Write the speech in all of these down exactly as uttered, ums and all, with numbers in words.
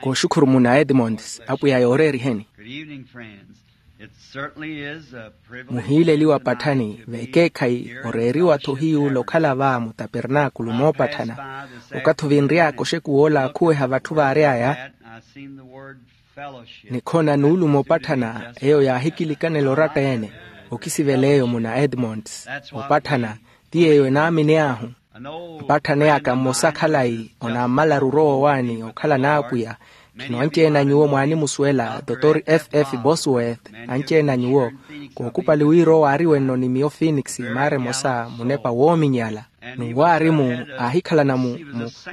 Kooxukhuru muna edmonds apwiya yooreeriheni. Muhiileliwa patthani vekeekhayi oreeriwa-tho hiyuula okhala va mutapernaakulu moopatthana. Okathi ovinry'aka oxekuw'ola akhuweha vatthu vaary'aya, nikhona nuulumo opatthana eyo yaahikilikanela oratta-ene. Okisivela eyo muna edmonds opatthana ti yeeyo enaaminey'ahu. Mpatthani aka mmosa khalayi onammalaru orowa owaani okhala n'apwiya. Khino anci-ene a nyuwo mwaanimusuwela dotor f f bosworth. Anci-ene a nyuwo kookupali wira owo aari wenno ni miyo phoenix maara emosa munepa woominyala. N'uwo aari mu aahikhalana mu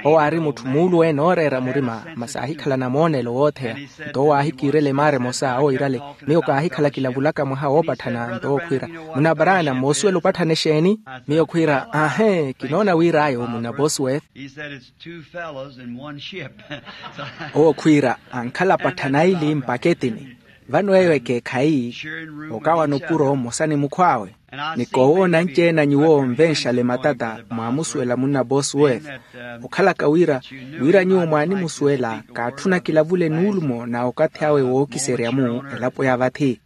owo aari mutthu muuluwe nooreera murima masi aahikhalana moonelo wootheya. Nto owo aahikiirela emaara emosa owo iirale miyo kaahikhala kilavulaka mwaha woopatthana nto owo khwiira, munna baraana moosuwela opatthana exeeni? Miyo khwiira ahe kinoona wir'aya omunna bosworth. Owo khwiira ankhala patthana aili mpaketini. Vano eyo ekeekhayi okawana opuro mmosa ni mukhw'awe. Ni koowoona anci-ene a nyuwo onvenxale matata mwaamusuwela munna bosworth. Okhalaka wira wira nyuwo mwaanimusuwela kaatthuna kilavule nuulumo na okathi awe wookiserya-mu elapo ya vathi.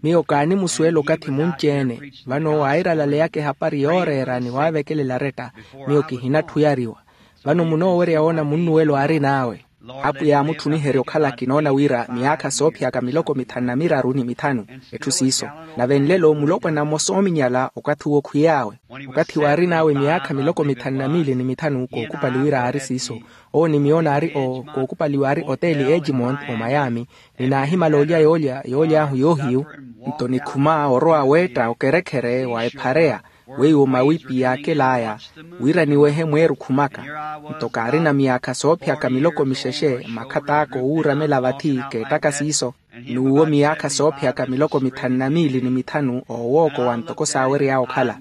Miyo kaanimusuwela okathi munci-ene. Vano waairalaleyaka ehapari yooreera ni waavekelela aretta. Miyo kihinatthu oyariwa. Vano munoowerya woona munnuwelo aarin'awe. Apwiya aamutthuniherya okhala kinoona wira miyaakha soophiyaka miloko mithanu na miraru ni mithanu. Etthu siiso. Nave nlelo mulopwana mmosa oominyala okathi uwo khwiy'awe. Okathi waarin'awe miyaakha miloko mithanu na miili ni mithanu kookupali wira aari siiso. Owo ni miyo naari o kookupaliwa aari oteeli ejimont omayami. Ni naahimala olya yoolya yooly'ahu yoohiyu. Nto nikhuma orowa weetta okerekhere wa ephareya weiwo mawipi yaakel'aya wira niwehe mweerukhumaka. Nto kaarina miyaakha soophiyaka miloko mixexe makhat'aka owuuramela vathi keettaka siiso. N'uwo miyaakha soophiyaka miloko mithanu na miili ni mithanu oowookowa ntoko saawery'awe okhala.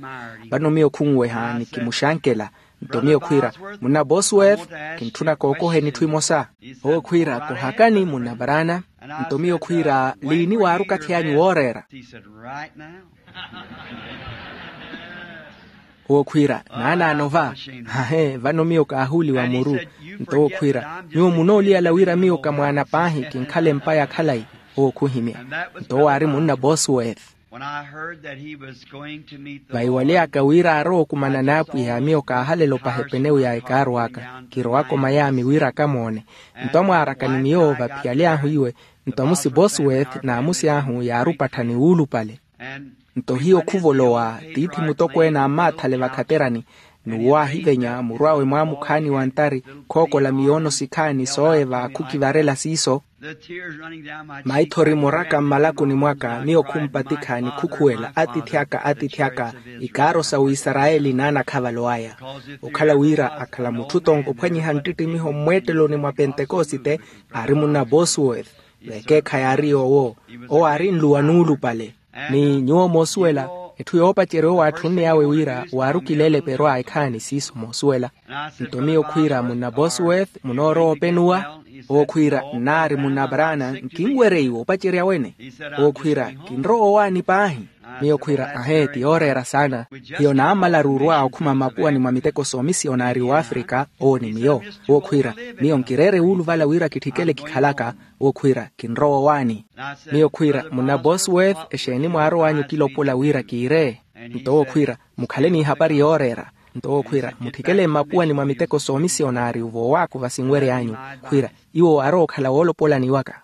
Vano miyo khunweha ni kimuxankela. Nto miyo khwiira, munna bosworth, kintthuna kookoheni etthu emosa. Owo khwiira kohakani munna baraana. Nto miyo khwiira, liini waaruka thiy'anyu wooreera? Owo khwiira, naanaano va. Hahe vano miyo kaahuuliwa muru. Nto owo khwiira, nyuwo munooliyala wira miyo ka mwaana paahi kinkhala empa ya khalayi. Owo khuhimya. Nto owo aari munna bosworth. Vahiwaly'aka wira aarowa okumana n'apwiya miyo kaahalela opaha epenewu ya ekaaru aka. Kirowaka omayami wira akamoone. Nto amwaaraka ni miyo vaphiyaly'ahu iwe. Nto amusi bosworth n'amusi ahu yaari opattha ni wuulupale. Nto hiyo khuvolowa tiithi mutokweene ammaathale vakhaterani. N'uwo aahivenya muru awe mwaamukhaani wa ntari khookola miyoono sikhaani sooye vaakhukivarela siiso. Maithori moraka mmalakuni mwaka miyo khumpatikha ni khukhuwela atiithi aka atiithi aka. Ikaaro sa wisarayeli n'anakhavalo aya. Okhala wira akhala mutthu tonko ophwanyiha nttittimiho mmweetteloni mwa pentekosite. Aari munna bosworth. Vekeekhayi aari yoowo. Owo aari nluwa nuulupale. Ni nyuwo moosuwela etthu yoopacerya owo aatthunne awe wira waarukileele perwa ekhaani siiso moosuwela. Nto miyo khwiira munna bosworth munoorowa openuwa? Owo khwiira nnaari munna baraana nkinwerya iwe opacerya wene. Owo khwiira kinrowa owaani paahi. Miyo khwiira ahe ti yooreera saana. Hiyo naammalaru orwa okhuma mmapuwani mwa miteko soomisiyonari w'afrika. Owo ni miyo. Owo khwiira miyo nkireere wuuluvala wira kitthikele kikhalaka. Owo khwiira kinrowa owaani. Miyo khwiira munna bosworth exeeni mwaarow'anyu okilopola wira kiire? Nto owo khwiira mukhale n'ihapari yooreera. Nto owo khwiira mutthikele mmapuwani mwa miteko soomisiyonari ovoowakuva sinwery'anyu. Khwiira iwo aarowa okhala woolopolani waka.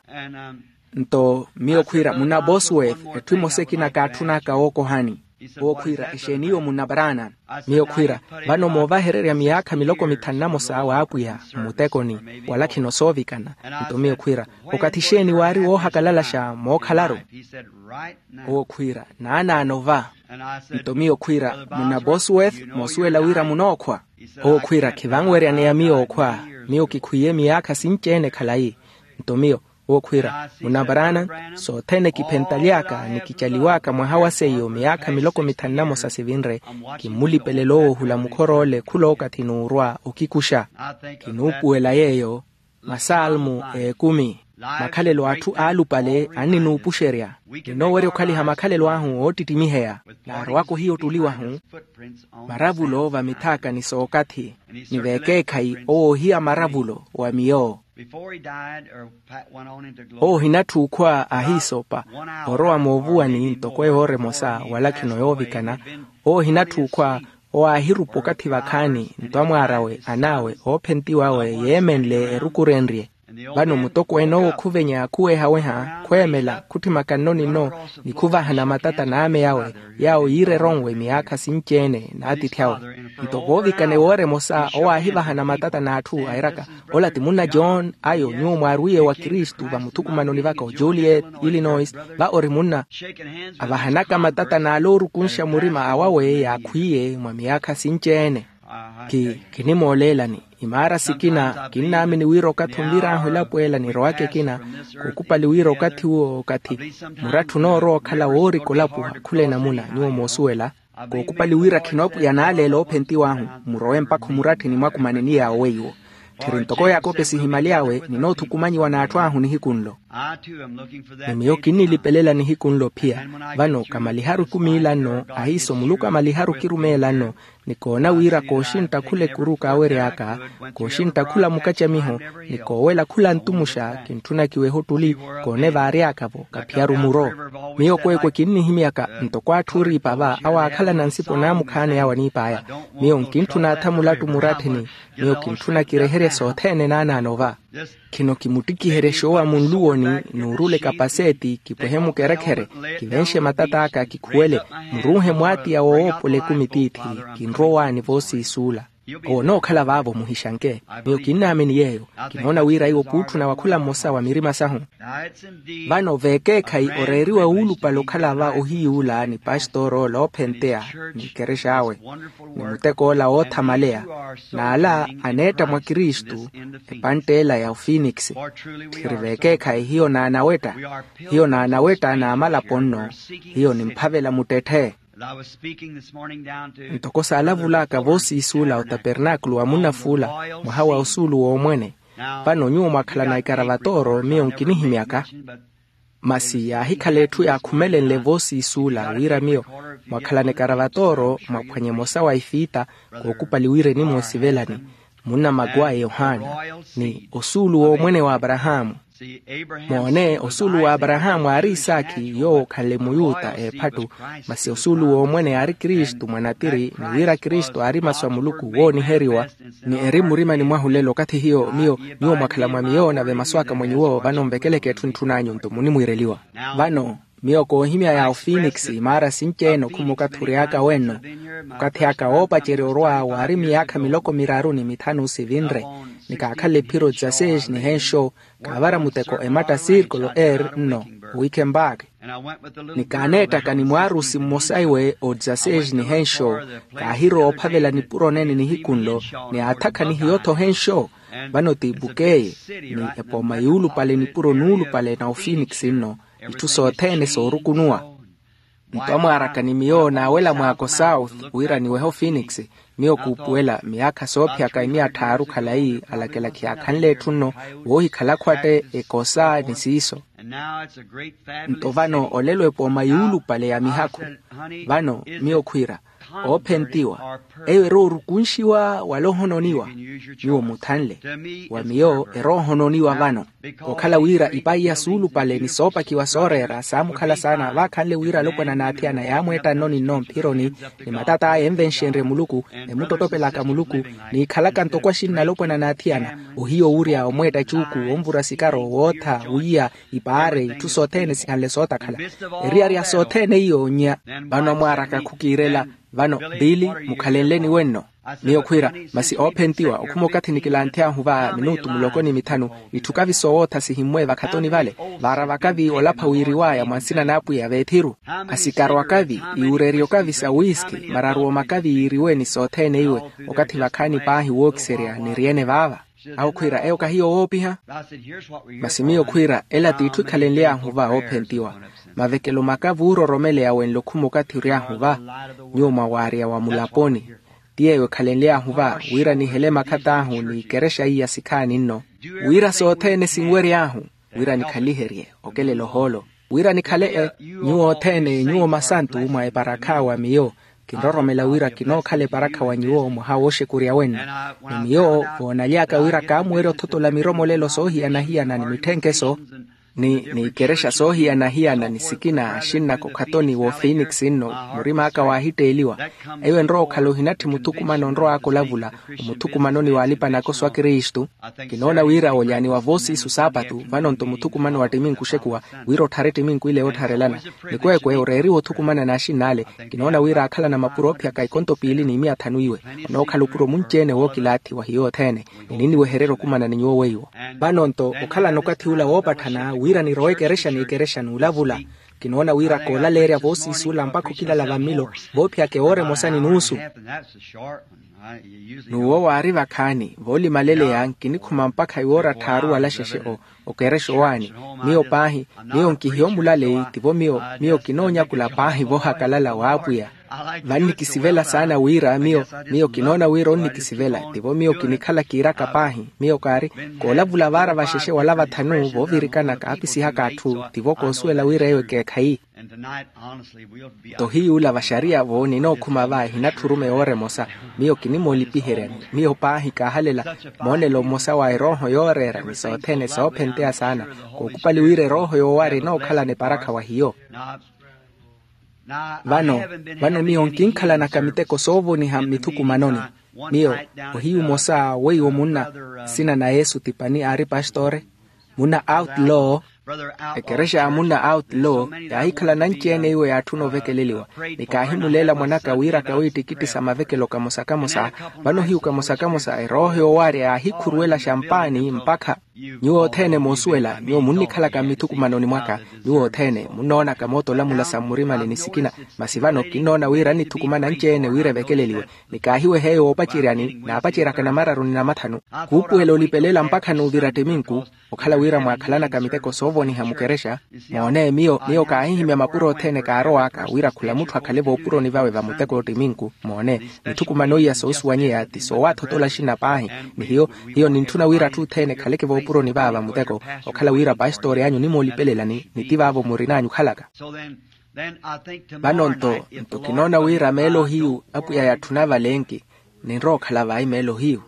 Nto miyo khwiira munna bosworth etthu emosa ekina kaatthun'aka wookohani. Owo khwiira exeeni iwo munna baraana? Miyo khwiira vano moovahererya miyaakha miloko mithanu na mosa w'apwiya mmutekoni wala khino soovikana. Nto miyo khwiira okathi exeeni waari woohakalalaxa mookhalaru? Owo khwiira naanaano va. Nto miyo khwiira munna bosworth moosuwela wira munookhwa? Owo khwiira khivanweryaneya miyo okhwa. Miyo kikhwiye miyaakha sinci-ene khalayi. Nto miyo owo khwiira munna baraana, sothene kiphentaly'aka ni kicaliw'aka mwaha wa seiyo miyaakha miloko mithanu na mosa sivinre. Kimmulipelela owo ohula mukhor'ole khula okathi n'urwa okikuxa. Kinuupuwela yeeyo masalmo ekumi. Makhalelo a atthu aalupale anninuupuxerya. Ninoowerya okhaliha makhalelo ahu oottittimiheya. Naarowaka ohiya ottuli wahu maravulo vamithaakani s'okathi. Ni veekeekhayi owo ohiya maravulo wa miyo. Owo ohinatthu okhwa ahiisoopa orowa moovuwani ntoko ewoora emosa wala khino yoovikana. Owo ohinatthu okhwa owo aahirupa okathi vakhaani nto amwaar'awe an'awe oophentiw'awe yeemenle erukurenrye. Vano mutokweene owo khuvenya khuwehaweha khweemela khutthimaka nno ni nno ni khuvahana matata n'ame awe yaawo yiira eronwe miyaakha sinci-ene n'atiithi awe. Nto voovikana ewoora emosa owo aahivahana matata n'atthu airaka, ola ti munna john ayo nyuwo mwaarwiye wa kristu vamuthukumanoni vaka ojuliet illinois. Va ori munna avahanaka matata n'ale oorukunxa murima awawe yaakhwiye mwa miyaakha sinci-ene. Kinimooleelani imaara sikina kinnaamini wira okathi onvir'ahu elapo ela nirowaka ekina. Kookupali wira okathi uwo okathi muratthi onoorowa okhala woorika olapuwa khula enamuna nyuwo moosuwela. Kookupali wira khino apwiya naaleela oophentiw'ahu murowe mpakha omuratthi ni mwakumaneni yaawo weiwo. Tthiri ntoko yakope sihimaly'awe ninoothukumanyiwa n'atthu ahu nihiku nlo. Ni miyo kinnilipelela nihiku nlo ophiya. Vano kamaliharu ekumi ila nno ahiiso muluku amaliharu kirumeela nno. Ni koona wira kooxintta khula ekuru kaawery'aka kooxintta khula mukacamiho ni koowela khula ntumuxa kintthuna kiwehe ottuli. Koone vaary'aka-vo kaphiyaru muro. Miyo kweekwe kinnihimyaka ntoko atthu ooriipa va awaakhalana nsipo naamukhaani awe aniip'aya. Miyo nkintthuna atha mulattu muratthini. Miyo kintthuna kireherye sothene naanaano va. Khino kimuttikiherye xoowa munluwoni nuurule kapaseeti kipwehe mukerekhere kivenxe matat'aka kikhuwele. Murunhe mwaatiya wowoopola ekumi tiithi kinrowaani voosiisuula. Owo onookhala vaavo muhixanke. Miyo kinnaamini yeeyo. Kinoona wira iwo kuutthuna wa khula mmosa wa mirima sahu. Vano veekeekhayi oreeriwa wuulupale okhala va ohiyuula ni pastor'ola oophenteya ni ekerex'awe ni mutek'ola woothamaleya. N'ala aneetta mwa kristu. Epantt'ela ya ofinikisi. Tthiri veekeekhayi hiyo naanawetta. Hiyo naanawetta n'amalapo nno. Hiyo nimphavela muttetthe. Ntoko saalavul'aka voosiisuula otapernaakulu wa munnafuula mwaha wa osuulu w'omwene. Vano nyuwo mwakhalana ikaravatooro miyo nkinihimyaka. Masi yaahikhala etthu yaakhumelenle voosiisuula wira miyo mwakhalana ikaravatooro mwaphwanya emosa wa ifiita. Kookupali wira enimwa osivelani munna makuwayi yohani ni osuulu w'omwene w'aparahaamu. Moone osuulu w'aparahaamu aari isaakhi yoowo okhanle muyuta eephattu. Masi osuulu w'omwene aari kristu mwanatiri ni wira kristu aari masu a muluku wooniheriwa. Ni eri mmurimani mwahu lelo okathi hiyo miyo nyuwo mwakhala mwa miyo nave masu aka mwa nyuwo vano nvekeleke etthu entthun'anyu nto munimwiireliwa. Vano miyo koohimya ya ofinikisi imaara sinci-ene okhuma okathi ory'aka wenno. Okathi aka woopacerya orwa waari miyaakha miloko miraru ni mithanu sivinre. Ni kaakhala ephiro dzaseis nihenxo kaavara muteko ematta circolo er nno owikenpaaki. Ni kaaneettaka ni mwaarusi mmosa iwe o dzaseis nihenxo. Kaahirowa ophavela nipuro neene nihiku nlo ni aathakha ni hiyo-tho henxo. Vano ti ipukeye ni epooma yuulupale nipuro nuulupale na ofinikisi nno itthu sothene soorukunuwa. Nto amwaaraka ni miyo naawela mwaako south wira niwehe ofinikisi. Miyo kuupuwela miyaakha soophiyaka emiya tthaaru khalayi alakelakhi yaakhanle etthu nno woohikhala akhwatte ekosa ni siiso. Nto vano olelo epooma yuulupale ya mihakhu. Vano miyo khwiira oophentiwa eyo eroorukunxiwa wala ohononiwa. Nyuwo muthanle wa miyo eroohononiwa vano. Okhala wira ipayi ya suulupale ni soopakiwa sooreera saamukhala saana vaakhanle wira alopwana n'athiyana yaamweetta nno ni nno mphironi ni matat'aya envenxenrye muluku emuttottopelaka muluku n'ikhalaka ntoko axinna alopwana n'athiyana. Ohiya owurya omweetta cuuku onvura sikaro wootha wiya ipaare itthu sothene sihanle sootakhala. Eriyari ya sothene iyo onnya. Vano amwaaraka khukiirela. Vano biili mukhalenleni wenno. Miyo khwiira masi oophentiwa okhuma okathi nikilanthy'ahu va minutu muloko ni mithanu itthu kavi soowootha sihimmwe vakhatoni vale. Vaara vakavi olapha wiiriw'aya mwa nsina n'apwiya veethiru. Asikaro akavi iwureryo kavi sa wiski mararu omakavi yiiriwe ni sothene iwe. Okathi vakhaani paahi wookiserya niri-ene vaava. Awo khwiira eyo kahiyo woopiha. Masi miyo khwiira ela t'itthu ikhalenly'ahu va oophentiwa. Mavekelo makavi oororomeleya wenle okhuma okathi ory'ahu va nyuwo mwawaarya wa mulaponi. Ti yeeyo ekhalenly'ahu va wira nihele makhat'ahu ni ikerexa iya sikhaani nno wira sothene sinwery'ahu. wira nikhaliherye okelela ohoolo, wira nikhale e nyuwo othene nyuwo masantu mwa eparakha wa miyo. Kinroromela wira kinookhala eparakha wa nyuwo mwaha wooxekurya wenno. Ni miyo voonaly'aka wira kaamuwerya othotola miromolelo soohiyana-hiyana ni mitthenkheso ni ni ikerexa soohiyana-hiyana ni sikina axinnaka okhatoni woofiiniksi nno, murim'aka waahitteeliwa. Eyo enrowa okhala ohinatthi muthukumano onrow'aka olavula omuthukumanoni w'alipa nakoso a kristu. Kinoona wira olyaaniwa voosiisu saapatu vano-nto muthukumano wa ttiminku oxekuwa, wira otthare ttiminku ile yoottharelana. Nikweekwe oreeriwa othukumana n'axinn'ale. Kinoona wira aakhalana mapuro oophiyaka ikonto piili n'imiya thanu iwe. Onookhala opuro munci-ene wookilaathi wa hiyo othene. Ni ninniwehererya okumana ni nyuwo weiwo. Vano-nto okhalana okathi ula woopatthana wira nirowe ekerexa n'ikerexa n'ulavula. Kinoona wira koolaleerya voosiisi ula mpakha okilala vammilo, voophiyaka ewoora emosa ni nuusu. N'uwo waari vakhaani voolimaleleya nkinikhuma mpakha iwoora tthaaru wala xexe o okerexa owaani. Miyo paahi, miyo nkihiya omulaleyi tivo miyo miyo kinoonyakula paahi voohakalala w'apwiya. Vannikisivela saana wira miyo miyo kinoona wira onnikisivela tivo miyo kinikhala kiiraka paahi. Miyo kaari koolavula vaara vaxexe wala vathanu voovirikana kaapisihaka atthu tivo koosuwela wira eyo ekeekhayi. Nto hiy'ula vaxariya vo ninookhuma va ehinatthi oruma ewoora emosa. Miyo kinimoolipiheryani. Miyo paahi kaahalela moonelo mmosa wa erooho yooreera ni sothene soophenteya saana. Kookupali wira erooho yoowaari enookhalana eparakha wa hiyo. Vano vano miyo nkinkhalanaka miteko soovoniha mmithukumanoni. Miyo ohiyu omosa weiwo munna sina na yesu tipani aari pastore munna outlaw. Ekerexa ya munna outlaw yaahikhala nanci-ene iwo yaatthuna ovekeleliwa. Ni kaahimuleela mwanaka wiiraka wiittikitti sa mavekelo kamosa-kamosa. Vano hiyu kamosa-kamosa erooho yoowaarya yaahikhuruwela xampaani mpakha nyuwo othene moosuwela nyuwo munnikhalaka mmithukumanoni mwaka. Nyuwo othene munnoonaka moota olamula sa mmurimani ni sikina. Masi vano kinnoona wira annitthukuma nanci-ene wira evekeleliwe. Ni kaahiweha eyo woopaceryani naapaceryaka namararu ni namathanu. Kuupuwela olipelela mpakha n'uvira ttiminku. Okhala wira mwaakhalanaka miteko soovoniha mukerexa moone miyo miyo kaahihimya mapuro othene kaarow'aka wira khula mutthu akhale voopuroni vawe va muteko ttiminku moone. Mithukumano iya soosuwanyeya ti soowathotola axinna paahi. Ni hiyo hiyo nintthuna wira atthu othene ekhaleke voopuroni vawe va muteko. Okhala wira pastori anyu onimoolipelelani ni ti vaavo murin'anyu okhalaka. Vano-nto nto kinoona wira meelo hiyu apwiya yatthuna valenki. Ninrowa okhala vai meelo hiyu.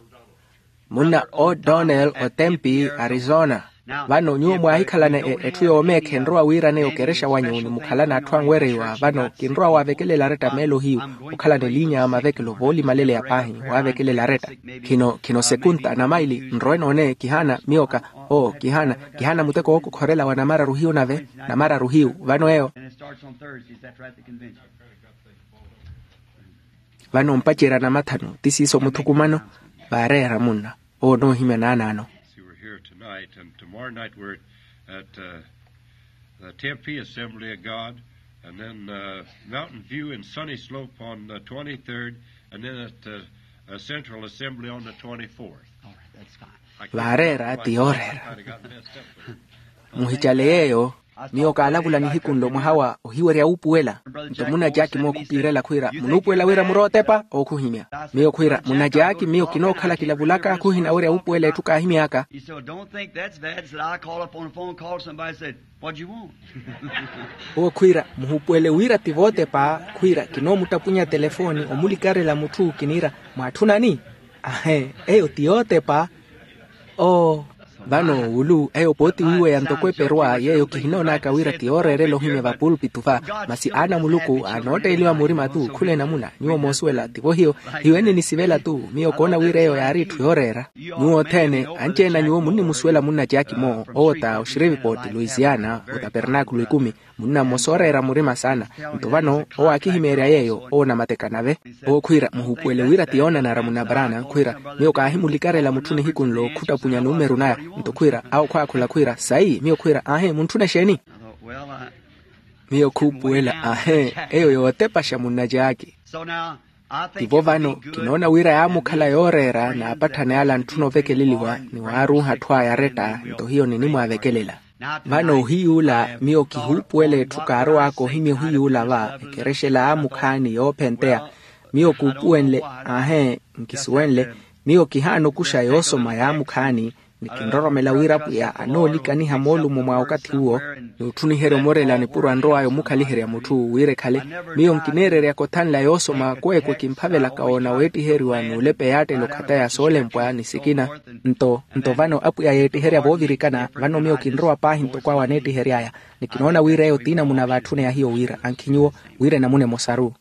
Munna o donel otempi arizona. Vano nyuwo mwaahikhalana etthu yoomeekha enrowa wiiraneya okerexa wanyu ni mukhalana atthu anwereiwa vano kinrowa waavekelela aretta meelo hiyu. Okhalana eliinya ya mavekelo voolimaleleya paahi waavekelela aretta. Khino khino sekunta na maili nrowe noone kihaana miyo ka oo kihaana kihaana muteko wookokhorela wa namararu hiyu nave namararu hiyu vano eyo. Vano mpacerya namathanu ti siiso muthukumano. Vaareera munna owo onoohimya naanaano. See, we're here tonight, and tomorrow night we're at uh, the Tempe Assembly of God, and then uh, Mountain View and Sunny Slope on the twenty-third, and then at uh, uh, Central Assembly on the twenty-fourth. Vaareera ti yooreera. Muhicale yeeyo. Miyo kaalavula nihiku nlo mwaha wa ohiwerya wuupuwela. Nto munna jaaki mookhupirela khwiira munuupuwela wira murootepa ookhuhimya. Miyo khwiira munna jaaki miyo kinookhala kilavulaka khuhinawerya wuupuwela etthu kaahimy'aka. He said, well, don't think that's bad. He said, I called up on the phone, called somebody, said, what do you want? Owo khwiira muhuupuwele wira ti vootepa. Khwiira kinoomuttapunya telefooni omulikarela mutthu kiniira mwaatthunani? Ahe, eyo ti yootepa. Oo. Vano wulu eyo pooti wiiweya ntoko eperuwa yeeyo kihinoonaka wira ti yooreerela ohimya vapulpitu va. Masi aana a muluku anootteeliwa murima-tu khula enamuna nyuwo moosuwela tivo hiyo. Hiyo enninisivela-tu miyo koona wira eyo yaari etthu yooreera. Nyuwo othene anci-ene a nyuwo munnimusuwela munna jaaki-mo owo ta oxirivipooti luisiana otapernakulo ikumi. Munna mmosa ooreera murima saana. Nto vano owo aakihimeerya yeeyo owo namatekanave. Owo khwiira muhuupuwele wira ti yoonanara munna brana khwiira miyo kaahimulikarela mutthu nihiku nlo khuttapunya numeru naya. Nto khwiira awo khwaakhula khwiira sayi miyo khwiira aahe muntthuna exeeni? Miyo khuupuwela aahe eyo yootepaxa munna jaaki. Tivo vano kinoona wira yaamukhala yooreera naapatthana yala antthuna ovekeleliwa ni waaruuha atthu aya aretta nto hiyo ninimwaavekelela. Vano ohiy'ula miyo kihuupuwela etthu kaarow'aka ohimya ohiy'ula va ekerexela yaamukhaani yoophenteya. Miyo kuupuwenle aahe nkisuwenle. Miyo kihaana okuxa yoosoma yaamukhaani. Ni kinroromela wira apwiya anoonikaniha moolumo mwa okathi uwo, n'utthuniherya omorela nipuro anrow'aya omukhaliherya mutthu wira ekhale. Miyo nkiniireryaka othanla yoosoma kweekwe kimphavelaka woona weettiheriwa n'ulepa eyaattela okhataya soolempwa ni sikina. Nto nto vano apwiya yeettiherya voovirikana vano miyo kinrowa paahi ntoko awo aneettihery'aya. Ni kinoona wira eyo t'inamuna vaatthune ya hiyo wira ankhi nyuwo wira enamuna emosaru.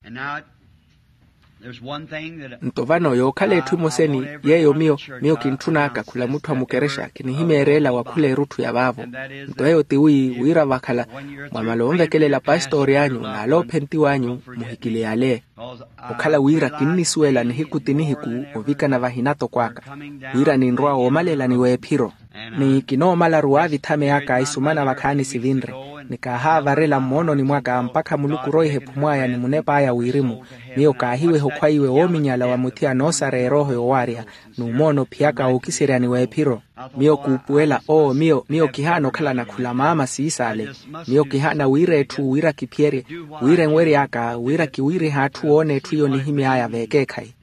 Nto vano yookhala etthu emoseni yeeyo miyo miyo kintthun'aka khula mutthu a mukerexa kinihimeereela wa khula erutthu ya vaavo. Nto eyo tiwi wira vakhala mwamala onvekelela pastori anyu n'aloophentiw'anyu muhikiliyale. Okhala wira kinnisuwela nihiku ti nihiku ovikana vahina toko aka wira ninrwa woomalela ni weephiro. Ni kinoomalaru waavithameyaka isumana vakhaani sivinre ni kaahaavarela mmoononi mwaka mpakha muluku oroiha ephumw'aya ni munep'aya wirimu. Miyo kaahiweha okhwaiwe woominyala wa muthi anoosareya erooho yoowaarya n'umoona ophiyaka wookiseryani w'ephiro. Miyo kuupuwela oo miyo miyo kihaana okhalana khula maama siisaale. Miyo kihaana wira etthu wira kiphiyerye wira enwery'aka wira kiwiirihe atthu woona etthu iyo nihimy'aya veekeekhayi.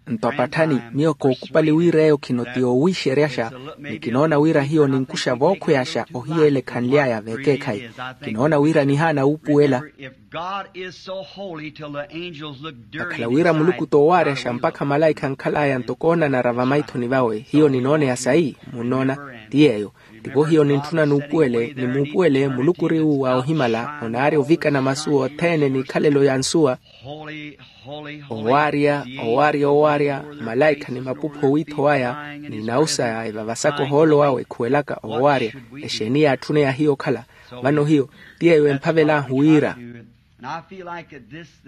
Nto apatthani miyo kookupali wira eyo khino ti yoowiixeryaxa. Ni kinoona wira hiyo ninkuxa vookhweyaxa ohiyeela ekhanly'aya veekeekhayi. Kinoona wira nihaana wuupuwela. Vakhala wira muluku t'owaaryasha mpakha malaikha ankhal'aya ntoko oonanara vamaithoni vawe hiyo ninooneya sayi munnoona. Ti yeeyo tivo hiyo nintthuna nuupuwele ni muupuwele muluku ori uwa ohimala onaarya ovikana masu othene n'ikhalelo ya nsuwa. Owaarya owaarya owaarya malaikha ni mapupho owiitho waya ni nawu saya evavasaka ohoolo wawe ekhuwelaka owaarya. Exeeni yaatthuneya hiyo okhala? Vano hiyo ti yeeyo emphavel'ahu wira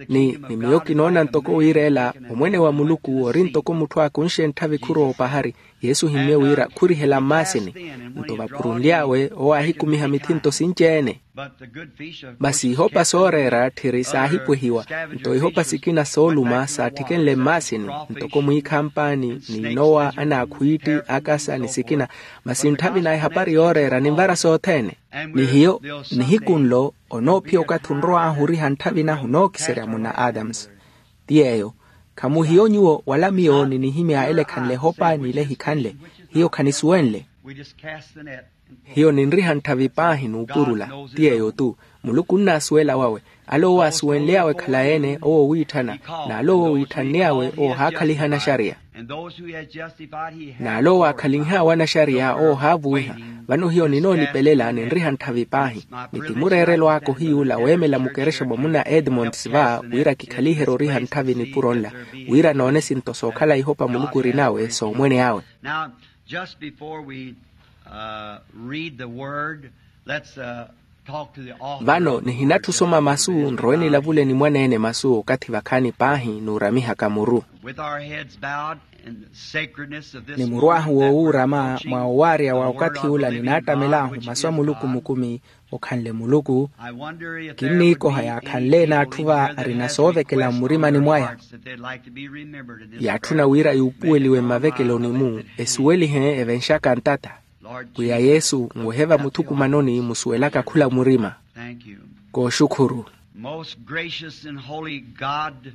ni ni miyo kinoona ntoko wira ela omwene wa muluku ori ntoko mutthu aakunxe ntthavi khurowa opahari. Yesu ohimmye wira khurihela mmaasini. Nto vapurunly'awe owo aahikumiha mithinto sinci-ene. Masi ihopa sooreera tthiri saahipwehiwa. Nto ihopa sikina sooluma saattikenle mmaasini ntoko mwiikhampaani ni nnowa anaakhwiitti akasa ni sikina. Masi ntthavi na ehapari yooreera ninvara sothene. Ni hiyo nihiku nlo onoophiya okathi onrow'ahu oriha ntthavi nahu nookiserya munna adams. Ti yeeyo khamuhiyo nyuwo wala miyo ninihimya ele ekhanle ehopa n'ile ehikhanle. Hiyo khanisuwenle. Hiyo ninriha ntthavi paahi n'upurula. Ti yeeyo-tu muluku onnaasuwela wawe. Ale owo aasuwenly'awe ekhalayi-ene owo owiitthana n'ale owo owiitthann'awe owo ohaakhaliha anaxariya. N'ale owo aakhalinh'awe anaxariya owo ohaavuwiha. Vano hiyo ninoolipelela ninriha ntthavi paahi. Ni ti mureerelo aka ohiy'ula weemela mukerexa mwa munna edmonds va wira kikhaliherye oriha ntthavi nipuro nla wira noone sinto sookhala ihopa muluku ori nawe soomwene awe. Vano nihinatthu osoma masu nrowe nilavule ni mwaneene masu okathi vakhaani paahi n'uramihaka muru. Ni muru ahu woowuurama mwa owaarya wa okathi ula ninaattamel'ahu masu a muluku mukumi. Okhanle muluku kinniikoha yaakhanle-ene atthu va arina soovekela mmurimani mwaya. Yaatthuna wira yuupuweliwe mmavekeloni-mu esuwelihe evenxaka ntatta. Pwiya yesu nwehe vamuthukumanoni musuwelaka khula murima. Kooxukhuru. Most gracious and holy God,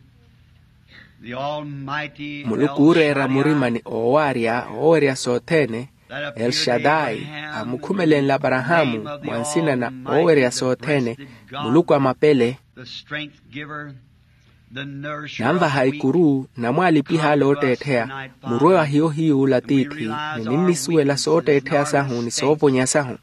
the Almighty muluku ooreera murima ni oowaarya oowerya sothene. El shaddai amukhumelenle aparahaamu mwa nsina na oowerya sothene. Muluku a mapele. Nanvaha ikuru namwaalipiha ale ootteettheya. Murwe wa hiyo hiy'ula tiithi ni ninnisuwela sootteettheya sahu ni soovonya sahu.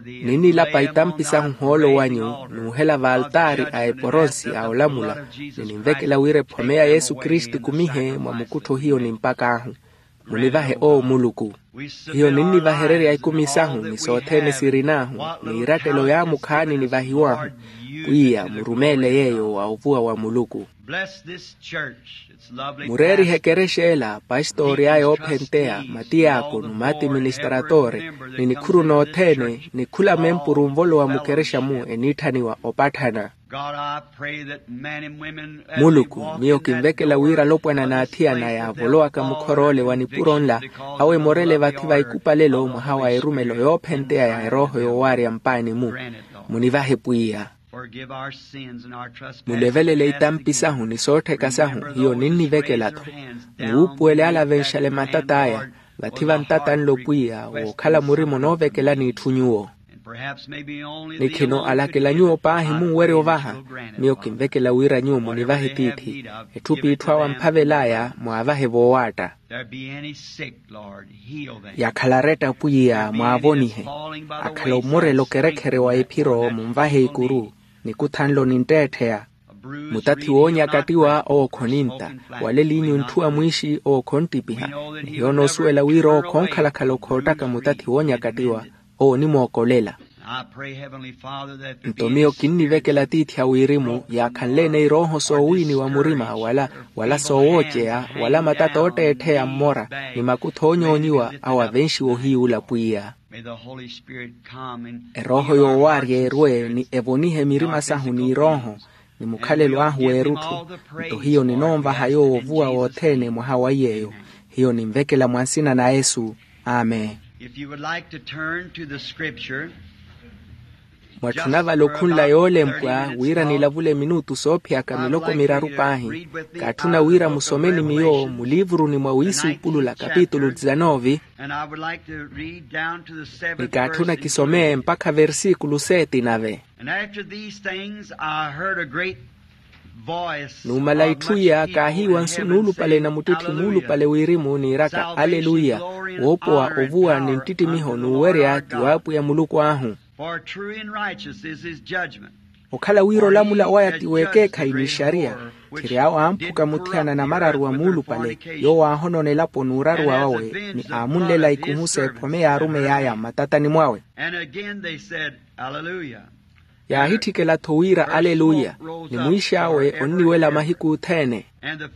Ninnilapa itampi sahu ohoolo wanyu n'uhela vaaltaari a eporonsi a olamula ni ninvekela wira ephome ya yesu kristu ekumihe mwa mukuttho hiyo nimpak'ahu. Munivahe owo muluku. Hiyo ninnivahererya ikumi sahu ni sothene sirin'ahu n'iirattelo yaamu khaani nivahiw'ahu. Pwiya murumeele yeeyo wa ovuwa wa muluku. Mureerihe ekerexa ela pastori aya oophenteya matiyaakono mati ministratore ni nikhuru nothene ni khula mempuru nvolowa mukerexa-mu eniitthaniwa opatthana. Muluku miyo kinvekela wira alopwana n'athiyana yaavolowaka mukhor'ole wa nipuro nla awo emorele vathi va ikupalelo mwaha wa erumelo yoophenteya ya erooho yoowaarya mpaani-mu. Munivahe pwiya. Mulevelele itampi sahu ni soottheka sahu hiyo ninnivekela-tho. Muwuupuwele alavenxale matat'aya, vathi vantatanle opwiya wookhala murima onoovekelani itthu nyuwo. Nikhino alakela nyuwo paahi munwerya ovaha. Miyo kinvekela wira nyuwo munivahe tiithi etthu p'itthu awo amphavel'aya mwaavahe voowaatta. Yakhala aretta pwiya mwaavonihe. Akhala omurela okerekhere wa ephiro munvahe ikuru. Nikuthanlo nintteettheya. Mutathi woonyakattiwa owo khonintta. Wala eliinyu ntthu a mwiixi owo khonttipiha. Ni hiyo noosuwela wira owo khonkhalakhala okhoottaka mutathi woonyakattiwa owo onimookolela. Nto miyo kinnivekela tiithi a wirimu yaakhanle-ene irooho soowiiniwa murima wala wala soowooceya wala matata ootteettheya mmora ni makutho oonyoonyiwa awo avenxiwa ohiyuula pwiya. Erooho yoowaarya erwe ni evonihe mirima sahu n'irooho ni mukhalelo ahu w'erutthu. Nto hiyo ninoonvaha yoowo ovuwa wothene mwaha wa iy'eyo. Hiyo ninvekela mwa nsina na yesu. Amen. Mwatthuna vale okhunla yoolempwa wira nilavule minutu soophiyaka miloko miraru paahi. Kaatthuna wira musome ni miyo muliivuruni mwa wiisuupulula kapitulu dizanove. Ni kaatthuna kisome mpakha versikulu seeti nave. And after these things I heard a great voice. Numala itthu iya kaahiiwa nsu nuulupale na muttitthi muulupale wirimu niiraka aleluya. Woopowa ovuwa ni nttittimiho n'uwerya ti w'apwiya muluku ahu. For true and righteous is his judgment. Okhala wira olamula waya ti w'ekeekhayi n'ixariya. Tthiri awo amphuka muthiyana na mararu wa muulupale yoowo aahonona elapo n'uraruwa wawe ni aamunlela ikuhu s'ephome y'arumeyi aya mmatatani mwawe. And again they said, Alleluia. Yaahitthikela-tho wira aleluya. Ni mwiix'awe onniwela mahiku othene.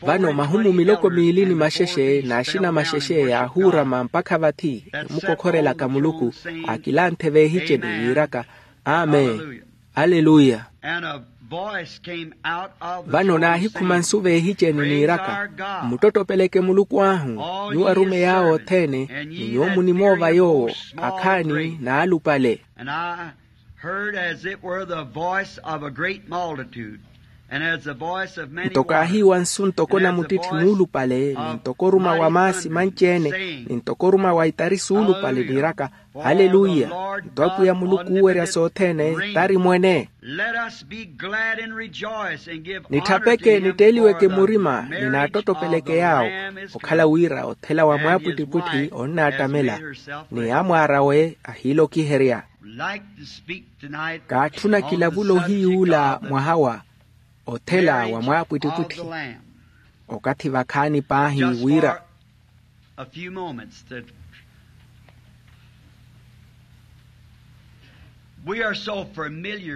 Vano mahumu miloko miili ni maxexe n'axina maxexe yaahuurama mpakha vathi emukokhorelaka muluku. Aakilanthe veehiceni yiiraka, amen. Aleluya. Vano naahikhuma nsu veehiceni niiraka, mmuttottopeleke muluku ahu, nyuwo arumeyi awe othene, ni nyuwo munimoova yoowo, akhaani n'alupale. And I heard as it were the voice of a great multitude, and as the voice of many nto kaahiiwa nsu ntoko na muttitthi muulupale ni ntoko oruma wa maasi manci-ene, ni ntoko oruma wa itari suulupale niiraka, aleluya. Nto apwiya muluku oowerya sothene tari mwene. Let us be glad and rejoice and give honor to him for the very great salvation of the world. Nitthapeke nitteeliweke murima ni naattottopeleke yaawo. Okhala wira othela wa mwaapwittipwitthi onnaattamela ni amwaar'awe ahiilokiherya. Kaatthuna kilavula ohiyuula mwaha wa othela wa mwaapwittipwitthi. Okathi vakhaani paahi wira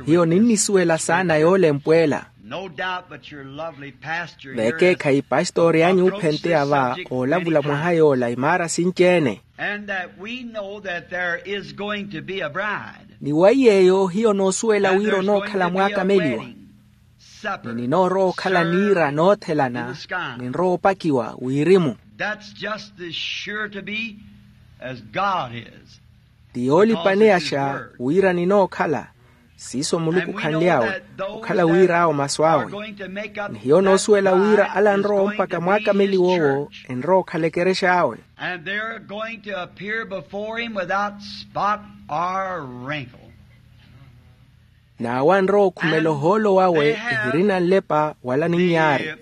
hiyo ninnisuwela saana yoolempwa ela. Veekeekhayi pastori anyu ophenteya va oolavula mwaha yoola imaara sinci-ene. And that we know that there is going to be a bride. Ni wa iy'eyo hiyo noosuwela wira onookhala mwaakameliwa. Ni ninoorowa okhala niira noothelana. Ninrowa opakiwa wirimu. That's just as sure to be as God is. Ti yoolipaneyaxa wira ninookhala. Siiso muluku khanly'awe okhala wira awo masu awe. Ni hiyo noosuwela wira ala anrowa ompaka mwaakameliwa owo enrowa okhala ekerexa awe. And they're going to appear before him without spot or wrinkle. N'awo anrowa okhumela ohoolo wawe ehirina nlepa wala ninyaari.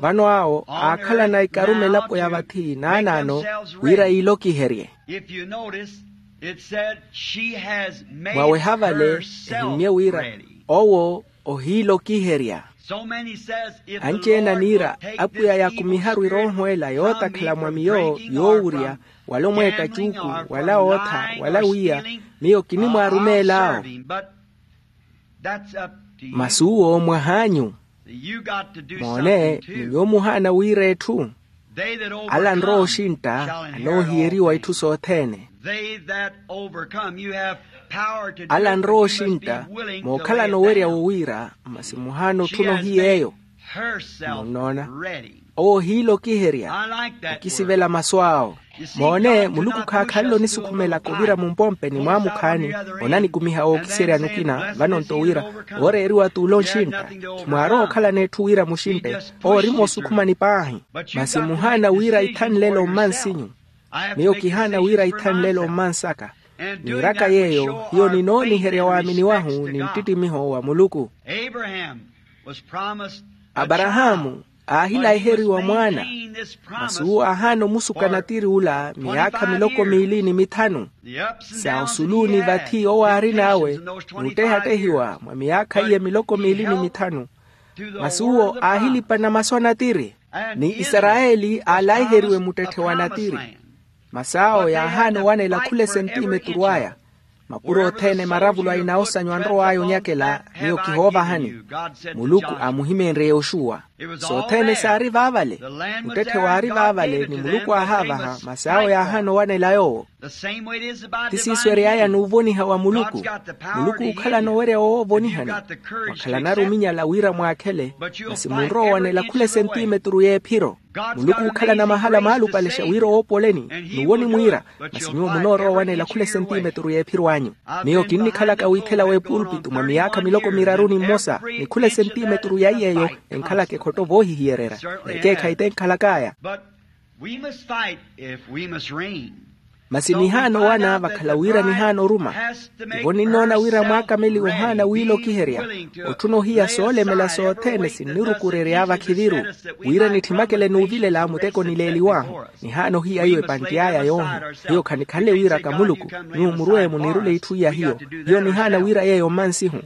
Vano awo aakhalana ikarume elapo ya vathi naanaano wira yiilokiherye. Mwaweha vale ehimmye wira owo ohiilokiherya. Anci-ene aniira apwiya yaakumiharu erooho ela yootakhala mwa miyo yoowurya wala omweetta cuuku wala ootha wala wiya miyo kinimwaarumeel'awo. Masu owo mwah'anyu. Moone ni nyuwo muhaana wira etthu. Ala anrowa oxintta anoohiyeriwa itthu sothene. Ala anrowa oxintta mookhalana owerya wowiira masi muhaana otthuna ohiy'eyo. Munnoona. Owo ohiila okiherya. Okisivela masu awo. Moone muluku khaakhanle onisukhumela kuvira mumpompeni mwa mukhaani. Onanikumiha wookiseryani okina vano nto wira, ooreeriwa t'ule onxintta. Khimwaarowa okhalana etthu wira muxintte. Owo ori moosukhumani paahi. Masi muhaana wira ithanle elo mmansinyu. Miyo kihaana wira ithanle elo mmansaka. Niiraka yeeyo hiyo ninooniherya waamini wahu ni nttittimiho wa muluku. Aparahaamu aahilahiheriwa mwaana. Masi uwo aahaana omusuka natiri ula miyaakha miloko miili ni mithanu. Sa osuluuni vathi owo aarin'awe n'uttehattehiwa mwa miyaakha iye miloko miili ni mithanu. Masi uwo aahilipana masu a natiri. Ni isarayeli aalaiheriwe muttetthe wa natiri. Masi awo yaahaana owanela khula esentimeturu aya. Mapuro othene maravulo a inawosanyu anrow'aya onyakela. Miyo kihoovahani. Muluku aamuhimeenrye yoxuwa. Sothene saari vaavale. Muttetthe waari vaavale ni muluku aahaavaha masi awo yaahaana owanela yoowo. Ti siiso ery'aya n'uvoniha wa muluku. Muluku ookhalana owerya woovonihani. Mwakhalanaru ominyala wira mwaakhele. Masi munrowa owanela khula esentimeturu y'ephiro. Muluku ookhalana mahala maalupalexa wira owoopoleni. N'uwo onimwiira. Masi nyuwo munoorowa owanela khula esentimeturu y'ephiro anyu. Miyo kinnikhalaka wiithela w'epulpitu mwa miyaakha miloko miraru ni mmosa. Ni khula esentimeturu ya iy'eyo enkhalaka ekhotto voohihiyererya. Ekeekhayi t'enkhalak'aya. Masi nihaana owana vakhala wira nihaana oruma. Tivo ninnoona wira mwaakameliwa ohaana wiila okiherya. Otthuna ohiya soolemela sothene sinnirukurerya vakhiviru. Wira nitthimakele n'uvilela muteko nileeliw'ahu. Nihaana ohiya iwe epantt'aya yoohi. Hiyo khanikhanle wiiraka muluku. Nyuwo murwe munirule itthu iya hiyo. Hiyo nihaana wira yeeyo mmansihu.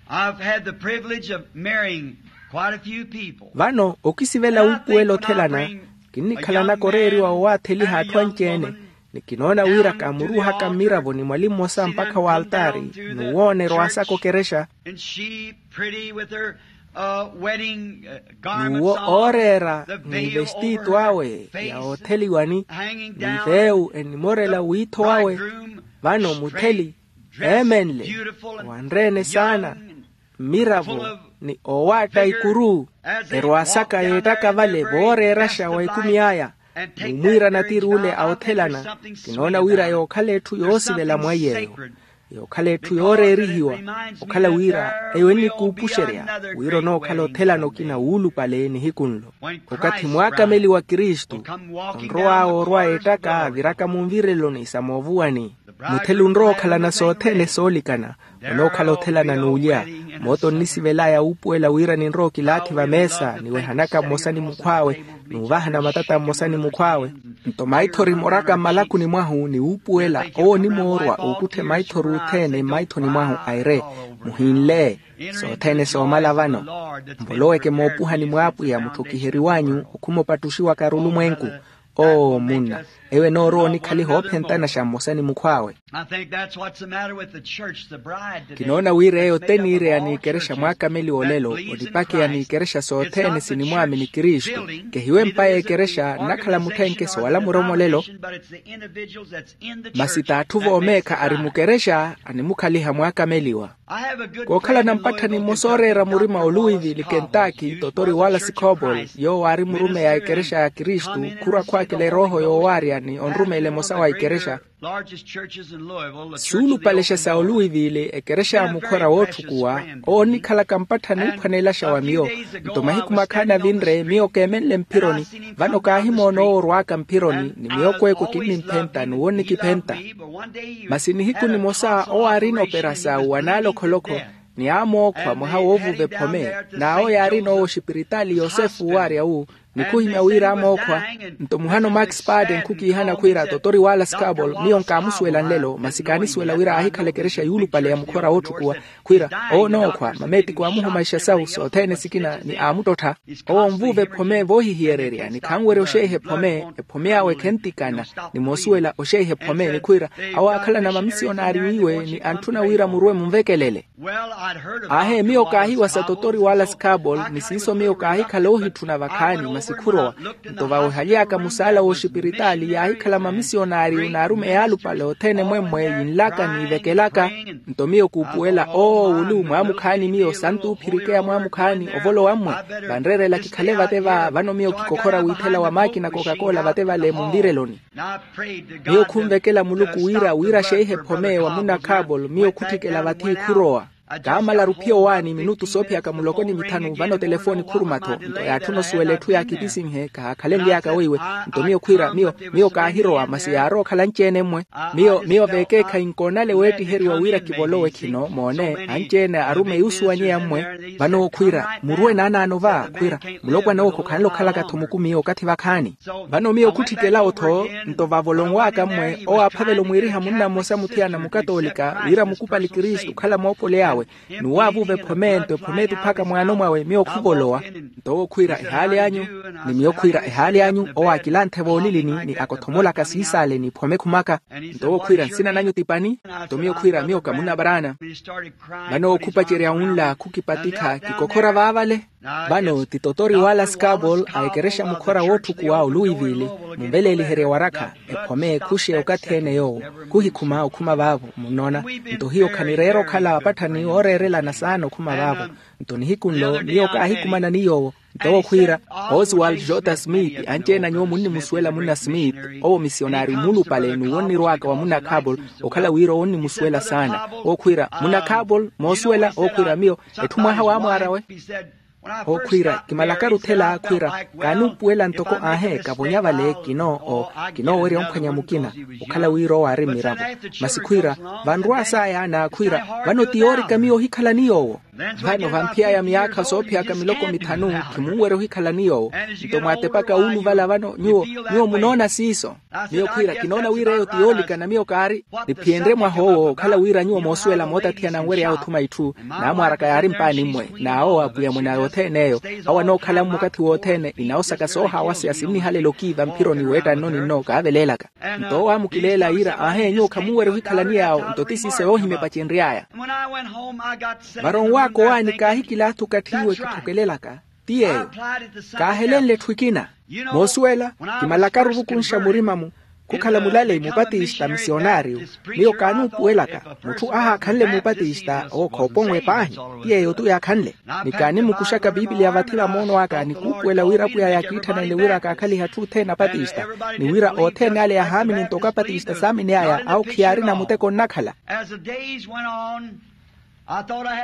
I've had the privilege of marrying quite a few people. Vano okisivela wuupuwela othelana. Kinnikhalanaka oreeriwa owaatheliha atthu anci-ene. Ni kinoona wira kaamuruuhaka mmiravoni mwali mmosa mpakha w'altaari. N'uwo oneerwa asaka okerexa. N'uwo ooreera ni vestiitu awe ya otheliwani. Ni veewu enimorela wiitho wawe. Vano mutheli eemenle, wanre-ene saana, mmiravo ni oowaatta ikuru. Erwaasaka yeettaka vale vooreeraxa wa ekumi aya. N'umwiira natiri ule a othelana. Kinoona wira yookhala etthu yoosivela mwa iy'eyo. Yookhala etthu yooreerihiwa. Okhala wira eyo ennikuupuxerya wira onookhala othelana okina wuulupale nihiku nlo. Okathi mwaakameliwa kristu onrow'awe orwa ettaka aviraka munvireloni sa moovuwani. Mutheli onrowa okhalana sothene soolikana. Onookhala othelana n'ulya. Moota onnisivel'aya wuupuwela wira ninrowa okilaathi vameesa niwehanaka mmosa ni mukhw'awe. Nuuvahana matata mmosa ni mukhw'awe. Nto maithori moraka mmalakuni mwahu ni wuupuwela owo onimoorwa ookutthe maithori othene mmaithoni mwahu aire. Muhinle sothene soomala vano. Mvoloweke moopuhani mw'apwiya mutthu okiheriw'anyu okhuma opattuxiwaka arulumwenku. Oo munna, eyo enoorowa onikhaliha oophentanaxa mmosa ni mukhw'awe. Kinoona wira eyo teniireya n'ikerexa mwaakameliwa olelo onipakeya n'ikerexa sothene sinimwaamini kristu. Kehiwe mpa y'ekerexa nnakhala mutthenke soowalamura omolelo. Masi t'atthu voomeekha ari mukerexa animukhaliha mwaakameliwa. Kookhalana mpatthani mmosa ooreera murima oluwivili kentaki totori wala sikobol yoowo aari murumeyi a ekerexa ya kristu khurwa khwaakela erooho yoowaarya ni onrumeela emosa wa ekerexa. Suulupalexa sa oluwivili ekerexa ya mukhora wootthukuwa owo onnikhalaka mpatthani oophwanelaxa wa miyo. Nto mahiku makhaani avinre miyo keemenle mphironi. Vano kaahimoona owo orwaaka mphironi ni miyo kweekwe kinnimphenta n'uwo onnikiphenta. Masi nihiku nimosa owo aarina operasau wa naalokholokho ni aamookhwa mwaha woovuva ephome. N'awo yaarina owo oxipiritaali yosefu waarya wu. Ni khuhimya wira aamookhwa. Nto muhano max paden khukiihana khwiira totori wala scabol miyo nkaamusuwela nlelo masi kaanisuwela wira aahikhala ekerexa yuulupale ya mukhora wootthukuwa. Khwiira owo onookhwa mameetiko aamuhoma ixasawu sothene sikina ni aamuttottha. Owo onvuuva ephome voohihiyererya ni khanwerya oxeiha ephome. Ephome awe khentikana ni moosuwela oxeiha ephome ni khwiira awo aakhalana mamisionaari wiiwe ni antthuna wira murwe munvekelele. Aahe miyo kaahiwa sa totori wala scabol ni siiso miyo kaahikhala oohitthuna vakhaani. Sikhurowa. Nto vawehaly'aka musaala w'oxipiritaali yaahikhala mamisiyonari n'arumeyi alupale othene mwemmwe yinlaka niivekelaka. Nto miyo kuupuwela oowulu mwaamukhaani miyo santuuphirikeya mwaamukhaani ovolowa mmwe. Vanreerela kikhale vate va vano miyo kikokhora wiithela wa maakina coca-cola vate vale munvireloni. Miyo khunvekela muluku wira wira xeihe phome wa munna kabol miyo khutthikela vathi khurowa. Kaamalaru phiyo waani minutu soophiyaka muloko ni mithanu vano telefoni khuruma-tho nto yaatthuna osuwela etthu ya kipisinhe kahaakhalenly'aka weiwe. Nto miyo khwiira miyo miyo kaahirowa masi yaarowa okhala anci-ene mmwe. Miyo miyo veekeekhayi nkoonale weettiheriwa wira kivolowe khino moone anci-ene arumeyi osuwanyeya mmwe. Vano khwiira muruwe naanaano va khwiira mulopwana owo khokhanle okhalaka-tho mukumiyo okathi vakhaani. Vano miyo khutthikela otho nto vavolonw'aka mmwe owaaphavela omwiiriha munna mmosa muthiyana mukatoolika wira mukupali kristu okhala moopole awe. Ni waavuva ephome nto ephome ettuphaka mwaano mwawe miyo khuvolowa. Nto owo khwiira ehaali anyu ni miyo khwiira ehaali anyu owaakilanthe voolilini ni akothomolaka siisaale ni phome khumaka. Nto owo khwiira nsina nanyu ti pani? Nto miyo khwiira miyo kamunavaraana. Vano owo khupacerya wunla khukipatikha kikokhora vaavale. Vano ti totori wala skabol a ekerexa mukhora wootthukuwa oluwivili munveleeliherye warakha ephome ekhuxe okathi-ene yoowo. Khuhikhuma okhuma vaavo munnoona. Nto hiyo khanireera okhala apatthani ooreerelana saana okhuma vaavo. Nto nihiku nlo miyo kaahikumana ni yoowo. Nto owo khwiira oswald jota smith anci-ene a nyuwo munnimusuwela munna smith owo misiyonari muulupale n'uwo onnirw'aka wa munna kabol. Okhala wira owo onnimusuwela saana owo khwiira munna kabol moosuwela owo khwiira miyo etthu mwaha waamwaarawe. Owo khwiira kimalakaru othela khwiira kaanuupuwela ntoko aahe kavonya vale kinoo kinoowerya omphwanya mukina. Okhala wira owo aari mmiravo masi khwiira vanrwa saaya n'akhwiira vano ti yoorika miyo ohikhala ni yoowo. Vano vamphiyaya miyaakha soophiyaka miloko mithanu khimunwerya ohikhala ni yoowo. Nto mwaatepaka wuuluvala vano nyuwo nyuwo munoona siiso. Miyo khwiira kinoona wira eyo ti yoolikana miyo kaari niphiyenrye mwaha owo okhala wira nyuwo moosuwela mootathiyana nwery'aya othuma itthu. Naamwaaraka yaari mpaani mmwe n'awo apwiya mwe na yothene eyo awo anookhala mmwe okathi wothene inawo saka soohaawaseya sinnihalela okiiva mphironi weetta nno ni nno kaaveleelaka. Nto owo aamukileela yiira aahe nyuwo khamunwerya ohikhalani yaawo nto ti siiso yoohimya epacenry'aya. Varonwaaka owaani kaahikilaatha okathi iwe kitthokelelaka ti yeeyo. Kaahelenle etthu ekina moosuwela kimalakaru ovukunxa murima-mu khukhala mulaleyi mupatista misiyonariyo. Miyo kaanuupuwelaka mutthu ahaakhanle mupatista owo khooponwe paahi. Ti yeeyo-tu yaakhanle ni kaanimukuxaka piipiliya vathi va moono aka ni kuupuwela wira apwiya yaakiitthanenle wira akaakhalihe atthu othene apatista ni wira othene ale yahaamini ntoko apatista saamin'aya awo khiyaarina muteko onnakhala.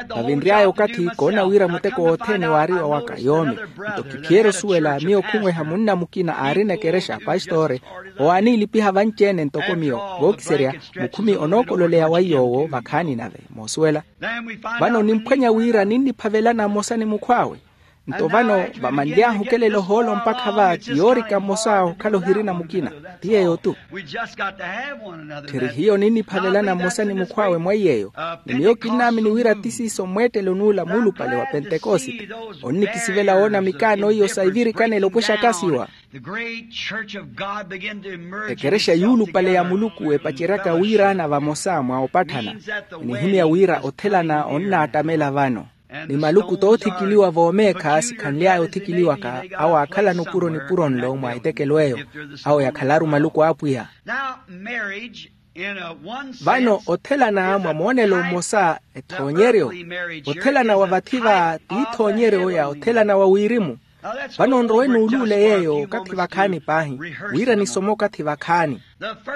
Vavinry'aya okathi koona wira muteko wothene waari wawaka yoomi. Nto kiphiyerya osuwela miyo khunweha munna mukina aarina ekerexa pastore owo aaniilipiha vanci-ene ntoko miyo vookiserya mukhumi onookololeya wa iy'owo vakhaani nave moosuwela. Vano nimphwanya wira ninniphavelana mmosa ni mukhw'awe. Nto vano vamanly'ahu okelela ohoolo mpakha va ti yoorika mmosa okhala ohirina mukina. Ti yeeyo-tu. Tthiri hiyo ninniphavelana mmosa ni mukhw'awe mwa iy'eyo. Ni miyo kinnaamini wira ti siiso mweettelo n'ula muulupale wa pentekosite onnikisivela woona mikaano iyo sa ivirikanelo opwexaka asiwa. Ekerexa yuulupale ya muluku epaceryaka wiiraana vamosa mwa opatthana enihimya wira othelana onnaattamela vano. Ni maluku toothikiliwa voomeekha sikhanly'aya othikiliwaka awo aakhalana opuro nipuro nlo mwa etekelo eyo. Awo yakhalaru maluku a apwiya. Vano othelana mwa moonelo mmosa ethoonyeryo. Othelana wa vathi va ti ithoonyeryo ya othelana wa wirimu. Vano nrowe nuuluule yeeyo okathi vakhaani paahi wira nisome okathi vakhaani.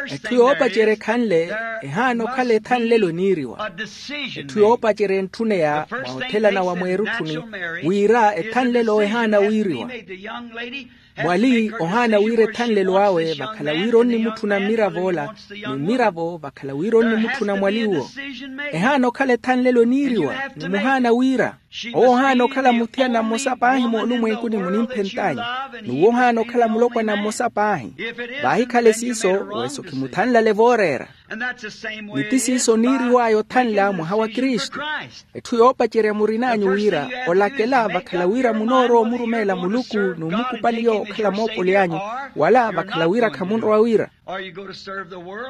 Etthu yoopacerya ekhanle ehaana okhala ethanlelo eniiriwa. Etthu yoopacerya entthuneya mwa othelana wa mweerutthuni wira ethanlelo ehaana wiiriwa. Mwali ohaana wira ethanlelo awe vakhala wira onnimutthuna mmirav'ola ni mmiravo vakhala wira onnimutthuna mwali uwo. Ehaana okhala ethanlelo eniiriwa ni muhaana wira owo ohaana okhala muthiyana mmosa paahi moolumwenkuni munimphentanyu n'uwo ohaana okhala mulopwana mmosa paahi. Vaahikhale siiso weso khimuthanlale vooreera. Ni ti siiso niiriw'aya othanla mwaha wa kristu. Etthu yoopacerya murin'anyu wira olakela vakhala wira munoorowa omurumeela muluku n'umukupaliya okhala moopoli anyu wala vakhala wira khamunrowa wira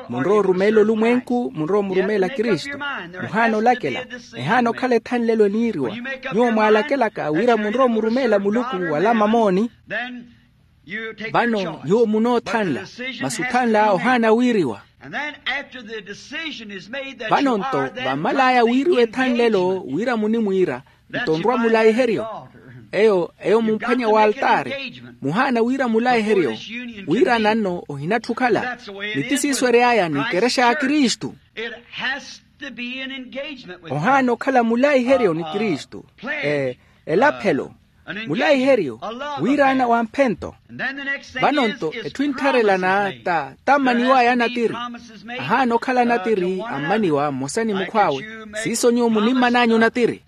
munrowa orumeela olumwenku munrowa omurumeela kristu. Muhaana olakela ehaana okhala ethanlelo eniiriwa. Nyuwo mwaalakelaka wira munrowa omurumeela muluku wala mamooni. Vano nyuwo munoothanla, masi othanla ohaana wiiriwa. Vano-nto vammal'aya wiiriwa ethanlelo wira munimwiira, nto nrwa mulaiheryo. Eyo eyo mumphwanya w'altaari, muhaana wira mulaiheryo, wiirana nno ohinatthu okhala. Ni ti siiso ery'aya n'ikerexa ya kristu. Ohaana okhala mulaiheryo ni kristu. Elaphelo, mulaiheryo, wiiraana wa mphento. Vano-nto etthu enttharelana ta tammaniw'aya anatiri. Ahaana okhala anatiri ammaniwa mmosa ni mukhw'awe. Siiso nyuwo munimman'anyu natiri.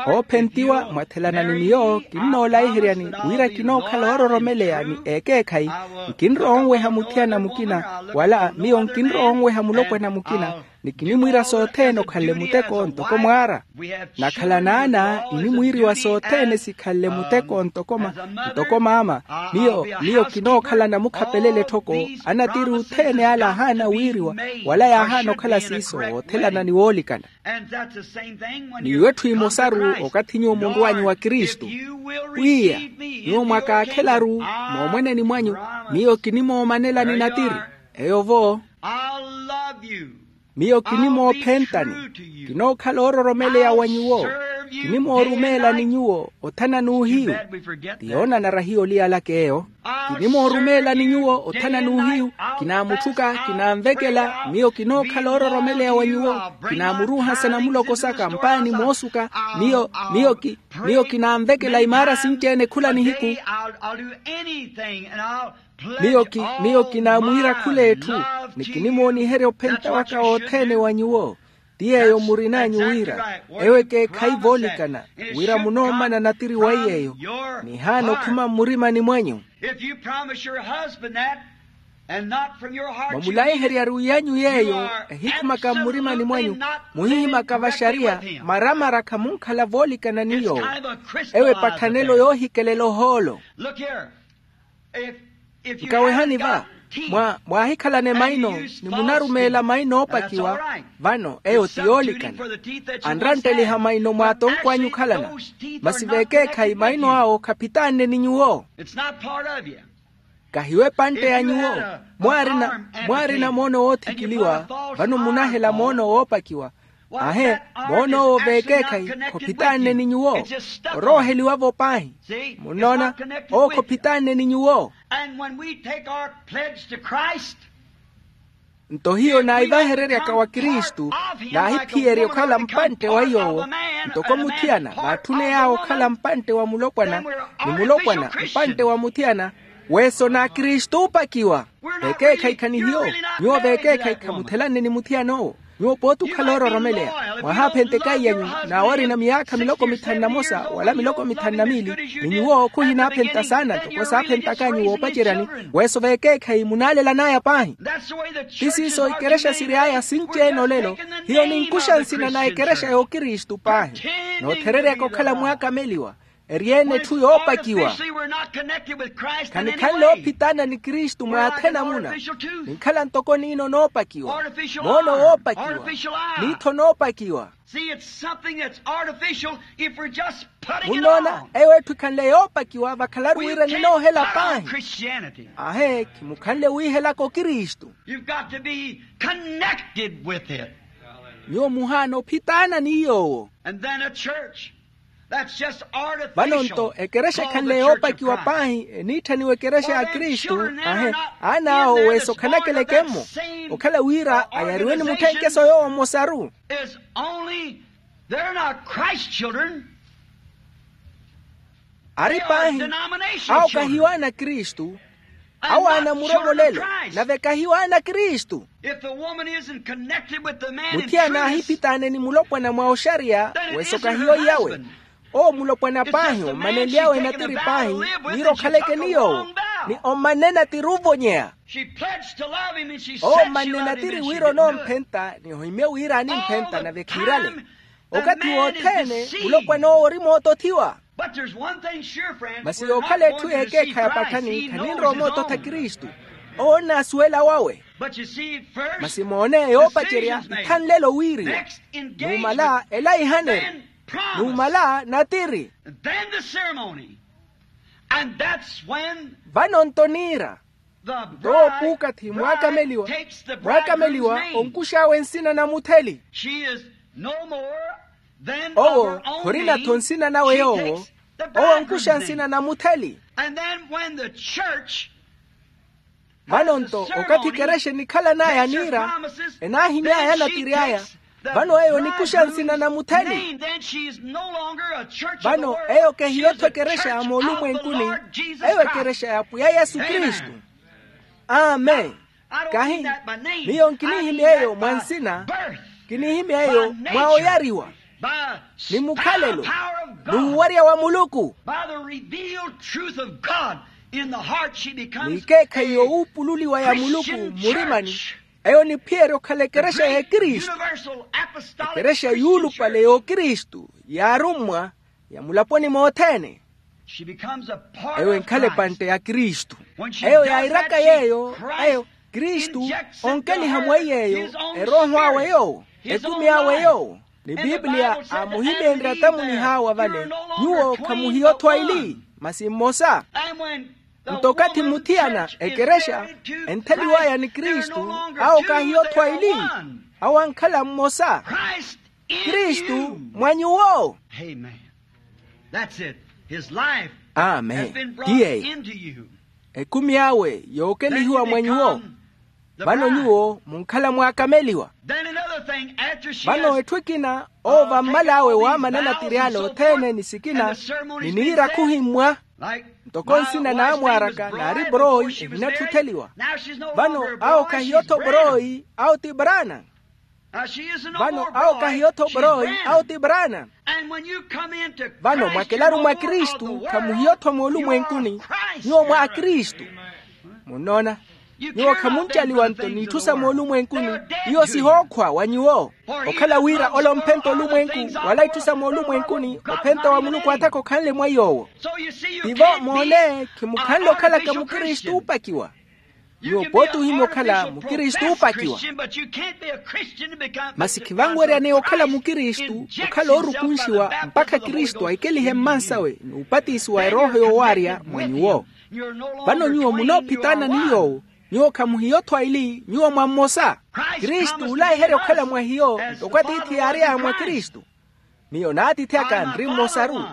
Oophentiwa mwathelana ni miyo kinnoolaiheryani, wira kinookhala oororomeleya ni ekeekhayi. Nkinrowa onweha muthiyana mukina, wala miyo nkinrowa onweha mulopwana mukina. Ni kinimwiira sothene okhanle muteko ntoko mwaara. Nakhala n'ana, enimwiiriwa sothene sikhanle muteko ntoko ma ntoko maama. Miyo miyo kinookhala namukhapelele etthoko. Anatiri othene ala ahaana wiiriwa, wala yaahaana okhala siiso woothelana ni woolikana. Ni iwo etthu emosaru okathi nyuwo munrw'anyu wa kristu, pwiya, nyuwo mwakaakhelaru moomweneni mwanyu, miyo kinimoomanelani natiri. Eyo-vo, miyo kinimoophentani. Kinookhala oororomeleya wa nyuwo. Kinimoorumeelani nyuwo othana n'uhiyu. Ti yoonanara hiyo oliyalaka eyo. Kinimoorumeelani nyuwo othana n'uhiyu. Kinaamutthuka, kinaanvekela. Miyo kinookhala oororomeleya wa nyuwo. Kinaamuruuhasa namuloko saka mpaani moosuka. Miyo miyo ki miyo kinaanvekela imaara sinci-ene khula nihiku. Miyo ki miyo kinaamwiira khul'etthu. Ni kinimooniherya ophenta waka wothene wa nyuwo. Ti yeeyo murin'anyu wira eyo ekeekhayi voolikana, wira munoomana natiri wa iy'eyo. Nihaana okhuma mmurimani mwanyu. Mwamulaiheryaru iyanyu yeeyo ehikhumaka mmurimani mwanyu, muhihimaka vaxariya, maramara khamunkhala voolikana ni yoowo. Eyo epatthanelo yoohikelela ohoolo. Nkawehani va, mwa mwaahikhalane maino, ni munarumeela maino oopakiwa. Vano eyo ti yoolikana. Anrantteliha maino mw'atonkw'anyu okhalana. Masi vekeekhayi maino awo khaphitaanne ni nyuwo. Kahiwo epantte ya nyuwo. Mwaarina mwaarina moono woothikiliwa, vano munahela moono woopakiwa. Ahe, moon'owo vekeekhayi khophitaanne ni nyuwo. Orooheliwa-vo paahi. Munnoona? Owo khophitaanne ni nyuwo. Nto hiyo naivahereryaka wa kristu, naahiphiyerya okhala mpantte wa iy'owo. Ntoko muthiyana vaatthuney'awe okhala mpantte wa mulopwana, ni mulopwana mpantte wa muthiyana. Weeso na kristu oopakiwa. Vekeekhayi khanihiyo. Nyuwo vekeekhayi khamuthelanne ni muthiyan'owo. Nyuwo pooti okhala oororomeleya, mwahaaphenta ekayi anyu. N'awarina miyaakha miloko mithanu na mosa wala miloko mithanu na miili, ni nyuwo khuhinaaphenta saana ntoko saaphentaka nyuwo oopaceryani. Weeso vekeekhayi munaalelan'aya paahi. Ti siiso ikerexa siry'aya sinci-ene olelo. Hiyo ninkuxa nsina na ekerexa y'okristu paahi, noothereryaka okhala mwaakameliwa. Eri-ene etthu yoopakiwa. Khanikhanle oophitaana ni kristu mwaathena muna. Ninkhala ntoko niino noopakiwa, moono woopakiwa, miitho noopakiwa. Munnoona? Eyo etthu ekhanle yoopakiwa vakhalaru wira ninoohela paahi. Ahe, khimukhanle wiihelaka okristu. Nyuwo muhaana ophitaana ni yoowo. Vano-nto ekerexa ekhanle yoopakiwa paahi eniitthaniwa ekerexa ya kristu. Ahe, aana awo weeso khanakeleke-mmo, okhala wira ayariwe ni mutthenkeso yoowo mmosaru. Ari paahi, awo kahiyo ana kristu. Awo ana muromolelo, nave kahiyo ana kristu. Muthiyana aahiphitaane ni mulopwana mwa oxariya, weeso kahiyo iyawe. Owo mulopwana paahi ommanenly'awe natiri paahi, wira okhaleke ni yoowo, ni ommanne natiri ovonyeya. Owo ommanne natiri wira onoomphenta ni ohimye wira animphenta nave khiirale. Okathi wothene mulopwana owo ori mootothiwa. Masi yookhala etthu yeekeekha ya pathani khaninrowa omoototha kristu. Owo onnaasuwela wawe. Masi moone yoopacerya ithanlelo wiiriwa. Numala ela ihaneri. Numala natiri. And that's when vano nto niira the nto bride, puukathi mwaakameliwa takes the mwaakameliwa bridegroom's name. Onkux'awe nsina na mutheli. She is no more than of owo her own khorina-tho name. Nsina nawe. She yoowo takes the owo onkuxa bridegroom's nsina name. Na mutheli. And then when the church vano nto okathi ekerexa enikhalan'aya niira enaahimy'aya anatiri aya. Vano eyo onikuxa nsina na mutheli. Vano eyo kehiyo-tho ekerexa ya moolumwenkuni. Eyo ekerexa ya apwiya yesu kristu. Amen. Kahi miyo nkinihimya eyo mwa nsina. Kinihimya eyo mwa oyariwa ni mukhalelo ni wuwarya wa muluku. By the revealed truth of God in the heart, she becomes n'ikeekhayi a yoowuupululiwa ya muluku Christian murimani. Church. Eyo niphiyerya okhala ekerexa ya ekristu. Universal apostolic ekerexa Christian yuulupale church. Y'okristu y'arummwa ya mulaponi mothene. She becomes a part eyo of enkhala Christ. Epantte ya kristu. When she eyo does yairaka that, she yeeyo Christ eyo kristu injects into onkeliha her mwaiyeeyo his own erooho awe spirit, yoowo his own ekumi awe life. Yoowo ni bibliya aamuhimenrya atamwinihawa vale. Nyuwo khamuhiyo-tho aili masi mmosa. Nto okathi muthiyana ekerexa entheliw'aya ni kristu awo kaahiyo-tho aili. Awo ankhala mmosa. Kristu mwa nyuwo. Amen. Ti yeeyo ekumi awe yookelihiwa mwa nyuwo. Vano nyuwo munkhala mwaakameliwa. Vano etthu ekina owo vammal'awe waamana anatiri ale othene ni sikina ni niira khuhimmwa ntoko nsina n'amwaaraka naari porooyi ehinatthuttheliwa. Vano awo khahiyo-tho porooyi awo ti braana. Vano awo khahiyo-tho porooyi awo ti braana. Vano mwakelaru mwa kristu khamuhiyo-tho moolumwenkuni. Nyuwo mwa akristu munnoona. Nyuwo khamuncaliwa nto n'itthu sa moolumwenkuni. Iyo sihookhwa wa nyuwo okhala wira ole omphenta olumwenku wala itthu sa moolumwenkuni ophenta wa muluku athaka okhanle mwa iy'owo. Tivo moone khimukhanle okhalaka mukristu oopakiwa. Nyuwo pooti ohimya okhala mukristu oopakiwa. Masi khivanweryaneya okhala mukristu okhala oorukunxiwa mpakha kristu aikelihe mmansawe n'upatisiwa erooho yoowarya mwa nyuwo. Vano nyuwo munoophitaana ni yoowo. Nyuwo khamuhiyo-tho aili nyuwo mwa mmosa. Kristu ulayiherya okhala mwa hiyo ntoko atiithi yaary'aya mwa kristu. Miyo n'atiithi aka nri mmosaru.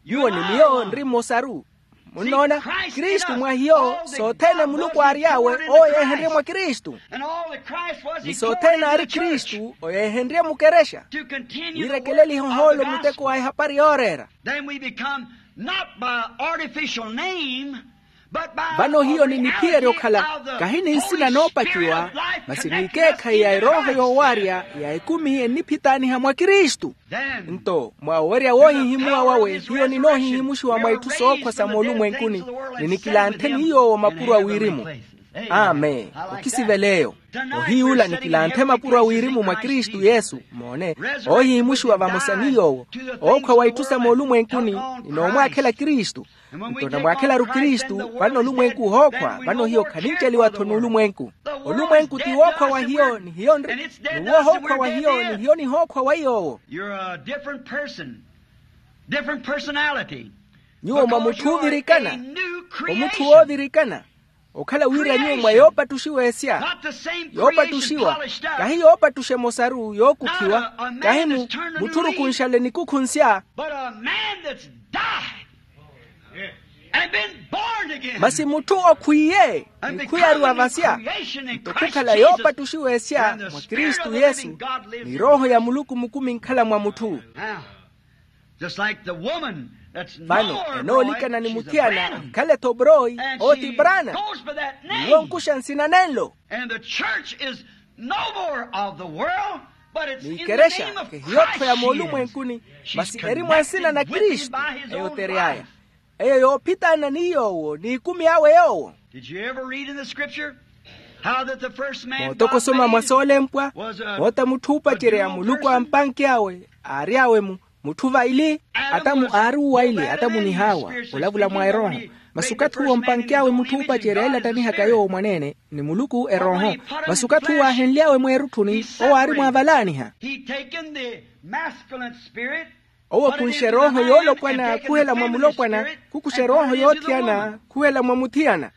Nyuwo ni miyo nri mmosaru. Munnoona kristu mwa hiyo sothene muluku aary'awe owo yeehenrye mwa kristu. Ni sothene aari kristu oyeehenrye mukerexa. Wiirekeleliha ohoolo muteko wa ehapari yooreera. Then we become not by artificial name. Vano hiyo ni niphiyerya okhala kahi ni nsina noopakiwa masi n'ikeekhayi ya erooho yoowarya ya ekumi enniphitaaniha mwa kristu. Nto mwa owerya woohihimuwa wawe hiyo ninoohihimuxiwa mwa itthu sookhwa sa moolumwenkuni ni nikilanthe ni yoowo mapuro a wirimu. Amen. Okisivela eyo ohiyuula nikilanthe mapuro a wirimu mwa kristu yesu moone oohihimuxiwa vamosa ni yoowo ookhwa wa itthu sa moolumwenkuni. Ninoomwaakhela kristu nto namwaakhelaru kristu. Vano olumwenku ohookhwa vano hiyo khaninceliwa-tho n'ulumwenku. Olumwenku ti wookhwa wa hiyo ni hiyo nri ni woohookhwa wa hiyo ni hiyo nihookhwa wa iy'owo. You're a different person. Different personality. Nyuwo mwa mutthu oovirikana. Omutthu woovirikana okhala wira nyuwo mwa yoopattuxiwa esya. Yoopattuxiwa kahi yoopattuxa emosaru yookukhiwa kahi mu mutthu orukunxale nikukhu nsya. But a man that's died and been born again. Masi mutthu okhwiiye nikhwiyariwa vasya nto khukhala yoopattuxiwa esya mwa kristu yesu ni erooho ya muluku mukumi nkhala mwa mutthu. Vano enoolikana ni muthiyana akhale-tho porooyi owo ti braana. Ni wonkuxa nsina nenlo. Ni ikerexa kehiyo-tho ya moolumwenkuni masi eri mwa nsina na kristu. Eyo tery'aya eyo yoophitaana ni yoowo n'ikumi awe yoowo. Mootokosoma mwa soolempwa moota mutthu oopacerya muluku ampanky'awe aary'awe mu mutthu vaili. Atamu aari uwaili atamu ni hawa olavula mwa erooho. Masi okathi uwo ompanky'awe mutthu oopacerya elattanihaka yoowo mwaneene ni muluku erooho. Masi okathi uwo aahenly'awe mweerutthuni owo aari mwaavalaaniha. Owo okunxe erooho yoolopwana khuhela mwa mulopwana, khukuxa erooho yoothiyana khuhela mwa muthiyana.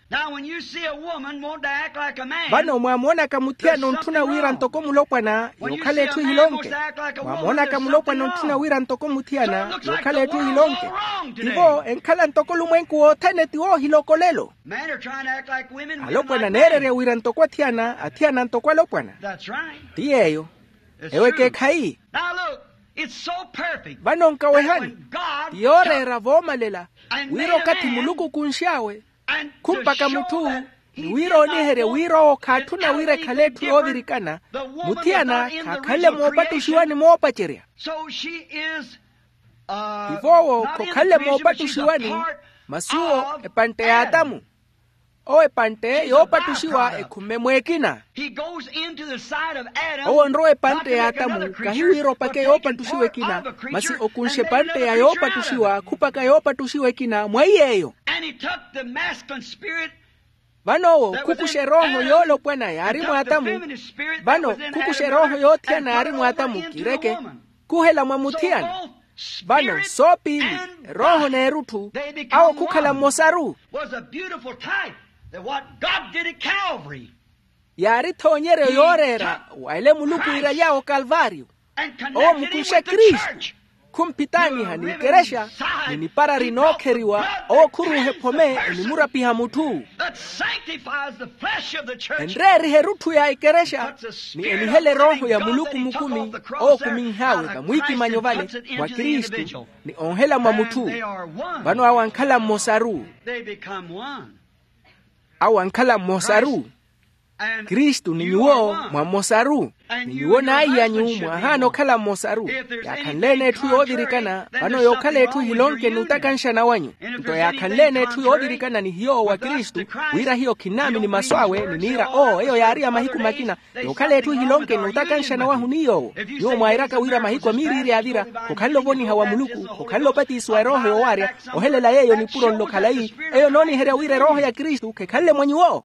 Vano mwaamoonaka muthiyana ontthuna wira ntoko mulopwana, yookhala etthu ehilonke. Mwaamoonaka mulopwana ontthuna wira ntoko muthiyana, yookhala etthu ehilonke. Tivo enkhala ntoko olumwenku wothene ti woohiloko olelo. Alopwana neererya wira ntoko athiyana, athiyana ntoko alopwana. Ti yeeyo. Ewo ekeekhayi. Vano nkawehani, ti yooreera voomalela, wira okathi muluku okunx'awe khumpaka mutthu, ni wira ooniherye wira owo khaatthuna wira ekhale etthu yoovirikana, muthiyana khaakhanle moopattuxiwani moopacerya. Tivo owo khokhanle moopattuxiwani, masi owo epantte y'atamu. Owo epantte yoopattuxiwa ekhumme mweekina. Owo onrowa epantte y'atamu, kahi wira opake yoopattuxiwa ekina, masi okunxe epantte ya yoopattuxiwa khupaka yoopattuxiwa ekina mwa iy'eyo. Vano owo khukuxa erooho yoolopwana yaari mw'atamu. Vano khukuxa erooho yoothiyana yaari mw'atamu kireke, khuhela mwa muthiyana. Vano soopiili, erooho n'erutthu, awo khukhala mmosaru. Yaari ethoonyeryo yooreera wa ele muluku iiraly'awe okalvaaryo. Owo mukunxe kristu, khumphitaaniha n'ikerexa, ni nipara rinookheriwa. Owo khuruuha ephome enimurapiha mutthu. Enreeriha erutthu ya ikerexa, ni enihela erooho ya muluku mukumi. Owo okuminh'awe vamwiikimanyo vale mwa kristu, ni onhela mwa mutthu. Vano awo ankhala mmosaru. Awo ankhala mmosaru. Kristu ni nyuwo mwa mmosaru. Ni nyuwo n'aiy'anyu mwaahaana okhala mmosaru. Yaakhanle-ene etthu yoovirikana vano yookhala etthu ehilonke n'utakanxana wanyu. Nto yaakhanle-ene etthu yoovirikana ni hiyo owo wa kristu, wira hiyo khinnaamini masu awe ni niira oo eyo yaari ya mahiku makina. Yookhala etthu ehilonke n'utakanxana wahu ni yoowo. Nyuwo mwairaka wira mahiku a miiriiri yaavira, khokhanle ovoniha wa muluku, khokhanle opatisiwa erooho yoowaarya. Ohelela yeeyo nipuro nlo khalayi, eyo nooniherya wira erooho ya kristu khekhanle mwa nyuwo.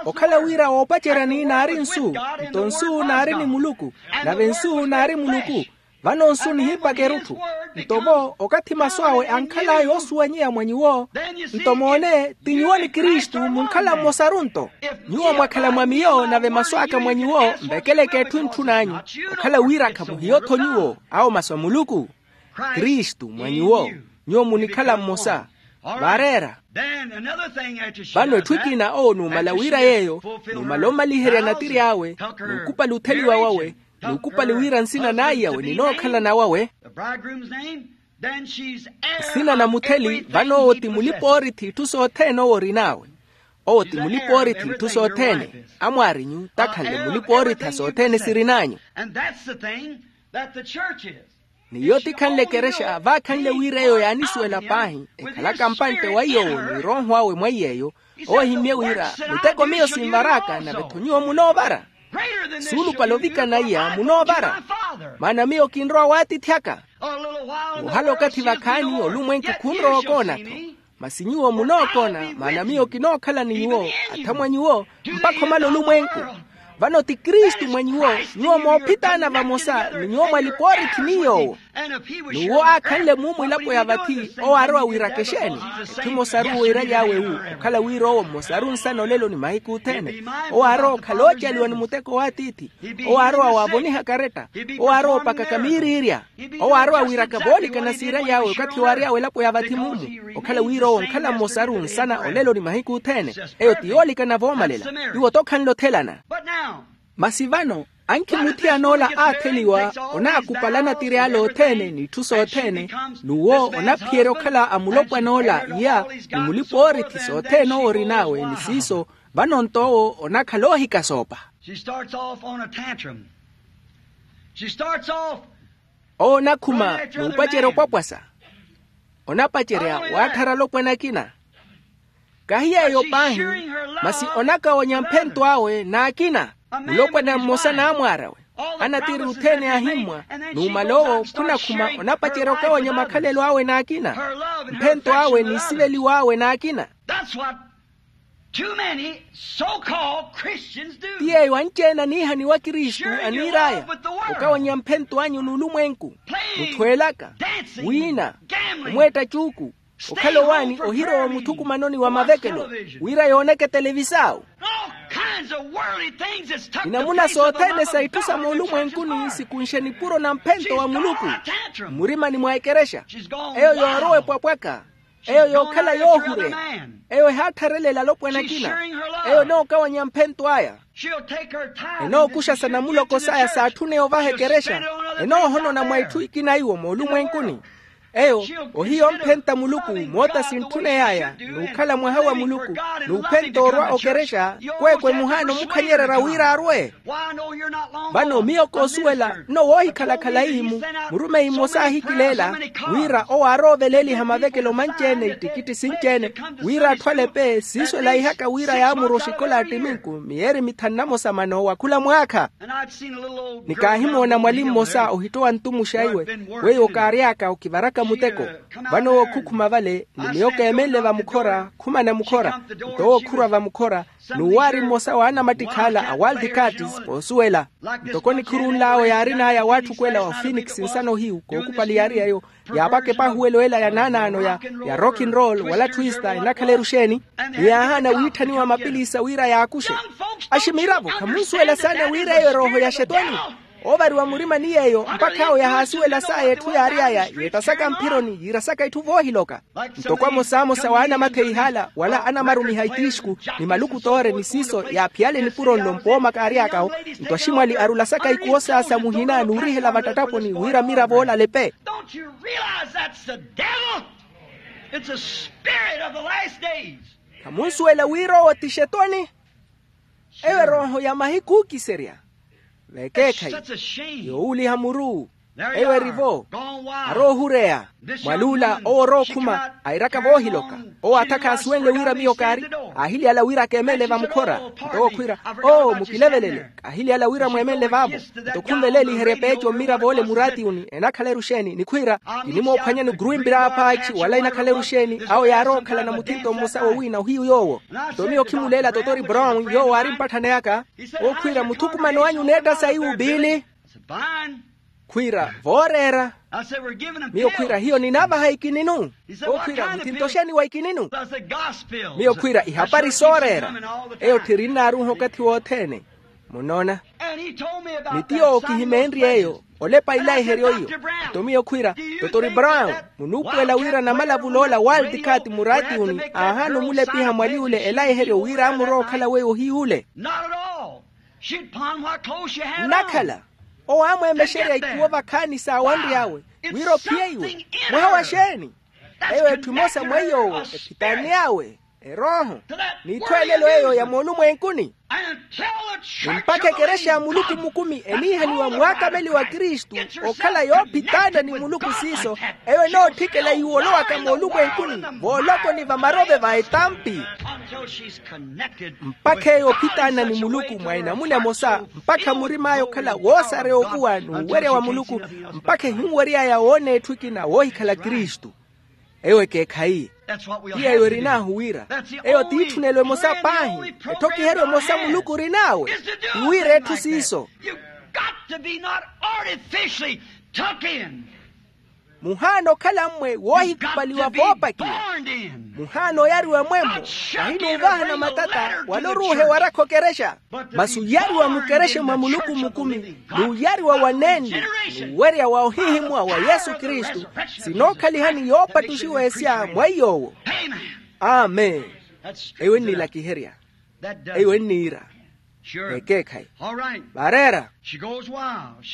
Okhala wira woopaceryani naari nsu, nto nsu naari ni muluku, nave nsu naari muluku. Vano nsu nihiipaka erutthu. Nto vo okathi masu awe ankhala yoosuwanyeya mwa nyuwo, nto moone ti nyuwo ni kristu munkhala mmosaru nto. Nyuwo mwakhala mwa miyo nave masu aka mwa nyuwo mvekeleke etthu entthun'anyu. Okhala wira khamuhiyo-tho nyuwo, awo masu a muluku. Kristu mwa nyuwo, nyuwo munikhala mmosa. Vaareera. Vano etthu ekina owo numala wira yeeyo, numala omaliherya natiri awe, nukupali utheliwa wawe, nukupali wira nsina n'aiyawe ninookhala nawawe. Nsina na mutheli vano owo ti mulipa-oorithi itthu sothene owo orin'awe. Owo ti mulipa-oorithi itthu sothene. Amwaarinyu takhanle mulipa-oorithi a sothene sirin'anyu. N'iyo tikhanle ekerexa vaakhanle wira eyo yaanisuwela paahi, ekhalaka mpantte wa iy'owo ni erooho awe mwa iy'eyo. Owo ehimmye wira, muteko miyo sinvar'aka nave-tho nyuwo munoovara. Suulupale ovikana iya munoovara, maana miyo kinrowa w'atiithi aka. Woohala okathi vakhaani olumwenku khunrowa okoona-tho. Masi nyuwo munookoona, maana miyo kinookhala ni nyuwo, athamwa nyuwo, mpakha omala olumwenku. Vano ti kristu mwa nyuwo, nyuwo moophitaana vamosa ni nyuwo mwalipa-oorithi ni yoowo. N'uwo aakhanle muumwilapo ya vathi owo aarowa wiiraka exeeni? Etthu emosaru weiiraly'awe wu, okhala wira owo mmosaru nsana olelo ni mahiku othene. Owo aarowa okhala oocaliwa ni muteko w'atiithi. Owo aarowa waavoniha karetta. Owo aarowa opakaka miiriirya. Owo aarowa wiiraka voolikana siiraly'awe okathi waary'awe elapo ya vathi mumu. Okhala wira owo onkhala mmosaru nsana olelo ni mahiku othene. Eyo ti yoolikana voomalela. Iwo-tho khanle othelana. Masi vano, ankhi muthiyana ola aatheliwa onaakupalana tiri ale othene n'itthu sothene. N'uwo onaphiyerya okhala a mulopwana ola iya, ni mulipa-oorithi sothene owo orin'awe ni siiso. Vano-nto owo onakhala oohikasoopa. She starts off on a tantrum. She starts off owo onakhuma n'upacerya opwapwasa. Onapacerya waatthara alopwana akina. Kahi yeeyo paahi, masi onakawonya mphento awe n'akina. Mulopwana mmosa n'amwaar'awe, anatiri othene aahimmwa. Numala owo khunakhuma onapacerya okawonya makhalelo awe n'akina, mphento awe n'isiveliwa awe n'akina. Too many so-called Christians do. Ti yeeyo anci-ene aniihaniwa kristu aniir'aya, okawanya mphento anyu n'ulumwenku, muthweelaka, wiina, omweetta cuuku, okhala owaani ohirowa omuthukumanoni wa mavekelo, wira yooneke televisao. All kinds of worldly things that's took the place of the love of God. Inamuna sothene sa itthu sa moolumwenkuni sikunxe nipuro na mphento wa muluku mmurimani mwa ekerexa. Eyo yoorowa epwapwaka. Eyo yookhala yoohureya. Eyo ehaattharelela alopwana akina. Eyo enookawanya mphento aya. Enookuxa sa namuloko saya saatthune ovaha ekerexa. Enoohonona mwa itthu ikina iwo moolumwenkuni. Eyo ohiya omphenta muluku moota sintthuney'aya n'ukhala mwaha wa muluku, n'uphenta orwa okerexa. Kweekwe muhaana omukhanyererya wira arwe. Vano miyo koosuwela nno woohikhala-khala ihimu, murumeyi mmosa aahikileela wira owo aarooveleeliha mavekelo manci-ene ittikitti sinci-ene, wira atthu alepe siiso elaihaka wira yaamurwa oxikola attiminku miyeeri mithanu na mosa mano wa khula mwaakha. Ni kaahimoona mwali mmosa ohittowa ntumuxa iwe, weiwo kaary'aka okivaraka muteko. Vano owo khukhuma vale ni miyo keemenle vamukhora khumana mukhora. Nto owo khurwa vamukhora n'uwaari mmosa wa anamattikhaala a world cards. Poosuwela ntoko nikhuru nl'awo yaarin'aya awaatthukwela wa phoenix nsano hiyu kookupali yaari eyo, yaapaka epahuwelo ela ya naanaano ya rock and roll wala twista enakhala eruxeeni. Ni yaahaana wiitthaniwa mapilisa wira yaakuxe. Aximiravo khamunsuwela saana wira eyo erooho ya xetwani. Oovariwa murima ni yeeyo mpakha awo yahaasuwela saya etthu yaary'aya yeettasaka mphironi yiirasaka itthu voohiloka. Ntoko amosamosa wa anamatheihala wala anamarumiha itixku ni malukutoore ni siiso yaaphiyale nipuro nlo mpooma kaary'akawo. Nto aximwali arulasaka ikuwo saasa muhina n'urihela vattattaponi wira miravo ola alepe. Don't you realize that's the devil? It's a spirit of the last days. Khamunsuwela wira owo ti xetwani. Eyo erooho ya mahiku ookiserya. Vekeekhayi yoowuliha muru. Eyo erivo aroohureya. Mwaluula owo orookhuma airaka voohiloka. Owo aatha khaasuwenle wira miyo kaari. Aahiliyala wira keemenle vamukhora. Nto owo khwiira, oo mukilevelele. Kaahiliyala wira mweemenle vaavo. Nto khunveleeliherya peeco mmiravo ole muraatiyuni enakhala eruxeeni nikhwiira, kinimoophwanyani gruimbi raapaakhi wala enakhala eruxeeni. Awo yaarookhalana muthinto mmosa wowiina ohiyu yoowo. Nto miyo khimuleela totori brown yoowo aari mpatthana yaka. Ookhwiira muthukumano anyu oneetta saiwu piili. Khwiira vooreera. Miyo khwiira hiyo ninaavaha ikininu. Ookhwiira muthinto xeeni wa ikininu? Miyo khwiira ihapari sooreera. Eyo tthirinnaaruha okathi wothene. Munoona. Ni ti yoowo kihimeenrye eyo olepa ilaiheryo iyo. Nto miyo khwiira, totori brown, munuupuwela wira namalavul'ola waltikati muraatiyuni aahaana omulepiha mwali ole elaiheryo wira amurowa okhala weiwo ohiy'ule. Nnakhala owo aamweemexerya ikuwo vakhaani saawanry'awe wira ophiye iwe. Mwaha wa xeeni? Eyo etthu emosa mweiy'owo ephitaani awe erooho n'itthu elelo eyo ya moolumwenkuni. Ni mpakha ekerexa ya muluku mukumi eniihaniwa mwaakameli wa kristu okhala yoophitaana ni muluku siiso, eyo enootthikela iwolowaka moolumwenkuni voolokoni va marove va etampi. Mpakha eyo ophitaana ni muluku mwa enamuna emosa mpakha murim'aya okhala woosareya ovuwa n'uwerya wa muluku mpakha ehinwery'aya woona etthu ekina woohikhala kristu. Eyo ekeekhayi. Ti yeeyo erin'ahu wira eyo t'itthu nelo emosa paahi. Etthokihero emosa muluku orin'awe ti wira etthu siiso. Muhaana okhala mmwe woohikupaliwa voopakiwa. Muhaana oyariwa mwemmo. Kahi n'uvahana matata wala oruuha ewarakha okerexa. Masi oyariwa mukerexe mwa muluku mukumi n'uyariwa wa nenli n'uwerya wa ohiihimwa wa yesu kristu sinookhalihani yoopattuxiwa esya mwa iy'owo. Amen. Eyo ennilakiherya. Eyo enniira ekeekhayi. Vaareera.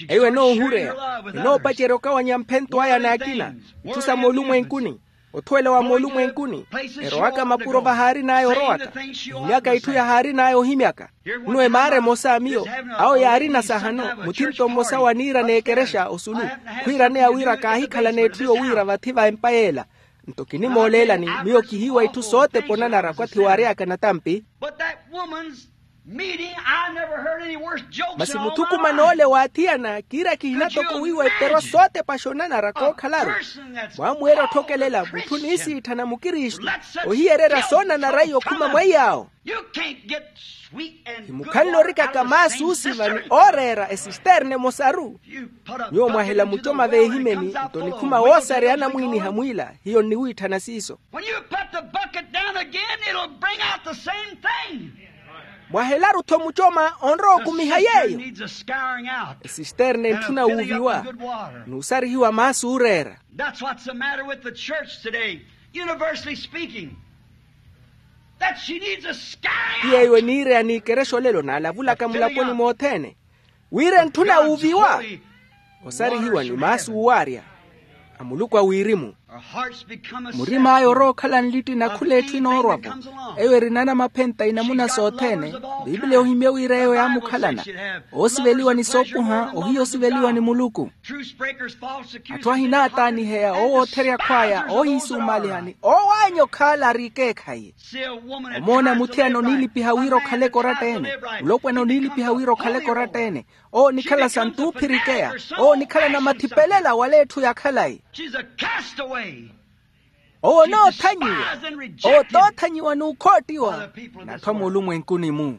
Eyo enoohureya enoopacerya okawanya mphento aya n'akina itthu sa moolumwenkuni. Othuwela wa moolumwenkuni erowaka mapuro vahaarin'aya orowaka ohimyaka itthu yahaarin'aya ohimyaka. Nno emaara emosa a miyo awo yaarina sahano muthinto mmosa wa niira n'ekerexa osulu khwiiraneya wira kaahikhala n'etthu yowiira vathi va empa yeela. Nto kinimooleelani miyo kihiiwa itthu sotepa onanara kwathi waary'aka natampi. Masi muthukuman'ole waathiyana kiira kihina toko wiiwa eperwa sootepa xonanara kookhalaru. Mwamweerya otthokelela mutthu oniisiitthana mukristu, ohiyererya soonanara iyo okhuma mwa iyaawo. Himukhanle orikaka maasu osiva ni ooreera esisterne emosaru. Nyuwo mwahela mucoma veehimeni nto nikhuma woosareya anamwiiniha mwiila. Hiyo nniwiitthana siiso. When you put the bucket down again, it'll bring out the same thing. Mwahelaru-tho mucoma onrowa okumiha yeeyo. Esisterne entthuna wuuviwa n'usarihiwa maasu ooreera. That's what's the matter with the church today, universally speaking, that she needs a scaring out. Ti yeeyo eniireya n'ikerexa olelo naalavulaka mulaponi moothene, wira entthuna wuuviwa osarihiwa ni maasu oowaarya a muluku a wirimu. Murim'aya orowa okhala nlitti na khula etthu enoorwa-vo. Eyo eri namaphenta inamuna sothene. Piipiliya ohimye wira eyo yaamukhalana oosiveliwa ni soopuha ohiya osiveliwa ni muluku. Atthu ahinaataaniheya owo ootherya akhw'aya oohiisumalihani oowaanya okhaala ari ekeekhayi. Omoona muthiyana oniilipiha wira okhaleke oratta-ene. Mulopwana oniilipiha wira okhaleke oratta-ene. Owo onikhala santuuphirikeya. Owo onikhala namathipelela wala etthu ya khalayi. Owo onoothanyiwa. Owo toothanyiwa n'ukhoottiwa n'atthu a muulumwenkuni-mu.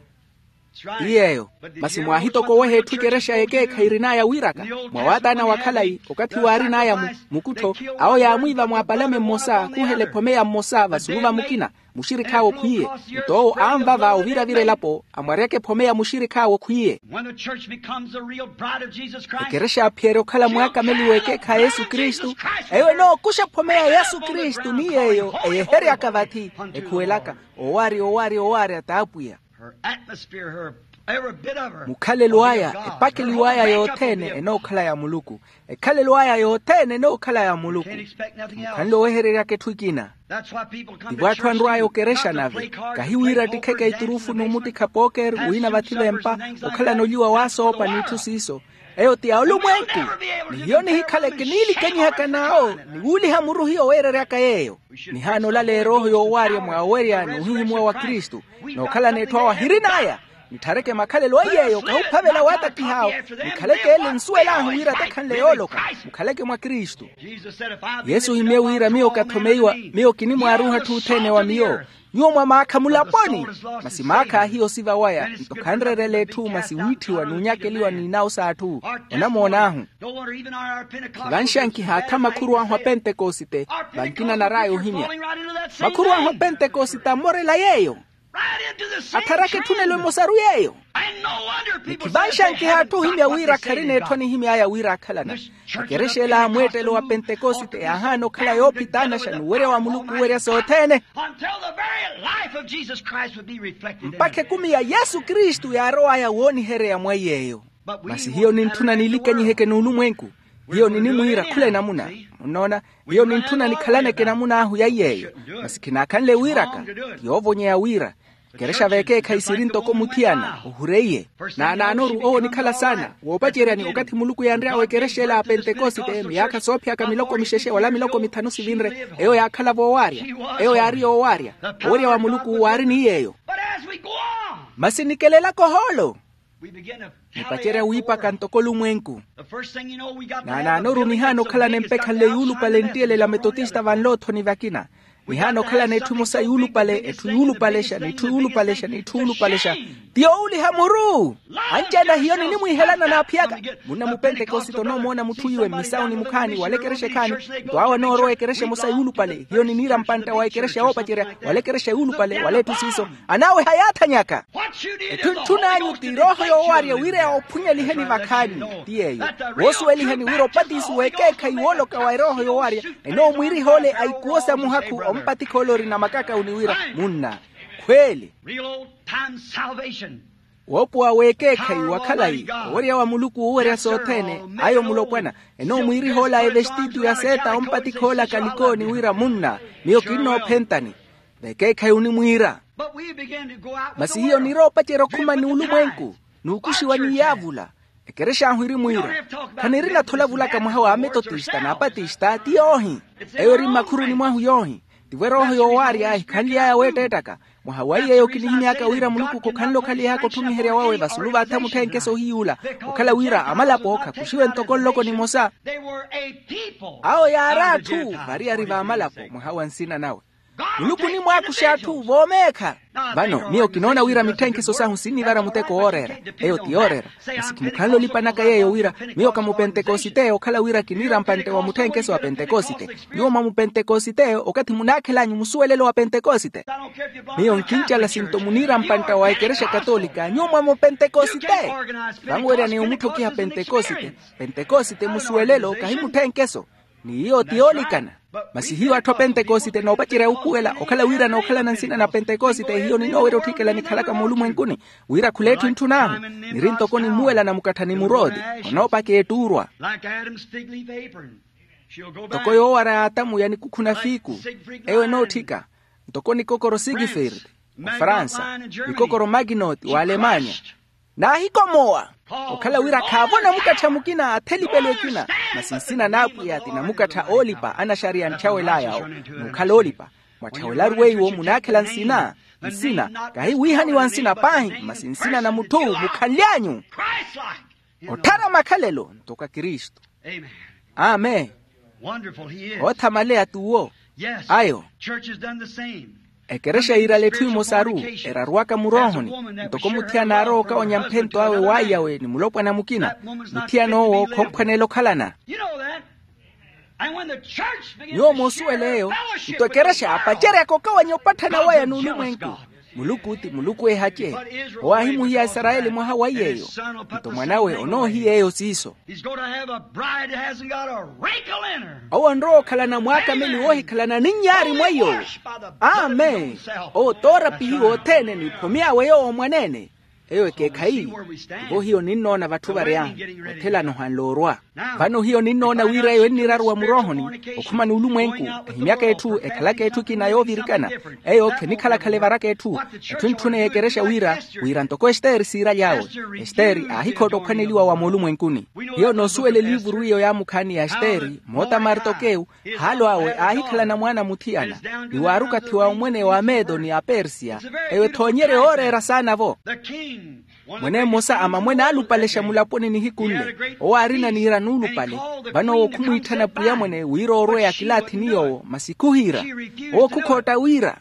Ti yeeyo. Masi mwaahitokoweha etthu ekerexa y'ekeekhayi erin'aya wiiraka. Mwa waataana wa khalayi okathi waarin'aya mukuttho, awo yaamwiiva mwapalame mmosa khuhela ephomeya mmosa vasuruva mukina. Muxirikhi awe okhwiiye. Nto owo anvava oviravira elapo amwaryaka ephome ya muxirikhi awe okhwiiye. Ekerexa yaaphiyerya okhala mwaakameliwa ekeekhayi a yesu kristu. Eyo enookuxa ephome ya yesu kristu ni yeeyo eyeheryaka vathi ekhuwelaka owaari owaari owaari at'apwiya. Mukhalelo aya epakeliw'aya yothene enookhala ya muluku. Ekhalelo aya yothene enookhala ya muluku. Mukhanle owehereryaka etthu ekina. Tivo atthu anrw'aya okerexa nave kahi wira attikheke iturufu n'umuttikha pooker wina vathi v'empa okhalana oliwa w'asoopa n'itthu siiso. Eyo ti ya olumwenku. Ni hiyo nihikhaleke niilikanyihaka n'awo ni wuuliha muru hiyo weereryaka yeeyo. Nihaana olala erooho yoowaarya mwa owerya n'uhihimuwa wa kristu. Nookhalana etthu awo ahirin'aya. Nitthareke makhalelo a yeeyo kahuphavela waatakih'awo. Nikhaleke ele nsuwel'ahu wira takhanle yooloka. Mukhaleke mwa kristu. Yesu ohimye wira miyo kathomeiwa. Miyo kinimwaaruha atthu othene wa miyo. Nyuwo mwamaakha mulaponi. Masi maakha ahiya osiva waya nto khanrerela etthu masi wiitthiwa n'unyakeliwa n'inawo s'atthu. Onamoon'ahu. Khivanxankiha atthu a makhuru ahu a pentekosite. Vankina nar'aya ohimya makhuru ahu a pentekosite ammorela yeeyo. Atharaka etthunelo emosaru yeeyo. Ni khivanxankiha atthu ohimya wira kharina etthu anihimy'aya wira akhalana. Ekerexa ela a mweettelo wa pentekosite yaahaana okhala yoophitaanaxa n'uwerya wa muluku owerya sothene. Mpakha ekumi ya yesu kristu yaarow'aya woonihereya mwa iy'eyo. Masi hiyo nintthuna niilikanyiheke n'ulumwenku. Hiyo ninimwiira khula enamuna. Munnoona? Hiyo nintthuna nikhalaneke enamun'ahu ya iy'eyo. Masi khinaakhanle wiiraka. Ti yoovonyeya wira ekerexa v'ekeekhayi siri ntoko muthiyana ohureiye. Naanaanoru owo onikhala saana woopaceryani okathi muluku yanry'awe ekerexa ela a pentekosite miyaakha soophiyaka miloko mixexe wala miloko mithanu sivinre. Eyo yaakhala voowaarya. Eyo yaari yoowaarya. Owerya wa muluku waari ni yeeyo. Masi nikelelaka ohoolo. Nipacerya wiipaka ntoko olumwenku. Naanaanoru nihaana okhalana empekhanle yuulupale nttiyelela metotista vanloothoni vakina. Nihaana okhalana etthu emosa yuulupale etthu yuulupalexa n'itthu yuulupalexa n'itthu yuulupalexa. Ti yoowuliha muru. Anci-ene ahiyo ninimwiihelana naaphiyaka. Munna mupentekosite onoomoona mutthu iwe mmisawu ni mukhaani wala ekerexa ekhaani. Nto awo anoorowa ekerexa emosa yuulupale hiyo niniira mpantta wa ekerexa yoopacerya wala ekerexa yuulupale wala etthu siiso. Anaaweha yaathanyaka. Etthu ntthun'anyu ti erooho yoowaarya wira yawoophunyeliheni vakhaani. Ti yeeyo woosuwelihani wira opatiso w'ekeekhayi wooloka wa erooho yoowaarya enoomwiiriha ole a ikuwo sa muhakhu ompatikha ole orina makaka uni wira munna khweeli. Woopowa w'ekeekhayi wa khalayi owerya wa muluku woowerya sothene. Ayo mulopwana enoomwiiriha ole a evestitu ya seeta ompatikha ole a kalikooni wira munna miyo kinnoophentani. V'ekeekhayi onimwiira. Masi hiyo niiroopacerya okhuma n'ulumwenku n'ukuxiwa ni yaavula. Ekerexa ahu irimwiira khanirina-tho olavulaka mwaha wa ametotista n'apatista ti yoohi. Eyo eri mmakhuruni mwahu yoohi. Tivo erooho yoowaarya ehikhanly'aya weetteettaka. Mwaha wa iyeeyo kinihimy'aka wira muluku khokhanle okhaliha kothumiherya wawe vasulu v'atha mutthenkeso ohiy'ula, okhala wira amalapo khakuxiwe ntoko nloko nimosa. Awo yaari atthu variyari v'amalapo mwaha wa nsina nawe. Muluku onimwaakuxa atthu voomeekha. Vano miyo kinoona wira mitthenkeso sahu sinnivara muteko wooreera. Eyo ti yooreera. Masi khimukhanle olipanaka yeeyo wira miyo ka mupentekosite, okhala wira kiniira mpantte wa mutthenkeso wa pentekosite. Nyuwo mwa mupentekosite okathi munaakhel'anyu musuwelelo wa pentekosite. Miyo nkincala sinto muniira mpantta wa ekerexa katolika nyuwo mwa mupentekosite. Vanweryaneya omutthokiha pentekosite. Pentekosite musuwelelo kahi mutthenkeso. Ni iyo ti yoolikana. Masi hiyo atthu a pentekosite noopacerya wuupuwela okhala wira nookhalana nsina na pentekosite hiyo ninoowerya otthikela nikhalaka moolumwenkuni, wira khul'etthu ntthun'ahu. Niri ntoko nimmuwela na mukattha ni murooti. Onoopakeya ettuurwa. Ntoko yoowara y'atamu ya nikukhuna fiiku. Eyo enootthika. Ntoko nikokoro sigifird, ofransa. Nikokoro maginoti wa alemanya. Naahikomowa. Okhala wira khaavo namukattha mukina athelipelo ekina. Masi nsina n'apwiya ti namukattha oolipa anaxariya antthawel'aya awo. N'ukhala oolipa. Mwatthawelaru weiwo munaakhela nsina. Nsina kahi wiihaniwa nsina paahi masi nsina na mutthu mukhanly'anyu. Otthara makhalelo ntoko a kristu. Amen. Oothamaleya t'uwo. Ayo. Ekerexa yiirale etthu emosaru. Eraruwaka muroohoni. Ntoko muthiyana aarowa okawonya mphento awe w'aiyawe ni mulopwana mukina. Muthiyana owo khomphwaneela okhalana. Nyuwo moosuwela eyo. Nto ekerexa yaapaceryaka okawanya opatthana waya n'ulumwenku. Muluku ti muluku ehace. Owo aahimuhiya aisarayeli mwaha wa iy'eyo. Nto mwan'awe onoohiya eyo siiso. Owo onrowa okhalana mwaakameli woohikhalana ninyaari mwa iyo. Amen. Owo toorapihiwa othene n'iphome awe yoowo mwaneene. Eyo ekeekhayi. Ivo hiyo ninnoona vatthu varyahu. Othelana ohanle orwa. Vano hiyo ninnoona wira eyo enniraruwa muroohoni. Okhuma n'ulumwenku. Ehimyaka etthu ekhalaka etthu ekina yoovirikana. Eyo khenikhala-khala evaraka etthu. Etthu entthune y'ekerexa wira wira ntoko estere siiraly'awe. Estere aahikhootta okhwaneliwa wa moolumwenkuni. Hiyo noosuwela eliivuru iyo yaamukhaani ya estere moota martokewu. Haalo awe aahikhalana mwaana muthiyana. Ni waaruka thiwa omwene wa medo ni apersiya. Eyo ethoonyerye yooreera saana-vo. Mwene mmosa a mamwene aalupalexa mulaponi nihiku nle. Owo aarina niira nuulupale. Vano owo khumwiitthana pwiya mwene wira oorweya kilaathi ni yoowo masi khuhiira. Owo khukhootta wira.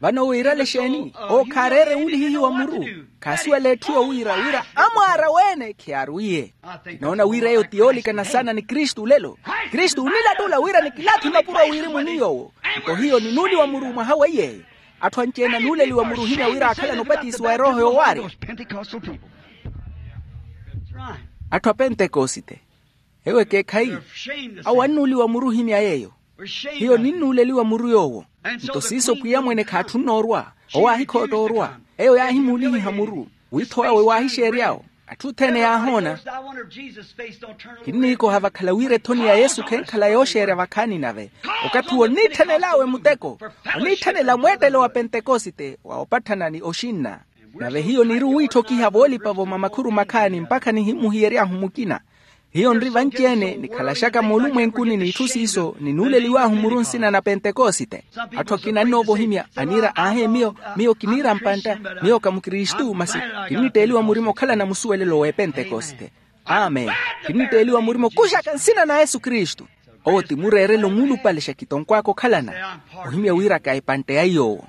Vano wiirale exeeni? Owo khaareere wuulihihiwa muru. Khaasuwela etthu yowira wira amwaara weene khiyaarwiye. Kinoona wira eyo ti yoolikana saana ni kristu olelo. Kristu onilattula wira nikilaathi mapuro a wirimu ni yoowo. Nto hiyo ninuuliwa muru mwaha wa iy'eyo. Atthu anci-ene anuuleliwa muru ohimya wira aakhalana opatisiwa erooho yoowaari. Atthu a pentekosite. Ewo ekeekhayi. Awo annuuliwa muru ohimya yeeyo. Hiyo ninnuuleliwa muru yoowo. Nto siiso pwiya mwene khaatthunna orwa. Owo aahikhootta orwa. Eyo yaahimuulihiha muru. Wiitho wawe waahixeerya-wo. Atthu othene yaahoona. Kinniikoha vakhala wira ethoni ya yesu khenkhala yooxeerya vakhaani nave. Okathi owo onniitthanel'awe muteko. Onniitthanela mweettelo wa pentekosite wa opatthana ni oxinna. Nave hiyo niri owiitthokiha voolipa-vo mwa makhuru makhaani mpakha nihimuhiyery'ahu mukina. Hiyo nri vanci-ene nikhalaxaka moolumwenkuni n'itthu siiso ninuuleliw'ahu muru nsina na pentekosite. Atthu akina annoovohimya aniira aahe miyo. Miyo kiniira mpantta. Miyo ka mukristu masi kinnitteeliwa murima okhalana musuwelelo w'epentekosite. Amen. Kinnitteeliwa murima okuxaka nsina na yesu kristu. Owo ti mureerelo muulupale xakitonkw'aka okhalana. Ohimya wira ka epantte ya iy'owo.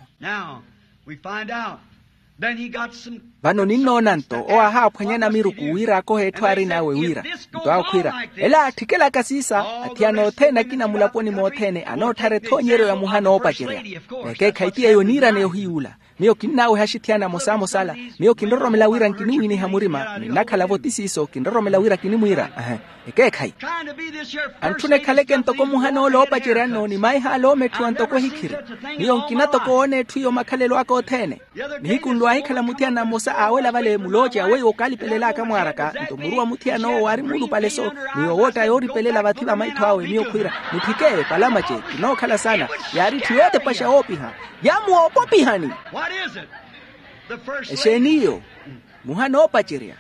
Vano ninnoona nto owo aahaaphwanya namiruku wira akohe etthu aarin'awe wira. Nto awo khwiira ela athikelaka siisa. Athiyana othene akina mulaponi mothene anootthara ethoonyeryo ya muhana oopacerya. Vekeekhayi ti eyo niiraneya ohiyuula. Miyo kinnaaweha axithiyana amosamosa ala. Miyo kinroromela wira nkiniwiiniha murima. Ninnakhala-vo ti siiso kinroromela wira kinimwiira. Ekeekhayi antthuna ekhaleke ntoko muhana ole oopacerya-no ni maiha ale oometthiwa ntoko ehikhiri. Miyo nkina toko woona etthu iyo makhalelo aka othene. Nihiku nlwaahikhala muthiyana mmosa aawela vale mulooceya weiwo kaalipelel'aka mwaaraka nto muru wa muthiyana owo waari muulupale-so. Ni yowootta yooripelela vathi va maitho awe miyo khwiira, mutthike palamace. Kinookhala saana. Yaari etthu yootepaxa woopiha. Yaamuwa opopihani. Exeeni iyo? Muhana oopacerya.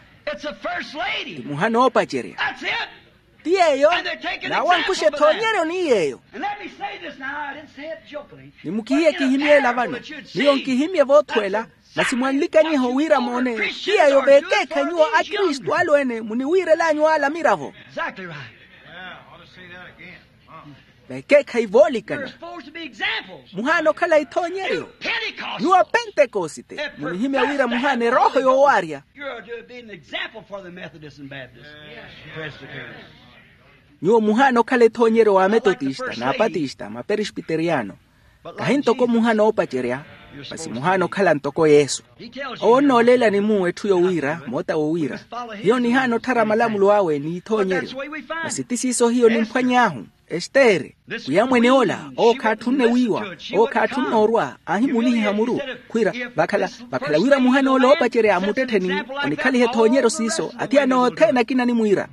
Ti muhana oopacerya. Ti yeeyo. N'awo ankuxa ethoonyeryo ni yeeyo. Nimukihiye kihimyeela vano. Miyo nkihimye voothweela. Masi mwanlikanyiha owiira moone. Ti yeeyo veekeekhayi nyuwo akristu alweene muniwiirel'anyu ala miravo. Veekeekhayi voolikana. Muhaana okhala ithoonyeryo. Nyuwo apentekosite munihimya wira muhaana erooho yoowaarya. Nyuwo muhaana okhala ethoonyeryo wa ametotista n'apatista maperispiteriyano. Kahi ntoko muhaana oopacerya, masi muhaana okhala ntoko yesu. Owo onnooleelani-mu etthu yowiira moota wowiira, hiyo nihaana otthara malamulo awe n'ithoonyeryo. Masi ti siiso hiyo nimphwany'ahu. Estere, wiyamwene ola owo khaatthunne wiiwa, owo khaatthunne orwa, aahimulihiha muru. Khwiira, vakhala vakhala wira muhana ola oopacerya a muttettheni onikhaliha ethoonyeryo siiso, athiyana othene akina animwiira.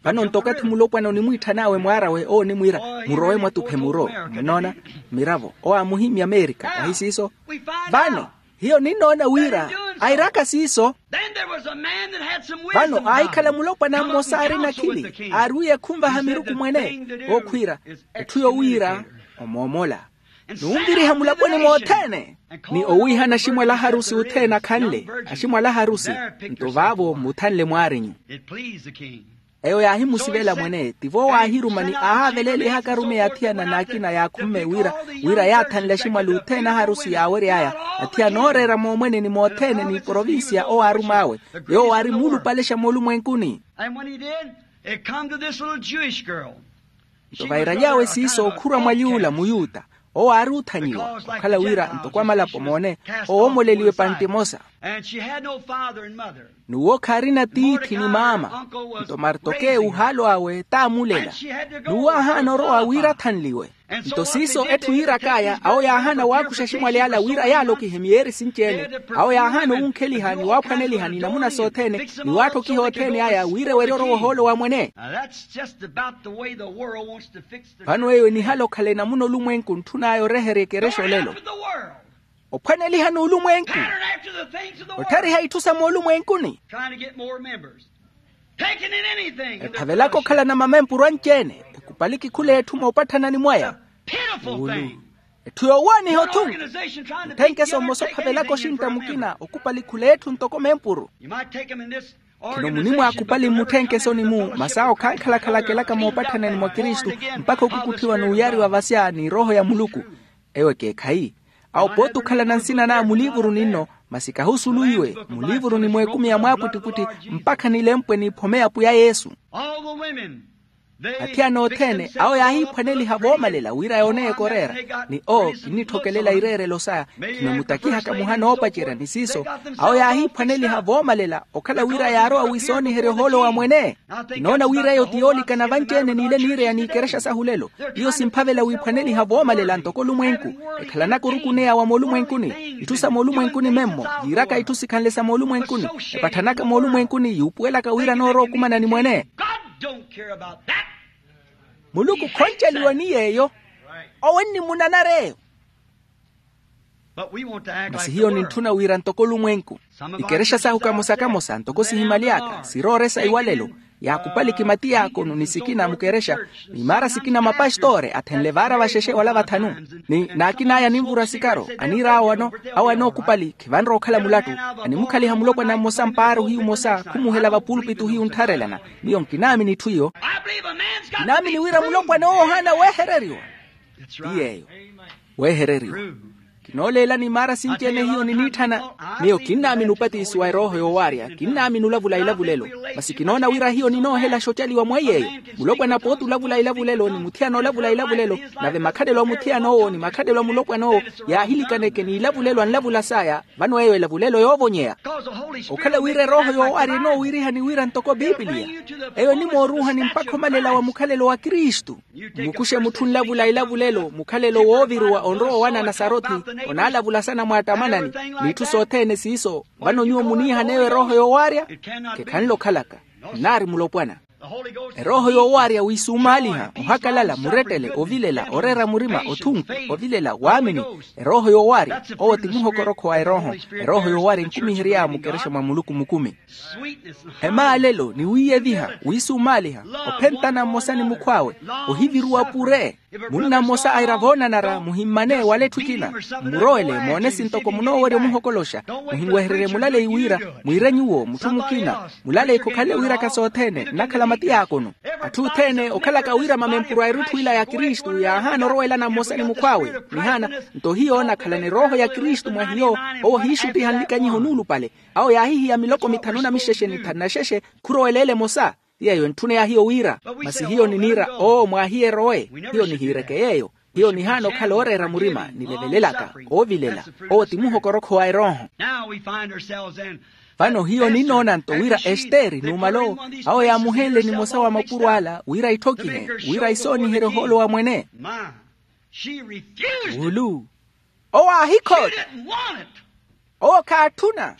Vano nto okathi mulopwana onimwiitthanawe mwaar'awe owo onimwiira, murowe mwatuphe muro. Munoona? Miravo owo aamuhimya amerika ahi siiso. Vano hiyo ninnoona wira airaka siiso. Vano aahikhala mulopwana mmosa aari nakhili aari wiya ekhunvaha miruku mwene. Okhwiira, etthu yowiira omoomola, n'unviriha mulaponi mothene, ni owiihana aximwali aharusi othene akhanle aximwali aharusi. Nto vaavo muthanle mwaarinyu. Eyo yaahimusivela mwene tivo waahiruma ni aahaavelelihaka arumeyi athiyana n'akina yaakhumme wira wira yaathanle aximwali othene aharusi yaawery'aya, athiyana ooreera moomwene ni mothene ni provinsiya owo aarum'awe. Yoowo aari muulupalexa moolumwenkuni. Nto vairaly'awe siiso okhurwa mwa yuula muyuta, owo aari oothanyiwa okhala wira ntoko amalapo moone owoomoleliwe panttimosa. N'uwo khaarina tiithi ni maama. Nto martokewu ohaalo awe t'amulela. N'uwo aahaana orowa wira athanliwe. Nto siiso etthu yiirak'aya awo yaahaana waakuxa aximwali ala wira yaalokihe miyeeri sinci-ene. Awo yaahaana owunkheliha ni waaphwaneliha ni namuna sothene ni waatthokiha othene aya wira ewerye orowa ohoolo wa mwene. Vano eyo enihala okhala enamuna olumwenku ntthun'aya oreherya ekerexa olelo. Ophwaneliha n'ulumwenku, otthariha itthu sa moolumwenkuni. Ephavelaka okhalana mamempuru anci-ene, ekupaliki khula etthu moopatthana ni mwaya. Etthu yoowooniha othunku. Mutthenkese mmosa ophavelaka oxintta mukina okupali khula etthu ntoko mempuru. Khino munimwaakupali mmutthenkesoni-mu masi awo khankhalakhalaka elaka moopatthana ni mwa kristu, mpakha okukutthiwa n'uyariwa vasya ni erooho ya muluku. Ewo ekeekhayi. Awo pooti okhalana nsina n'aya muliivuruni nno, masi kahi osuluwiwe muliivuruni mw'ekumi ya mwaapwittipwitthi, mpakha nilempwe niiphome ya pwiya yesu. Athiyana othene awo yaahiiphwaneliha voomalela wira yooneye koreera. Ni oo kinnitthokelela ireerelo saya. Khino mutakihaka muhana oopacerya ni siiso, awo yaahiiphwaneliha voomalela okhala wira yaarowa wiisooniherya ohoolo wa mwene. Kinoona wira eyo ti yoolikana vanci-ene n'ile niireya n'ikerexa sahu lelo. Iyo simphavela wiiphwaneliha voomalela ntoko olumwenku. Ekhalanaka orukuneya wa moolumwenkuni. Itthu sa moolumwenkuni memmo yiiraka itthu sikhanle sa moolumwenkuni. Epatthanaka moolumwenkuni yuupuwelaka wira noorowa okumana ni mwene. Muluku khonceliwa ni yeeyo. Owo ennimunanara eyo. Masi hiyo nintthuna wira ntoko olumwenku. Ikerexa sahu kamosa-kamosa ntoko sihimaly'aka sirooresa iwalelo. Yaakupali kimati yaakono ni sikina mukerexa, ni maara sikina mapastore athenle vaara vaxexe wala vathanu. Ni n'akin'aya ninvura sikaro aniir'awo ano, awo anookupali khivanrowa okhala mulattu. Animukhaliha mulopwana mmosa mpaari ohiyu omosa khumuhela vapulpitu ohiyu onttharelana. Miyo nkinaamini itthu iyo. Nkinaamini wira mulopwana owo ohaana weehereriwa. Ti yeeyo. Weehereriwa. Kinooleelani maara sinci-ene hiyo niniitthana. Miyo kinnaamini upatisiwa erooho yoowaarya, kinnaamini olavula ilavulelo. Masi kinoona wira hiyo ninoohela axocaliwa mwa iyeeyo. Mulopwana pooti olavula ilavulelo ni muthiyana olavula ilavulelo, nave makhalelo a muthiyana owo ni makhalelo a mulopwana owo yaahilikaneke n'ilavulelo anlavula saya. Vano eyo elavulelo yoovonyeya. Okhala wira erooho yoowaarya enoowirihani wira ntoko pipiliya, eyo enimooruuhani mpakha omalela wa mukhalelo wa kristu. Mmukuxe mutthu onlavula elavulelo mukhalelo wooviruwa onrowa owana nasarothi, onaalavula sana mwaatamanani, n'itthu sothene siiso. Vano nyuwo muniihaneewo erooho yoowaarya. Khekhanle okhalaka. Nnaari mulopwana. Erooho yoowaarya wiisumaaliha, ohakalala, murettele, ovilela, oreera murima, othunku, ovilela, waamini. Erooho yoowaarya, owo ti muhokorokho wa erooho. Erooho yoowaarya enkumihery'awe mukerexa mwa muluku mukumi. Emaalelo ni wiiyeviha, wiisumaaliha, ophentana mmosa ni mukhw'awe, ohiviruwa pure. Munna mmosa aira voonanara, muhimmane wala etthu ekina, mmurowele moone sintoko munoowerya omuhokoloxa. Muhinwehererye mulaleyi wira mwiire nyuwo mutthu mukina. Mulaleyi khokhalele wiiraka sothene, nnakhala matiyaakono. Atthu othene okhalaka wiirama mempuru a erutthu ila ya kristu yaahaana orowelana mmosa ni mukhw'awe. Nihaana, nto hiyo nakhalana erooho ya kristu mwa hiyo, owo hiixuttiha nlikanyiho nuulupale. Awo yaahihiya miloko mithanu na mixexe ni thanu na xexe, khuroweleela emosa. Ti yeeyo entthuna ya hiyo wira, masi hiyo niniira oo mwaahiye erowe. Hiyo nihiireke yeeyo. Hiyo nihaana okhala ooreera murima nilevelelaka, oovilela. Owo ti muhokorokho wa erooho. Vano hiyo ninnoona nto wira estere numalowo, awo yaamuhenle nimosa wa mapuro ala wira itthokihe, wira isooniherye ohoolo wa mwene. Wulu, owo aahikhootta. Owo khaatthuna.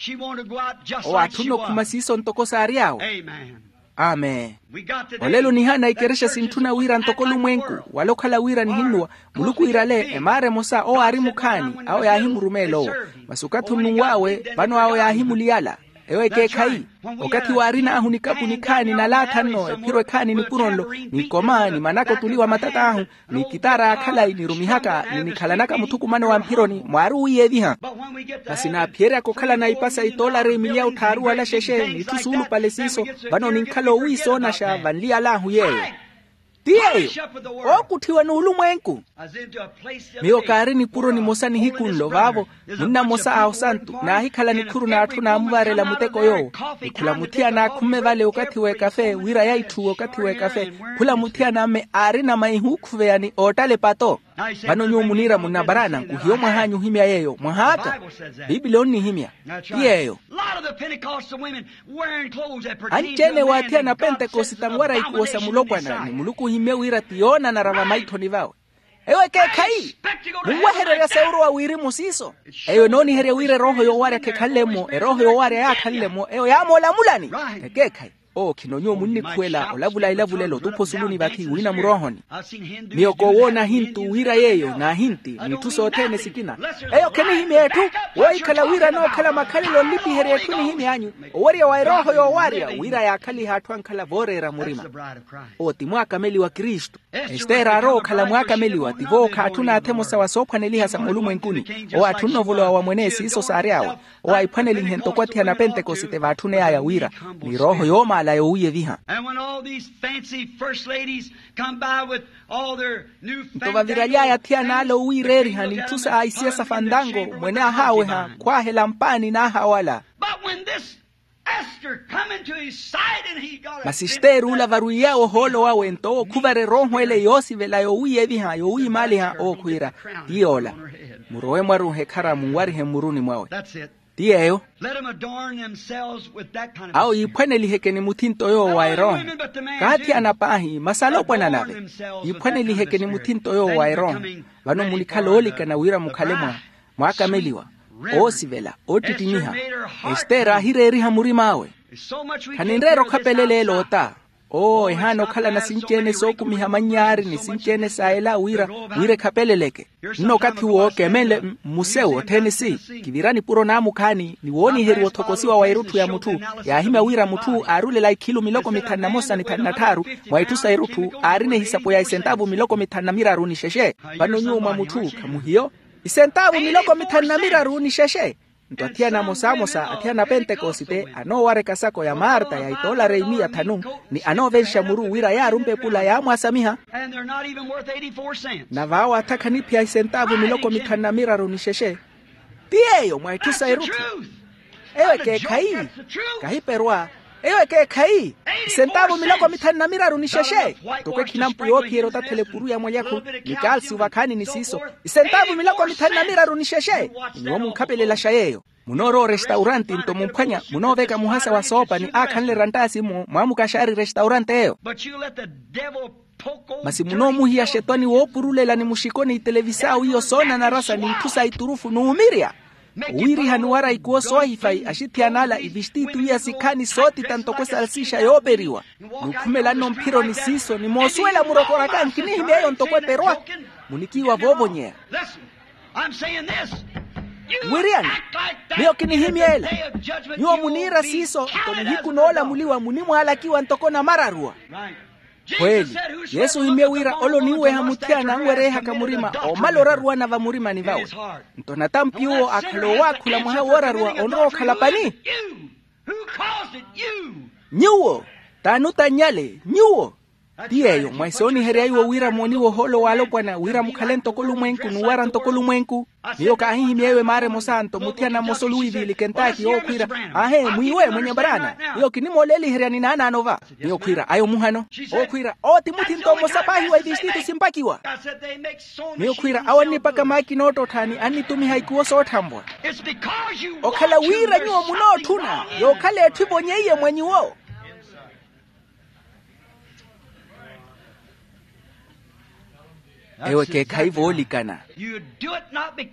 Owo aatthuna okhuma siiso ntoko saary'awe. Amen. Olelo nihaana ikerexa sintthuna wira ntoko olumwenku, wala okhala wira nihinnuwa, muluku wiirale emaara emosa owo aari mukhaani. Awo yaahimurumeela owo, masi okathi onnunw'awe vano awo yaahimuliyala. Eyo ekeekhayi. Okathi waarin'ahu nikapu nikhaani nalaatha nno ephiro ekhaani nipuro nlo, ni ikoma ni manaka otuliwa matat'ahu, ni ikitaara ya khalayi nirumihaka ni nikhalanaka muthukumano wa mphironi mwaari owiiyeviha. Masi naaphiyeryaka okhalana ipasa itoolari emiliya otthaaru wala xexe n'itthu suulupale siiso, vano ninkhala owiisoonaxa vanliyal'ahu yeeyo. Ti yeeyo, ookutthiwa n'ulumwenku. Miyo kaari nipuro nimosa nihiku nlo vaavo, munna mmosa a osantu naahikhala nikhuru n'atthu naamuvaarela muteko yoowo. Nikhula muthiyana akhumme vale okathi w'ekafe wira yaitthuwe okathi w'ekafe. Khula muthiyana amme aarina maihi ookhuveya ni oottala epato. Vano nyuwo muniira munna baraana nkuhiyo mwah'anyu ohimya yeeyo mwahaaka. Piipili onnihimya. Ti yeeyo. Anci-ene waathiyana apentekosita anwara ikuwo sa mulopwana ni muluku ohimmye wira ti yoonanara vamaithoni vawe. Eyo ekeekhayi. Munwehererya sa orowa wirimu siiso. Eyo enooniherya wira erooho yoowarya khekhanle-mo erooho yoowarya yaakhanle-mo eyo yaamoolamulani. Ekeekhayi. Owo khino nyuwo munnikhuwela olavula elavulelo otupha osuluni vathi wiina muroohoni. Miyo koowoona ahintu wira yeeyo n'ahinti n'itthu sothene sikina. Eyo khenihimya etthu. Woohikhala wira anookhala makhalelo onlipiherya etthu nihimy'anyu. Owerya wa erooho yoowarya wira yaakhalihe atthu ankhala vooreera murima. Owo ti mwaakameli wa kristu. Estere aarowa okhala mwaakameliwa tivo khaatthuna athemosa wa soophwaneliha sa muulumwenkuni. Owo aatthunna ovolowa wa mwene siiso saary'awe. Owo aiphwanelihe ntoko athiyana apentekosite vaatthuney'aya wira ni erooho yoomaala yoowiyeviha. Nto vaviraly'aya athiyana ale owiireeriha n'itthu sa aisiya sa fantango mwene ahaaweha khwaahela mpaani n'ahawala. Masi estere ula varwiiy'awe ohoolo wawe nto owo khuvara erooho ele yoosivela yoowiiyeviha yoowiimaaliha owo khwiira, ti yoola. Murowe mwaruuhe ekhara munwarihe mmuruni mwawe. Ti yeeyo. Awo yiiphwaneliheke ni muthinto yoowo wa erooho. Kaathiyana paahi masi alopwana nave. Yiiphwaneliheke ni muthinto yoowo wa erooho. Vano munikhala oolikana wira mukhale mwa mwaakameliwa, oosivela, oottittimiha. Estere aahireeriha murim'awe. Khaninreera okhapelela ela ota. Oo ehaana okhalana sinci-ene sookumiha mannyaari ni sinci-ene sa ela wira wira ekhapeleleke. Nno okathi uwo kemenle mmusewu othene si kivira nipuro naamukhaani ni wooniheriwa othokosiwa wa erutthu ya mutthu. Yaahimya wira mutthu aarulela ikhilu miloko mithanu na mosa ni thanu na tthaaru mwa itthu sa erutthu aarina ehisapo ya isentaavu miloko mithanu na miraru ni xexe. Vano nyuwo mwa mutthu khamuhiyo isentaavu miloko mithanu na miraru ni xexe. Nto athiyana amosamosa athiyana apentekosite anoowareka sako ya marta ya itoolari imiya thanu ni anoovenxa muru wira yaarumpa epula yaamwaasamiha. Na vaawo atha khaniphiya isentaavu miloko mithanu na miraru ni xexe. Ti yeeyo mwa itthu sa erutthu. Eyo ekeekhayi. Kahiperwa. Eyo ekeekhayi. Isentaavu miloko mithanu na miraru ni xexe. Ntoko ekhinampu yoophiyerya otathela epuru ya mwalyakhu ni kalsiyu vakhaani ni siiso. Isentaavu miloko mithanu na miraru ni xexe. Nyuwo munkhapelelaxa yeeyo. Munoorowa orestauranti nto mumphwanya munooveka muhasa wa soopa ni aakhanle erantaasi-mo mwaamukaxaari restauranti eyo. Masi munoomuhiya xetwani woopurulela ni muxiko ni itelevisau iyo soonanarasa ni itthu sa iturufu n'umirya. Owiirihani wara ikuwo soohifayi axithiyana ala ivistiti iya sikhaani sootita ntoko esalsixa yooperiwa. Nuukhumelanno mphironi siiso ni moosuwela murokoraka nkinihimya eyo ntoko eperwa. Munikiiwa voovonyeya. Wiriyani, miyo kinihimyeela. Nyuwo muniira siiso nto nihiku noolamuliwa munimwaalakiwa ntoko namararuwa. Khweeli, yesu ohimye wira ole oniweha muthiyana anwereehaka murima oomala oraruwana vamurimani vawe. Nto natampi uwo akhala owaakhula mwaha wooraruwa onrowa okhala pani. Nyuwo t'anutannyale nyuwo. Ti yeeyo mwa esooniherya iwo wira mooniwe ohoolo w'alopwana wira mukhale ntoko olumwenku n'uwara ntoko olumwenku. Miyo kaahihimya eyo emaara emosa nto muthiyana mmosa oluwiiviilike ntaaki yookhwiira, aahe mwiiwe mwenye mbarana. Miyo kinimooleeliheryani naanaano va. Miyo khwiira ayo muhano. Ookhwiira owo ti muthi nto mmosa paahi wa itistitu simpakiwa. Miyo khwiira awo annipaka maakina oottottha ni annitumiha ikuwo sootthanwa. Okhala wira nyuwo munootthuna yookhala etthu ivonyeiye mwa nyuwo. Ewo ekeekhayi voolikana.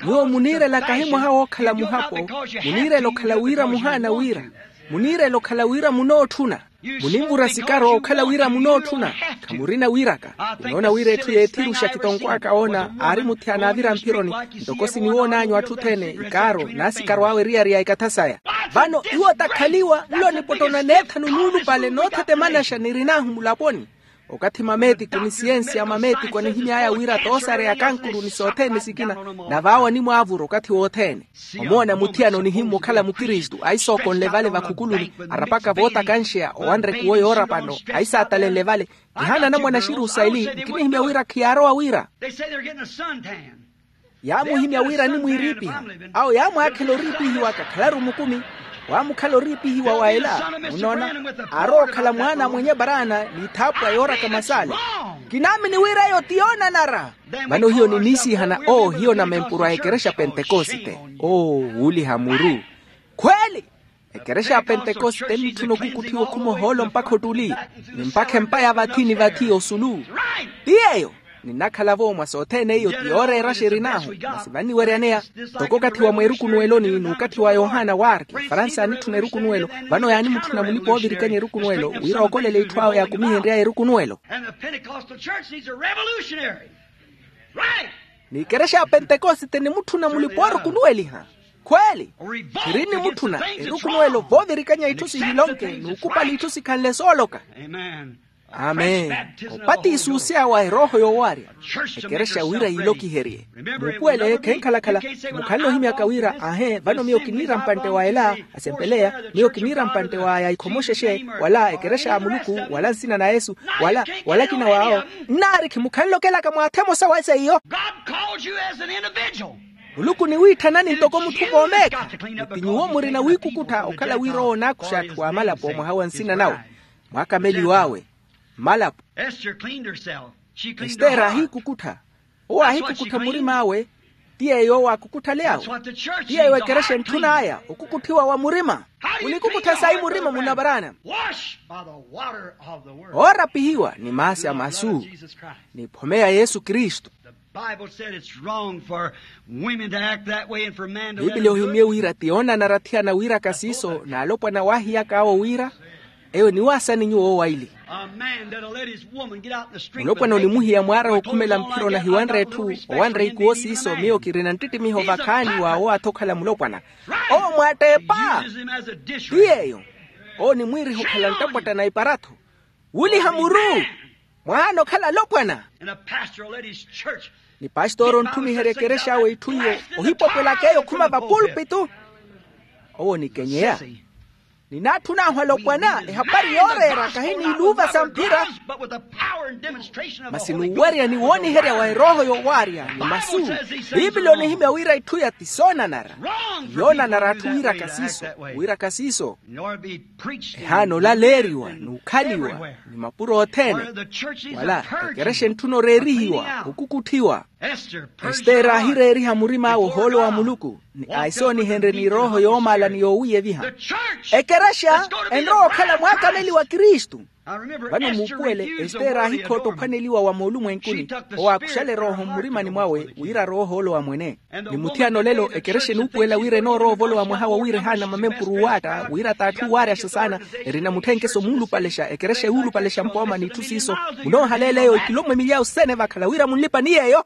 Nyuwo muniirela kahi mwaha wookhala muhapo. Muniirela okhala wira muhaana wira. Muniirela okhala wira munootthuna. Munimvura sikaro okhala wira munootthuna. Khamurina wiraka. Kinoona wira etthu yeethiruxa kitonkwaaka oona aari muthiyana aavira mphironi. Ntoko siniwoonanyu atthu othene ikaaro n'asikaro awe eriyari ya ekathasaya. Vano iwo takhaliwa nlo nipotto na neethanu nuulupale noothetemanaxa nirin'ahu mulaponi. Okathi mameetiko ni siyensi a mameetiko anihimy'aya wira toosareya kankuru ni sothene sikina. Nave awo animwaavura okathi wothene. Omoona muthiyana onihimmwa okhala mukristu aisookonle vale vakhukuluni arapaka vootakansheya owanre kuwo yoorapano. Aisaatalenle vale. Kihaana anamwane a xirusayili nkinihimya wira khiyaarowa wira. Yaamuhimya wira animwiiriipiha. Awo yaamwaakhela oriipihiwa kakhalaru mukumi. Waamukhala oriipihiwa wa ela. Munoona, aarowa okhala mwaana a mwenye baraana n'ithaapwa yooraka masale. Kinaamini wira eyo ti yoonanara. Vano hiyo niniisiihana oo hiyo namempuro a ekerexa pentekosite. Oo wuuliha muru. Khweeli. Ekerexa ya pentekosite ennitthuna okukutthiwa okhuma ohoolo mpakha ottuli. Ni mpakha empa ya vathi ni vathi osulu. Ti yeeyo. Ninnakhala-vo mwa sothene iyo ti yooreeraxa erin'ahu masi vanniweryaneya. Ntoko okathi wa mweerukunuweloni n'ukathi wa yohana warki faransa yaanitthuna erukunuwelo. Vano yaanimutthuna mulipa oovirikanya erukunuwelo wira ookolele itthu awe yaakumihenry'aya erukunuwelo. N'ikerexa ya pentekosite enimutthuna mulipa oorukunuweliha. Khweeli. Khiri enimutthuna erukunuwelo voovirikanya itthu sihilonke n'ukupali itthu sikhanle sooloka. Amen. Opatiisi oseya wa erooho yoowarya. Ekerexa wira yiilokiherye. Muupuwele khenkhala-khala. Mukhanle ohimyaka wira aahe vano miyo kiniira mpantte wa ela asempeleya. Miyo kiniira mpantte wa yaikhomoxexe wala ekerexa ya muluku wala nsina na yesu wala wala akina waawo. Nnaarikhi mukhanle okelaka mwaatha emosa wa eseiyo. Muluku oniwiithanani ntoko mutthu voomeekha. Ni ti nyuwo murina wiikukuttha okhala wira owo onaakuxa atthu a malapo mwaha wa nsina nawe. Mwakameliw'awe. Malapo. Estere aahiikukuttha. Owo aahiikukuttha murim'awe. Ti yeeyo owo aakukutthaley'awe. Ti yeeyo ekerexa entthun'aya okukutthiwa wa murima. Munikukuttha sayi murima munavaraana? Oorapihiwa ni maasi a masu. Ni phome ya yesu kristu. Bible said it's wrong for women to act that way and for man to let biblia them do ohimye it. Wira ti yoonanara athiyana wiiraka siiso n'alopwana waahiyak'awo wira. Eyo niwaasani nyuwo owaili. A man that'll let his woman get out in the street with mulopwana naked onimuhiya mwaara wookhumela mphiro nahiwanre etthu owanre ikuwo siiso miyo kirina nttittimiho vakhaani wa owaathi okhala mulopwana. Owo mwaatteepa. Ti yeeyo. Owo nimwiiriha okhala nttapwatta na iparattho. Wuliha muru. Mwahaana okhala alopwana. Ni pastor ontthumiherya ekerexa awe itthu iyo ohipopwelaka eyo okhuma vapulpitu. Owo nikenyeya. Ninaatthun'ahu alopwana ehapari yooreera kahi n'iluuva sa mphira. Masi n'uwerya ni wooniherya wa erooho yowaarya ni masu. Biiblia onihimya wira itthu iya ti soonanara. Yoonanara atthu wiiraka siiso. Wiiraka siiso. Ehaana olaleeriwa n'ukhaliwa ni mapuro othene. Wala ekerexa entthuna oreerihiwa okukutthiwa. Estere aahireeriha murim'awe ohoolo wa muluku ni aisoonihenrye ni erooho yoomaala ni yoowiiyeviha. Ekerexa enrowa okhala mwaakameli wa kristu. Vano muupuwele, estere aahikhootta ophwaneliwa wa moolumwenkuni. Owo aakuxale erooho mmurimani mwawe wira arowe ohoolo wa mwene. Ni muthiyana olelo ekerexa enuupuwela wira enoorowa ovolowa mwaha wa wira ehaana mamempuru uwaatta wira t'atthu uwaaryaxa saana. Erina mutthenkeso muulupalexa ekerexa yuulupalexa mpooma n'itthu siiso. Munoohaleela eyo ikilomwe milyawu sene vakhala wira munlipa ni yeeyo.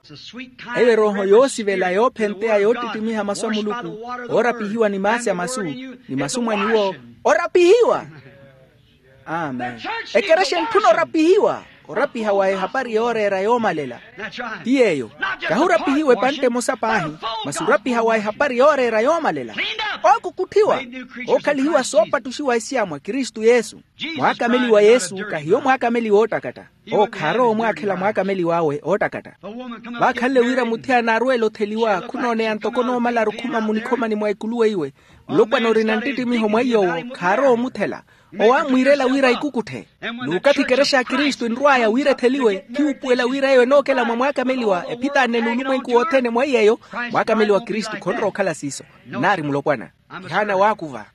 Eyo erooho yoosivela yoophenteya yoottittimiha masu a muluku, oorapihiwa ni maasi a masu, ni masu mwa nyuwo orapihiwa. Amen. Ekerexa entthuna orapihiwa, orapiha wa ehapari yooreera yoomalela. Ti yeeyo. Kahi orapihiwa epantte emosa paahi, masi orapiha wa ehapari yooreera yoomalela. Ookukutthiwa, ookhalihiwa soopattuxiwa esiya mwa kristu yesu. Mwaakameliwa yesu kahiyo mwaakameliwa oottakatta. Owo khaarowa omwaakhela mwaakameliw'awe oottakatta. Vaakhanle wira muthiyana arweela otheliwa khunooneya ntoko noomala arukhuma munikhomani mwa ekulu weiwe. Mulopwana orina nttittimiho mwa iy'owo khaarowa omuthela. Owo aamwiirela wira ikukutthe. N'ukathi ekerexa ya kristu enrw'aya wira etheliwe khiwuupuwela wira eyo enookela mwa mwaakameliwa ephitaanne n'ulumwenku wothene mwa iy'eyo. Mwaakameliwa kristu khonrowa okhala siiso. Nnaari mulopwana. Kihaana waakuva.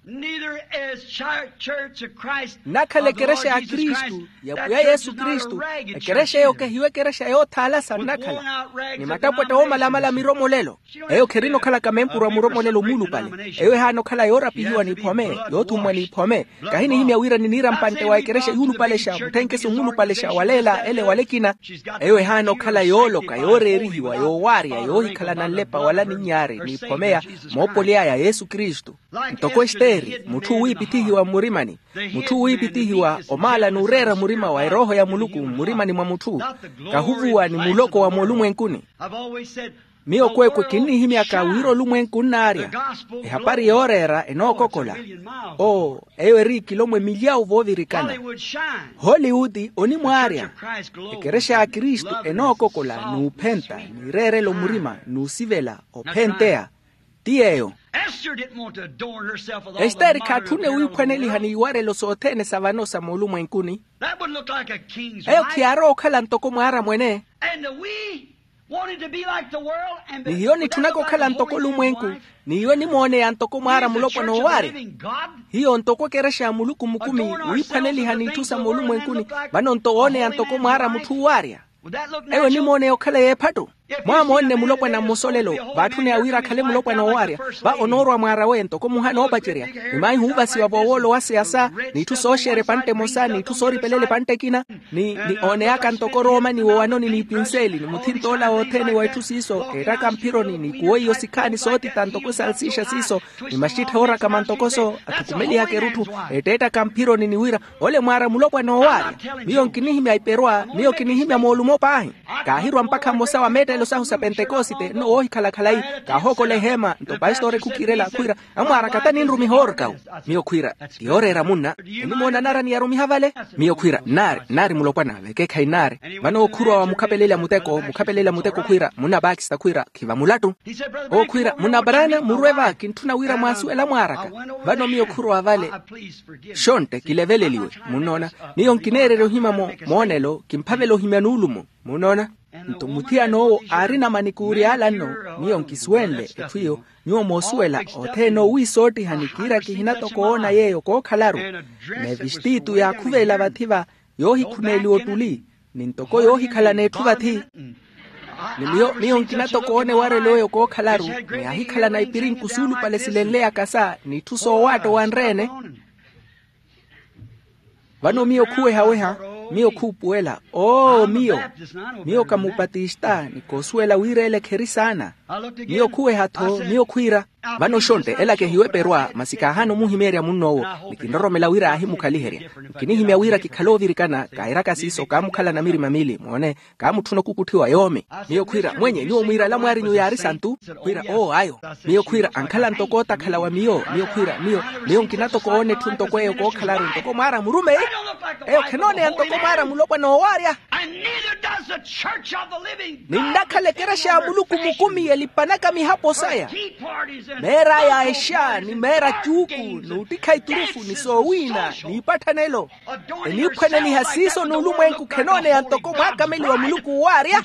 Nnakhala ekerexa ya kristu ya pwiya yesu kristu. Ekerexa eyo kehiyo ekerexa yoothaalasa nnakhala ni mattapwatta oomalamala miromolelo. Eyo kherina okhalaka mempuru a muromolelo muulupale. Eyo ehaana okhala yoorapihiwa n'iphome, yoothummwa n'iphome. Kahinihimya wira niniira mpantte wa ekerexa yuulupalexa mutthenkeso muulupalexa waleela ele wala ekina. Eyo ehaana okhala yooloka yooreerihiwa yoowaarya yoohikhalana nlepa wala ninyaari n'iphomeya. Moopoly'aya yesu kristu. Ntoko estere mutthu wiipithihiwa mmurimani. Mutthu wiipithihiwa omaala n'ureera murima wa erooho ya muluku mmurimani mwa mutthu. Kahuvuwa ni muloko wa moolumwenkuni. Miyo kweekwe kinnihimyaka wira olumwenku nnaarya. Ehapari yooreera enookokola. Oo, eyo eri ikilomwe milyawu voovirikana. Hollywood onimwaarya. Ekerexa ya kristu enookokola n'uphenta n'ireerelo murima n'usivela ophenteya. Ti yeeyo. Estere khaatthunne wiiphwaneliha n'iwarelo sothene sa vano sa moolumwenkuni. Eyo khiyaarowa okhala ntoko mwaara mwene. Ni hiyo nitthunaka okhala ntoko olumwenku. Ni hiyo nimooneya ntoko mwaara mulopwana owaarya. Hiyo ntoko ekerexa ya muluku mukumi wiiphwaneliha n'itthu sa moolumwenkuni. Vano nto wooneya ntoko mwaara mutthu owaarya. Eyo nimooneya okhala y'ephatto. Mwaamoonne mulopwana mmosa olelo. Vaatthuneya wira akhale mulopwana owaarya. Va onoorwa mwaara weyo ntoko muhana oopacerya. Ni maahi huuvasiwa voowolo wa siyasa. N'itthu sooxeera epantte emosa n'itthu sooripelela epantte ekina. Ni ni ooneyaka ntoko rooma ni wowanoni n'ipinseli ni muthint'ola wothene wa itthu siiso eettaka mphironi ni kuwo iyo sikhaani sootita ntoko esalsixa siiso. Ni maxittha oorakama ntoko so athukumelihaka erutthu eetteettaka mphironi ni wira ole mwaara mulopwana owaarya. Miyo nkinihimya iperwa miyo kinihimya moolumo paahi. Kaahirwa mpakha mmosa wa meettelo sahu sa pentekosite nno woohikhala khalayi. Kaahookola eheema nto pastori khukiirela khwiira amwaara kata ninrumiha oorkawu. Miyo khwiira ti yooreera munna. Enimoona nara niyarumiha vale. Miyo khwiira nnaari nnaari mulopwana vekeekhayi nnaari. Vano ookhuruwa wa mukhapelelya muteko mukhapelelya muteko khwiira munna pakista khwiira khiva mulattu. Owo khwiira munna brana murwe va kintthuna wira mwaasuwela mwaaraka. Vano miyo khurowa vale. Xontte kileveleliwe. Munnoona miyo nkineererya ohimya moonelo kimphavela ohimya nuulumo. Munnoona nto muthiyan'owo aarina manikuuri ala nno. Miyo nkisuwenle etthu iyo nyuwo moosuwela othene owiisoottiha ni kiira kihina toko oona yeeyo kookhalaru. N'evistiitu yaakhuvelela vathi va yoohikhuneeliwa ottuli ni ntoko yoohikhalana etthu vathi. Ni miyo miyo nkina toko oona ewarelo eyo kookhalaru ni aahikhalana ipirinku suulupale silenleyaka sa n'itthu soowaatta owanre-ene. Vano miyo khuweha-weha miyo khuupuwela oo miyo. Miyo ka mupatista ni koosuwela wira ele kheri saana. Miyo khuweha-tho miyo khwiira vano xontte ela kehiyo eperwa masi kaahaana omuhimeerya munn'owo. Ni kinroromela wira aahimukhaliherya nkinihimya wira kikhale oovirikana kairaka siiso kaamukhalana mirima miili moone. Kaamutthuna okukutthiwa yoomi. Miyo khwiira mwenye nyuwo mwiirala mwaarinyu yaari santu. Khwiira oo ayo. Miyo khwiira ankhala ntoko otakhala wa miyo miyo khwiira miyo miyo nkina toko oona etthu ntoko eyo kookhalaru ntoko mwaara murumeyi. Eyo khenooneya ntoko mwaara mulopwana oowaarya. Ninnakhala ekerexa ya muluku mukumi elipanaka mihapo saya. Meer'aya exa ni meera cuuku n'uttikha iturufu ni soowiina n'ipatthanelo. Eniiphwaneliha siiso n'ulumwenku khenooneya ntoko mwaakameliwa muluku owaarya.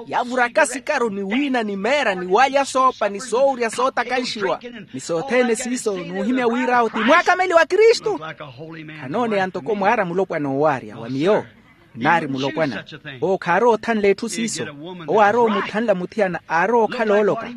Yavuraka sikaru ni wiina ni meera ni waalya soopa ni soowurya sootakanxiwa ni sothene siiso n'uhimya wir'awo ti mwaakameliwa kristu. Khanooneya ntoko mwaara mulo Mulopwana owaarya wa miyo. Nnaari mulopwana. Owo khaarowa othanla etthu siiso. Owo aarowa omuthanla muthiyana aarowa okhala ooloka.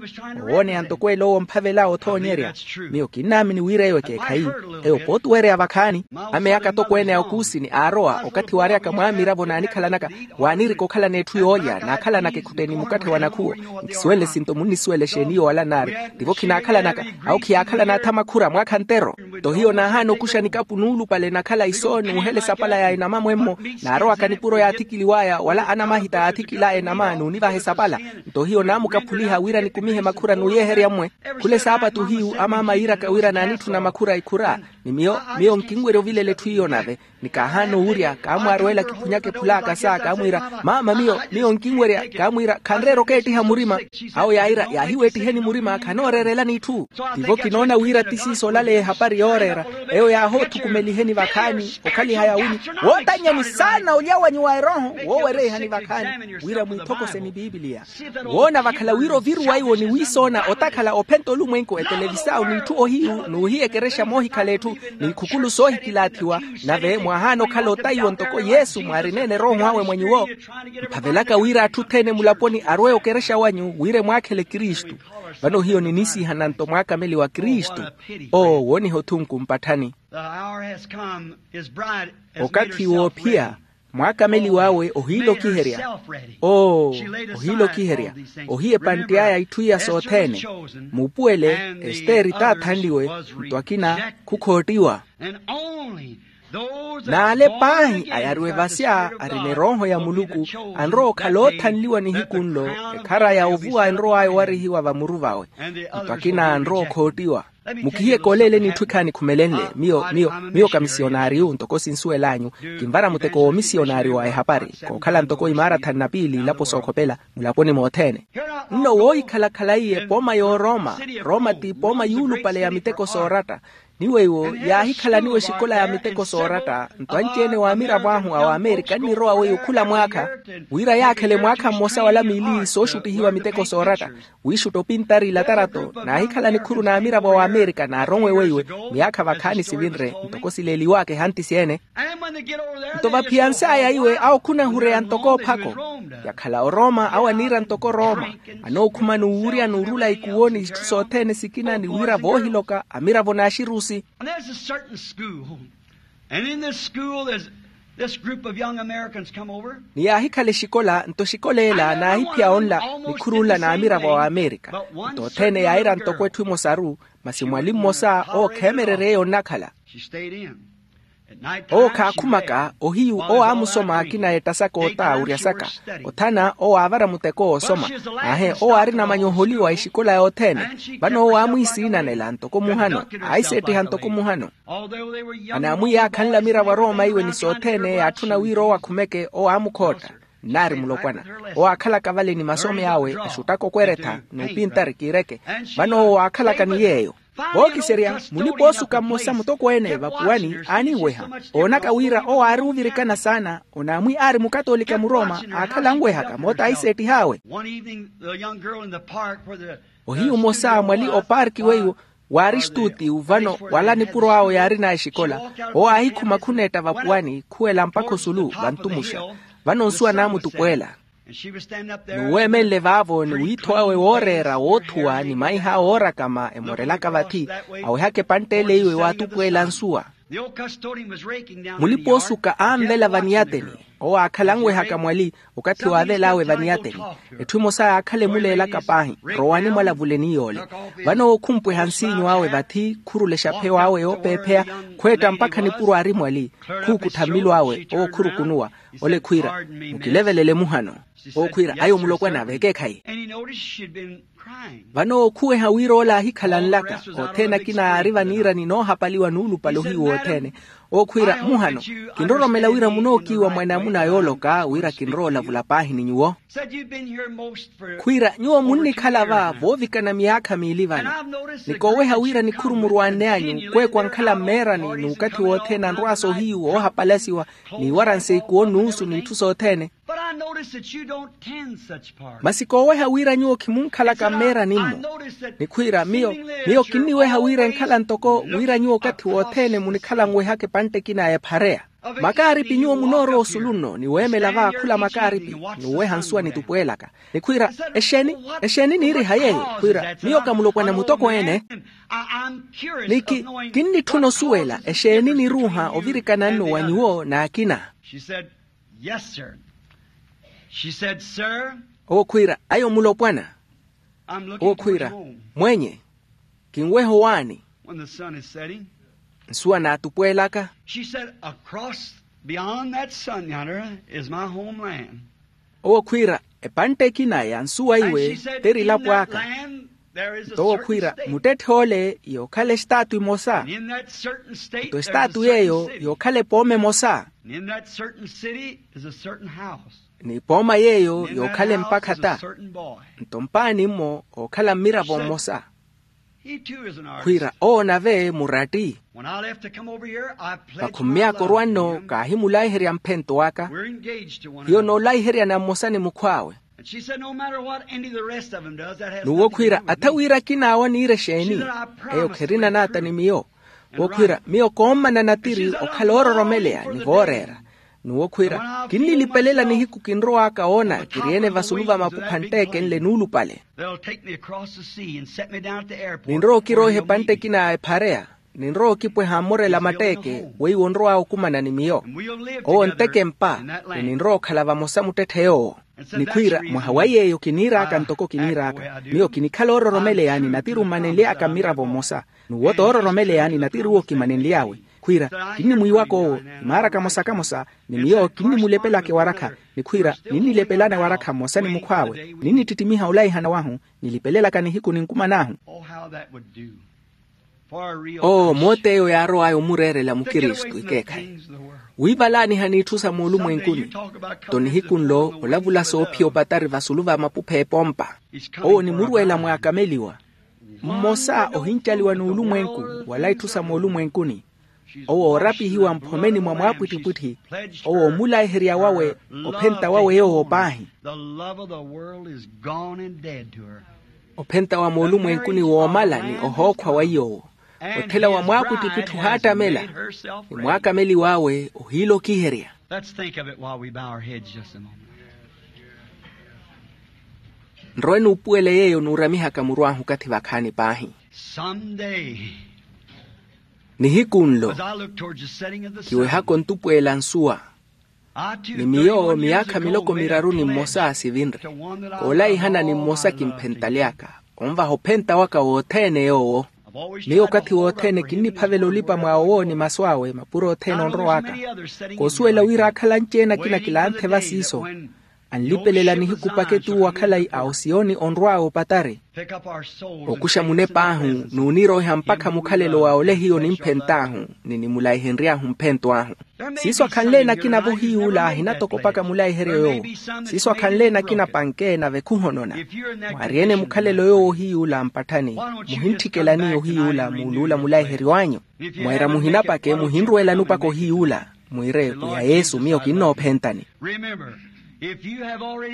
Owooneya ntoko ela owo omphavela othoonyerya. Miyo kinnaamini wira eyo ekeekhayi. Eyo pooti weereya vakhaani. Ameya katokweene a okuusini aarowa okathi waaryaka mwaamiravo naanikhalanaka, waanirika okhalana etthu yoolya naakhalanaka ekhutteni mukatthe wa nakhuwo. Nkisuwele sinto munnisuwela exeeni yoola nnaari. Tivo khinaakhalanaka. Awo khiyaakhalana atha makhura mwaakha ntero. Nto hiyo naahaana okuxa nikapu nuulupale nakhala iso nuuhela esapala ya enama mwemmo. Naarowaka nipuro yaathikiliwaya wala anamahita aathikilaya enama nuunivaha esapala. Nto hiyo naamukaphuliha wira nikumihe makhura nuuyeherya mmwe. Khula esaapatu hiyu amaama yiiraka wira naanitthuna makhura ikhura. Ni miyo miyo nkinwerya ovilela etthu iyo nave. Ni kaahaana owurya kaamwaarowela kiphunyaka ephula akasa kaamwiira, maama miyo miyo nkinwerya. Kaamwiira khanreera okeettiha murima. Awo yaayira yaahiweettiheni murima khanooreerelani itthu. Tivo kinoona wira ti siiso olaleya ehapari yooreera. Eyo yaahoothukumeliheni vakhaani okhaliha yaawini. Wootanyani saana olya wanyu wa erooho woowereihani vakhaani wira mwiithokoseni biipiliya. Woona vakhala wira oviruwaiwo ni wiisoona otakhala ophenta olumwenku etelevisau n'itthu ohiyu n'uhiyekerexa moohikhala etthu n'ikhukulu soohikilaathiwa. Nave mwaahaana okhala otaiwo ntoko yesu mwaarineene erooho awe mwa nyuwo. Mphavelaka wira atthu othene mulaponi arwe okerexa wanyu wira emwaakhele kristu. Vano hiyo ninisihana nto mwaakameli wa kristu. Oo wooniha othunku mpatthani. Okathi woophiya. Mwaakameliw'awe ohiilokiherya. Oo ohiilokiherya. Ohiya epantt'aya itthu iya sothene. Muupuwele esteri taathanliwe. Nto akina khukhoottiwa. N'ale paahi ayariwe vasya arina erooho ya muluku anrowa okhala oothanliwa nihiku nlo. Ekhara ya ovuwa enrow'aya owarihiwa vamuru vawe. Nto akina anrowa okhoottiwa. Mukihiyeke oleeleni itthu ekhaani khumelenle. Miyo miyo miyo kamisiyonariyu ntoko sinsuwel'anyu. Kinvara muteko w'omisiyonari wa ehapari kookhala ntoko imaarathani na piili ilapo sookhopela mulaponi mothene. Nno woohikhala khalayi epooma y'oroma. Roma ti epooma yuulupale ya miteko sooratta. Ni weiwo yaahikhalaniwa exikola ya miteko sooratta. Nto anci-ene w'amiravo ahu a w'amerika nnirowa weiwo khula mwaakha wira yaakhele mwaakha mmosa wala miili sooxuttihiwa miteko sooratta. Wiixutta opintari ilatarato naahikhala nikhuru n'amiravo a w'amerika naaronwe weiwe. Miyaakha vakhaani sivinre ntoko sileeliw'aka ehanti syeene. Nto vaphiyans'aya iwe awo khunahureya ntoko ophako. Yakhala oroma awo aniira ntoko roma. Anookhuma n'uwurya n'urula ikuwo n'itthu sothene sikina ni wira voohiloka amiravo n'axirusi. And there's a certain school. And in this school, there's this group of young Americans come over. Ni yaahikhala exikola nto exikola ela naahiphiya onla. Nikhuru nla n'amiravo a w'amerika. Nto othene yaayira ntoko etthu emosaru. Masi mwali mmosa owo kheemererye yonnakhala. Owo khaakhumaka ohiyu owo aamusoma akina eettasaka ota awuryasaka. Othana owo aavara muteko woosoma. Aahe owo aari na manyoholiwa exikola yothene. Vano owo aamwiisiinanela ntoko muhano. Aahiseettiha ntoko muhano. Anaamwiiya akhanle amiravo arooma iwe ni sothene yaatthuna wira owo akhumeke owo aamukhootta. Nnaari mulopwana. Owo aakhalaka vale ni masome awe axuttaka okweretha n'upintari kiireke. Vano owo aakhalaka ni yeeyo. Vookiserya mulipa-oosuka mmosa mutokweene vapuwani aaninweha. Oonaka wira owo aari ovirikana saana. Onaamwi aari mukatoolika murooma aakhala anwehaka moota ahiseettih'awe. Ohiyu mmosa mwali opaarki weiwo waari estuutiyu vano wala nipuro awe yaarina exikola. Owo aahikhuma khuneetta vapuwani khuwela mpakha osulu vantumuxa. Vano nsuwa naamutupweela. N'uweemenle vaavo ni wiitho awe wooreera woothuwa ni maiha awe oorakama emorelaka vathi. Awehaka epantt'ele iwe waatupweela nsuwa. Mulipa-oosuka anvela vaniyateni. Owo aakhala anwehaka mwali okathi waavel'awe vaniyateni. Etthu emosa yaakhala emuleelaka paahi rowani mwalavuleni yoole. Vano owo khumpweha nsiinyu awe vathi khurulexa pheyo awe yoopeepheya. Khweetta mpakha nipuro aari mwali. Khuukuttha mmilo awe owo khurukunuwa. Ole khwiira mukilevelele muhano. Owo khwiira ayo mulopwana vekeekhayi. Vano owo khuweha wira ole aahikhala nlaka. Othene akina yaari vaniirani noohapaliwa nuulupale ohiyu wothene. Owo khwiira muhano kinroromela wira munookiiwa mwanamuna yooloka wira kinrowa olavula paahi ni nyuwo. Khwiira nyuwo munnikhala va voovikana miyaakha miili vano. Nikooweha wira nikhuru murwaanne anyu kweekwa ankhala mmeerani n'ukathi wothene anrwaasa ohiyu woohapalasiwa. Niiwaranse ikuwo n'usu n'itthu sothene. Masi kooweha wira nyuwo khimunkhalaka mmeerani-mmo. Nikhwiira miyo miyo kinniweha wira enkhala ntoko wira nyuwo okathi wothene munikhala anwehaka epantte ekina ya ephareya. Makaaripi nyuwo munoorowa osulu nno ni weemela va khula makaaripi, ni oweha nsuwa nitupweelaka. Ni khwiira, exeeni? Exeeni niiriha yeeyo? Khwiira, miyo ka mulopwana mutokweene. Ni ki, kinnitthuna osuwela exeeni niruuha ovirikana nno wa nyuwo n'akina. Owo khwiira, ayo mulopwana. Owo khwiira, mwenye, kinweha owaani. Nsuwa naatupweelaka. Owo khwiira, epantte ekina ya nsuwa iwe t'erilapo aka. Nto owo khwiira, muttetthe ole yookhala estaatu emosa. Nto estaatu yeeyo yookhala epooma emosa. N'ipooma yeeyo yookhala empakha ta. Nto mpaani mmo ookhala mmiravo mmosa. Khwiira owo nave muratti. Vakhummyaka orwa nno kaahimulaiherya mphento aka. Hiyo noolaiheryana mmosa ni mukhw'awe. N'uwo khwiira, atha wira akin'awe aniira exeeni? Eyo kherina naata ni miyo. Owo khwiira, miyo koommana natiri okhala oororomeleya ni vooreera. N'uwo khwiira, kinnilipelela nihiku kinrow'aka woona kiri-ene vasulu va mapu khantteekenle nuulupale. Ninrowa okiroiha epantte ekina ya ephareya. Ninrowa okipweha mmorela matteeke weiwo onrow'awe okumana ni miyo. Owo onteke empa, ni ninrowa okhala vamosa muttetthe yoowo. Ni khwiira, mwaha wa yeeyo kiniir'aka ntoko kiniir'aka, miyo kinikhala oororomeleya ni natiri ommanenly'aka mmiravo mmosa. N'uwo t'oororomeleya ni natiri owo kimanenly'awe. Khwiira, kinnimwiiwaka owo, imaara kamosa kamosa, ni miyo kinnimulepelaka ewarakha. Ni khwiira, ninnilepelana ewarakha mmosa ni mukhw'awe. Ninnittittimiha olaihana wahu, nilipelelaka nihiku ninkuman'ahu. Oo moot'eyo yaarow'aya omureerela mukristu ikeekhayi. Wiivalaaniha n'itthu sa moolumwenkuni. Nto nihiku nlo olavula soophiya opatari vasulu va mapupha epompa. Owo onimurweela mwaakameliwa. Mmosa ohincaliwa n'ulumwenku wala itthu sa moolumwenkuni. Owo oorapihiwa mphomeni mwa mwaapwittipwitthi. Owo omulaiherya wawe, ophenta wawe yoowo paahi. Ophenta wa moolumwenkuni woomala ni ohookhwa wa iy'owo. Otthela wa mwaapwittipwitthi ohaattamela, ni mwaakameliwa awe ohiilokiherya. Nrowe nuupuwele yeeyo nuuramihaka muru ahu okathi vakhaani paahi. Nihiku nlo kiwehaka ontupweela nsuwa. Ni miyo miyaakha miloko miraru ni mmosa sivinre. Koolaihana ni mmosa kimphentaly'aka, onvaha ophenta waka wothene yoowo. Miyo okathi wothene kinniphavela olipa mwa owo ni masu awe mapuro othene onrow'aka. Koosuwela wira akhala anci-ene akina kilanthe va siiso. Anlipelela nihiku paketi uwo akhalayi a osiyoni onrw'awe opatari. Okuxa munep'ahu n'uniroiha mpakha mukhalelo wa ole hiyo nimphent'ahu ni nimulaihenry'ahu mphento ahu. Siiso akhanle-ene akina-vo hiy'ula ahinatokopaka mulaiheryo yoowo. Siiso akhanle-ene akina panke nave khuhonona. Mwaari-ene mukhalelo yoowo hiy'ula mpatthani, muhintthikela niyo hiy'ula muuluula mulaiheryo anyu. Mweera muhinapake muhinrweelani opaka ohiy'ula, mwiire pwiya yesu miyo kinnoophentani.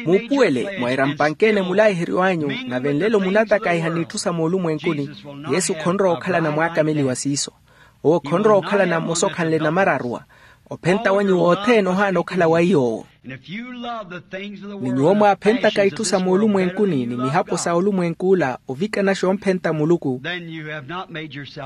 Muupuwele mweera mpanke-ene mulaiheryo anyu, nave nlelo munatakaiha n'itthu sa moolumwenkuni. Yesu khonrowa okhalana mwaakameliwa siiso. Owo khonrowa okhalana mmosa okhanle namararuwa. Ophenta wanyu wothene ohaana okhala wa iy'owo. Ni nyuwo mwaaphentaka itthu sa moolumwenkuni ni mihapo sa olumwenk'ula ovikanaxa omphenta muluku,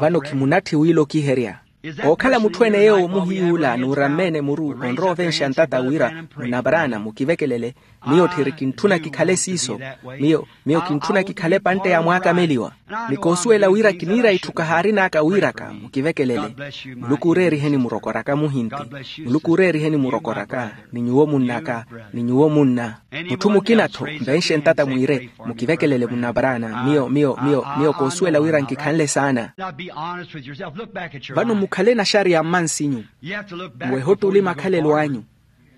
vano khimunatthi wiilokiherya. Ookhala mutthu-ene yeewo muhiy'ula nuurammeene muru onrowa ovenxa ntata wira, munaparaana mukivekelele. Miyo tthiri kintthuna kikhale siiso. Miyo miyo kintthuna kikhale epantte ya mwaakameliwa. Ni koosuwela wira kiniira itthu kahaarin'aka wiiraka mukivekelele. Muluku ooreeriheni murokoraka muhinti. Muluku ooreeriheni murokoraka. Ni nyuwo munn'aka. Ni nyuwo munna. Mutthu mukina-tho mvenxe ntata mwiire, mukivekelele munaparaana. Miyo miyo miyo miyo koosuwela wira nkikhanle saana. Vano mukhale naxariya mmansinyu. Muwehe ottuli makhalelo anyu.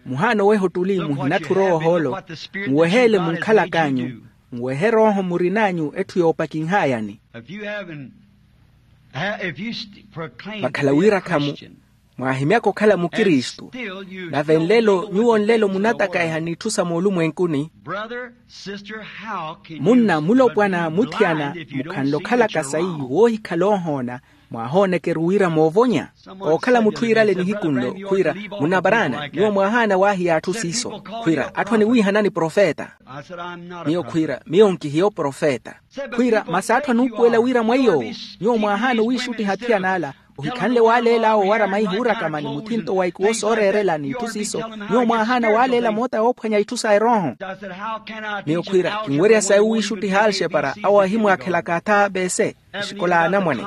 Muhaana oweha ottuli muhinatthi orowa ohoolo. Muweheele munkhalak'anyu. Muwehe erooho murin'anyu etthu yoopakinhayani. Vakhala wiirakhamu Mwaahimyaka okhala mukristu, nave nlelo nyuwo nlelo munatakaiha n'itthu sa moolumwenkuni. Munna mulopwana muthiyana, mukhanle okhalaka sayi woohikhala oohoona, mwaahoonekeru wira moovonya. Ookhala mutthu iirale nihiku nlo khwiira, munna paraana nyuwo mwaahaana waahiya atthu siiso, khwiira atthu aniwiihanani profeta. Miyo khwiira miyo nkihiya oprofeta. Khwiira masi atthu anuupuwela wira mwa iy'owo, nyuwo mwaahaana owiixuttiha athiyan'ala, ohikhanle waaleel'awe owara maihi wuurakama ni muthinto wa ikuwo sooreerela n'itthu siiso. Nyuwo mwaahaana waaleela moota yoophwanya itthu sa erooho. Miyo khwiira kinwerya sayi owiixuttiha alxepara awo ahimwaakhelaka atha a pese, exikola a anamwane.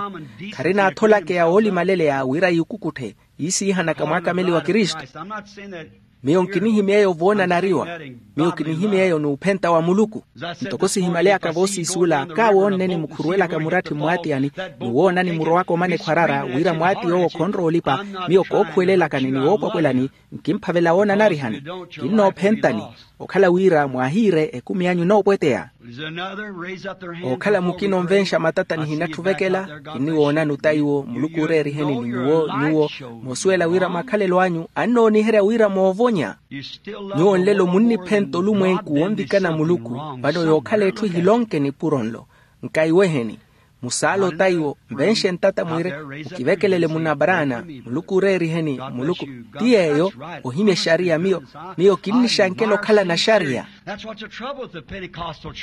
Kharina atholakeya woolimaleleya wira yuukukutthe yiisiihanaka mwaakameli wa kristu. Miyo nkinihimya eyo voonanariwa. Miyo kinihimya eyo n'uphenta wa muluku. Ntoko sihimaleyaka voosiisuula kaawoonne ni mukhuruwelaka muratthi mmwaatiyani, ni woonani murowaka omana ekhwarara wira mwaati yoowo khonrowa olipa. Miyo kookhuwelelakani ni woopwakwelani, nkimphavela woonanarihani. Kinnoophentani okhala wira mwaahiire ekumi anyu enoopweteya. Ookhala mukina onvenxa matata nihinatthu ovekela. Kinniwoonani ota iwo muluku ooreeriheni ni nyuwo nyuwo, moosuwela wira makhalelo anyu annooniherya wira moovonya. Nyuwo nlelo munniphenta olumwenku wonvikana muluku. Vano yookhala etthu ehilonke nipuro nlo. Nkaiweheni. Musaala ota iwo nvenxe ntata mwire, mukivekelele munna paraana. Muluku ooreeriheni muluku. Ti yeeyo ohimya exariya miyo miyo kinnixankela okhalana axariya.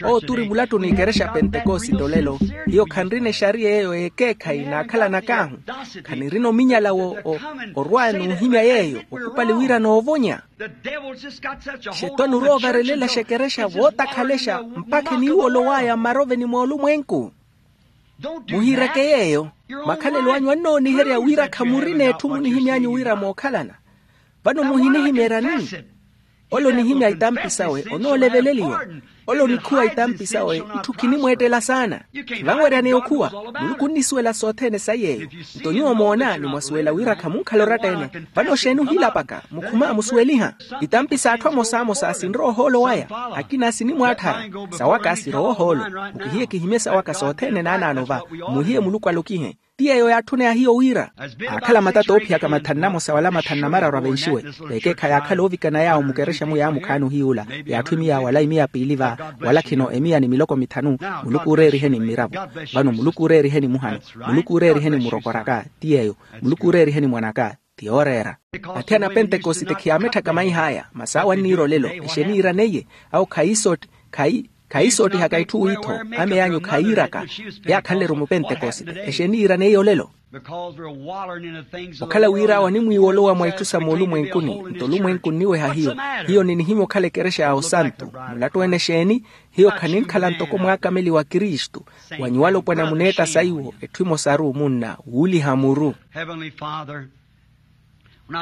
Owo turi mulattu n'ikerexa pentekosite olelo. Hiyo khanrina exariya eyo y'ekeekhayi naakhalanak'ahu. Khanirina ominyala wo orwa n'uhimya yeeyo okupali wira noovonya. Xetwani oroovarelela exekerexa vootakhalexa mpakha eniiwolow'aya mmaroveni moolumwenku. Muhiireke yeeyo. Makhalelo anyu annooniherya wira khamurina etthu munihimy'anyu wira mookhalana. Vano muhinihimya erani? Ole onihimya itampi sawe onooleveleliwa. Ole onikhuwa itampi sawe itthu khinimweettela saana. Khivanweryaneya okhuwa. Muluku onnisuwela sothene sa yeeyo. Nto nyuwo moona ni mwasuwela wira khamunkhala oratta-ene. Vano xeeni ohilapaka mukhuma musuweliha? Itampi s'atthu amosamosa sinrowa ohoolo waya. Akina sinimwaatthara. Sawaka sirowa ohoolo. Mukihiye kihimye sawaka sothene naanaano va. Mmuhiye muluku alokihe. Ti yeeyo yaatthuna ya hiyo wira aakhala matata oophiyaka mathanu namosa wala mathanu namararu avenxiwe. Vekeekha yaakhala oovikana yaawo mukerexa-mu yaamukhaani ohiy'ula. Yaatthu emiya wala emiya piili va wala khino emiya ni miloko mithanu. Muluku ooreeriheni mmiravo. Vano muluku ooreeriheni muhano. Muluku ooreeriheni murokoraka. Ti yeeyo. Muluku ooreeriheni mwanaka. Ti yooreera. Athiyana a pentekosite khiyaametthaka maih'aya masi awo anniira olelo. Exeeni iiraneiye? Awo khayiisotti khayi khayiisoottihaka itthu wiitho. Ameyanyu khayiiraka. Yaakhanle-ru mupentekosite. Exeeni iiraneiye olelo? Okhala wira awo animwiiwolowa mwa itthu sa moolumwenkuni. Nto olumwenku onniweha hiyo. Hiyo ninihimya okhala ekerexa ya osantu. Mulattu-ene exeeni? Hiyo khaninkhala ntoko mwaakameli wa kristu. Wa nyuwo alopwana muneetta saiwo etthu emosaru munna wuuliha muru.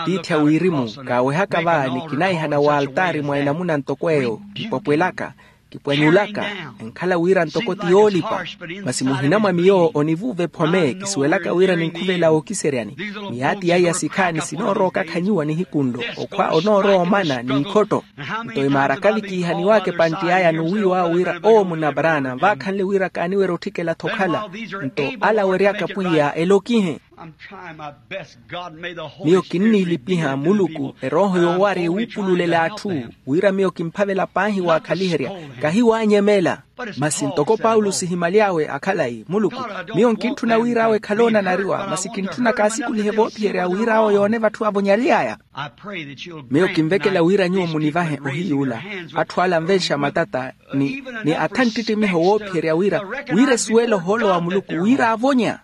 Tiithi a wirimu kaawehaka va ni kinaihana w'altaari mwa enamuna ntoko eyo. Kipwapwelaka, kipwanyulaka, enkhala wira ntoko ti yoolipa. Masi muhina mwa miyo onivuuva ephome kisuwelaka wira ninkhuvela wookiseryani. Miyaati yaiya sikhaani sinoorowa okakhanyuwa nihiku nlo. Okhwa onoorowa omana n'ikhotto. Nto emaara kavikiihaniwaka epantti aya n'uwiiw'awe wira owo munna paraana vaakhanle wira kaaniwerya otthikela-tho okhala. Nto ala aweryaka pwiya elokihe. Miyo kinniilipiha muluku erooho yoowaarya ewuupululela atthu wira miyo kimphavela paahi waakhaliherya. Kahiwaanyemela. Masi ntoko paulo sihimaly'awe akhalayi muluku, miyo nkintthuna wira awo ekhale oonanariwa masi kintthuna kaasikulihe voophiherya wira awo yoone vatthu avonyaly'aya. Miyo kinvekela wira nyuwo munivahe ohiy'ula atthu ala anvenxa matata ni ni atha nttittimiho woophiherya wira wira esuwele ohoolo wa muluku wira avonya.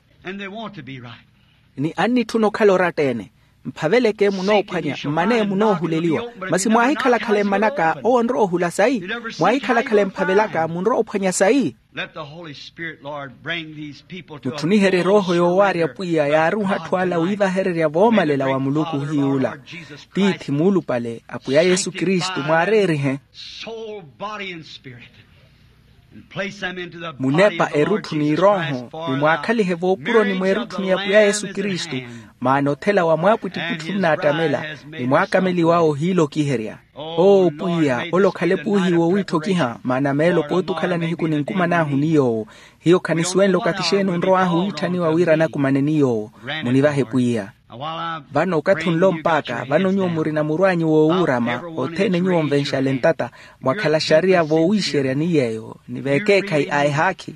Ni annitthuna okhala oratta-ene. Mphaveleke munoophwanya mmane munoohuleliwa. Masi mwaahikhala-khala emmanaka owo onrowa ohula sayi? Mwaahikhala-khala emphavelaka munrowa ophwanya sayi? Mutthuniherye erooho yoowaarya pwiya yaaruuha atthu ala wiivahererya voomalela wa muluku ohiy'ula. Tiithi muulupale apwiya yesu kristu mwaareerihe. Munepa erutthu n'irooho ni mwaakhalihe voopuroni mw'erutthu ni apwiya yesu kristu. Maana othela wa mwaapwittipwitthu onnaattamela ni mwaakameliwa ohiilokiherya. Oo pwiya ole okhale puuhiiwa owiitthokiha maana meelo pooti okhala nihiku ninkuman'ahu ni yoowo. Hiyo khanisuwenle okathi xeeni onrow'ahu wiitthaniwa wira anakumane ni yoowo. Munivahe pwiya. Vano okathi onlo mpaaka vano nyuwo murina muru anyu woowuurama othene nyuwo onvenxale ntata, mwakhala xariya voowiixerya ni yeeyo ni veekeekhayi a ehaakhi.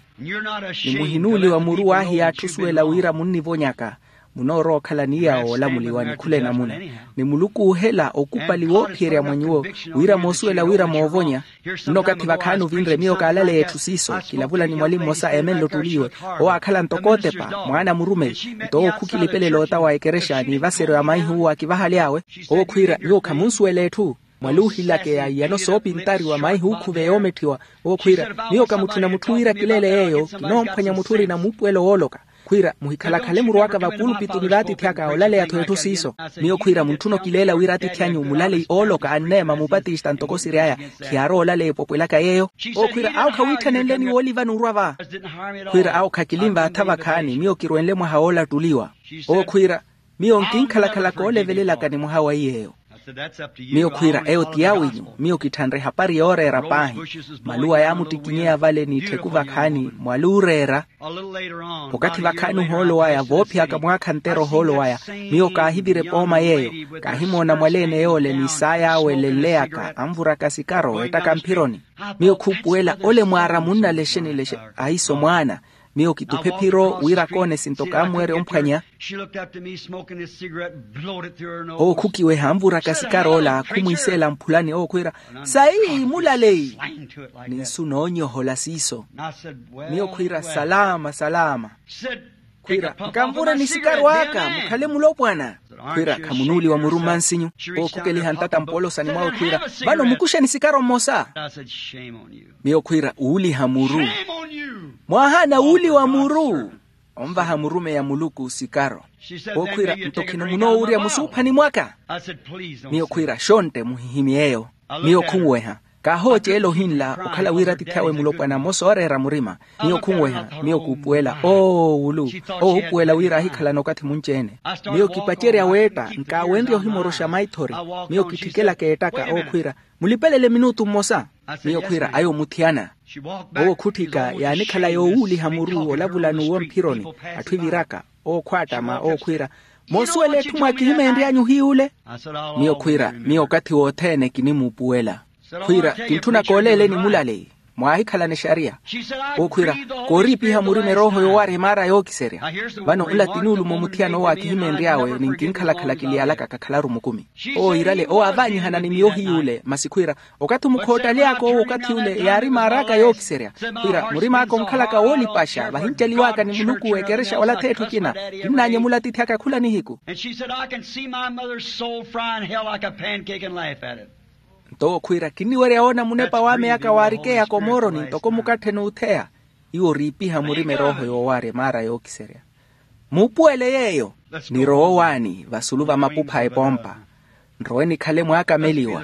Ni muhinuuliwa muru waahiya atthu osuwela wira munnivonyaka. Munoorowa okhala ni yaawo olamuliwani khula enamuna. Ni muluku oohela okupali woophiyerya mwa nyuwo wira moosuwela wira moovonya. Nno okathi vakhaani ovinre miyo kaalaleya etthu siiso kilavula ni mwali mmosa eemenle ottuliwe. Owo aakhala ntoko otepa mwaana murumeyi. Nto owo khukilipelela ota wa ekerexa n'ivaseryo ya maihuwu akivahaly'awe. Owo khwiira nyuwo khamunsuwela etthu. Mwali oohilakeya iyano soopintariwa maihuwu khuve yoometthiwa. Owo khwiira miyo kamutthuna mutthu wira kileele yeeyo kinoomphwanya mutthu orina muupuwelo wooloka. Khwiira muhikhalakhale muru aka vapulupituni v'atiithi aka olaleya-tho etthu siiso. Miyo khwiira muntthuna okileela wira atiithi anyu mulaleyi ooloka anneema mupatista ntoko siry'aya. Khiyaarowa olaleya epopwelaka yeeyo. Owo khwiira awo khawiitthanenleni woolivani orwa va. Khwiira awo khakilinvaatha vakhaani miyo kirwenle mwaha woolattuliwa. Owo khwiira miyo nkinkhalakhalaka oolevelelaka ni mwaha wa iy'eyo. Miyo khwiira eyo ti yawinyu. Miyo kitthanre ehapari yooreera paahi. Maluwa yaamuttikinyeya vale n'ittheku vakhaani mwali ooreera. Okathi vakhaani ohoolo waya voophiyaka mwaakha ntero ohoolo waya, miyo kaahivira epooma yeeyo. Kaahimoona mwaleene yoole ni saay'awe elenleyaka anvuraka sikaro ettaka mphironi. Miyo khuupuwela ole mwaara munnalexe nilexe. Ahiso mwaana. Miyo kituphe phiro wira koone esinto kaamuwerya omphwanya. Owo khukiweha anvuraka sikaro ola khumwiiseela mphulani owo khwiira, sayi mulaleyi. Ni nsu noonyohola siiso. Miyo khwiira salaama salaama. Khwiira nkanvureni sikaro aka mukhale mulopwana. Khwiira khamunuuliwa muru mmansinyu. Owo khukeliha ntata mpoolosani mwawe khwiira, vano mukuxeni sikaro mmosa. Miyo khwiira uuliha muru. Mwaahaana wuuliwa muru. Onvaha murumeyi a muluku sikaro. Owo khwiira nto khino munoowurya musuuphani mwaka. Miyo khwiira xontte muhihimy'eyo. Miyo khunweha. Kaahooceela ohinla okhala wira atiithi awe mulopwana mmosa ooreera murima. Miyo khunweha. Miyo kuupuwela oowulu. Owo oopuwela wira aahikhalana okathi munci-ene. Miyo kipacerya weetta nkaawenrye ohimoroxa maithori. Miyo kitthikelaka ettaka owo khwiira, mulipelele minutu mmosa. Miyo khwiira ayo muthiyana. Owo khutthika yaanikhala yoowuuliha muru olavula n'uwo mphironi. Atthu eviraka owo khwaattama owo khwiira, moosuwela etthu mwaakihimeenry'anyu hiy'ule. Miyo khwiira miyo okathi wothene kinimuupuwela. Khwiira kintthuna kooleeleni mulaleyi. Mwaahikhalana exariya. Owo khwiira, kooriipiha murima erooho yoowaarya emaara yookiserya. Vano nla ti nuulumo muthiyana owo aakihimeenry'awe ni nkinkhalakhala kiliyalaka kakhalaru mukumi. Owo iirale owo aavaanyihana ni miyo hiy'ule masi khwiira, okathi omukhoottaly'aka owo okathi ule yaari maar'aka yookiserya. Khwiira murimaaka onkhalaka woolipaxa vahincaliw'aka ni muluku ekerexa wala th'etthu ekina. Kinnaanyemula atiithi aka khula nihiku. Nto owo khwiira kinniwerya woona munepa w'ame aka waarikeya komoroni ntoko mukatthe n'utheya. Iwo oriipiha murima erooho yoowaarya emaara yookiserya. Muupuwele yeeyo. Nirowe owaani vasulu va mapupha a epompa. Nrowe nikhale mwaakameliwa.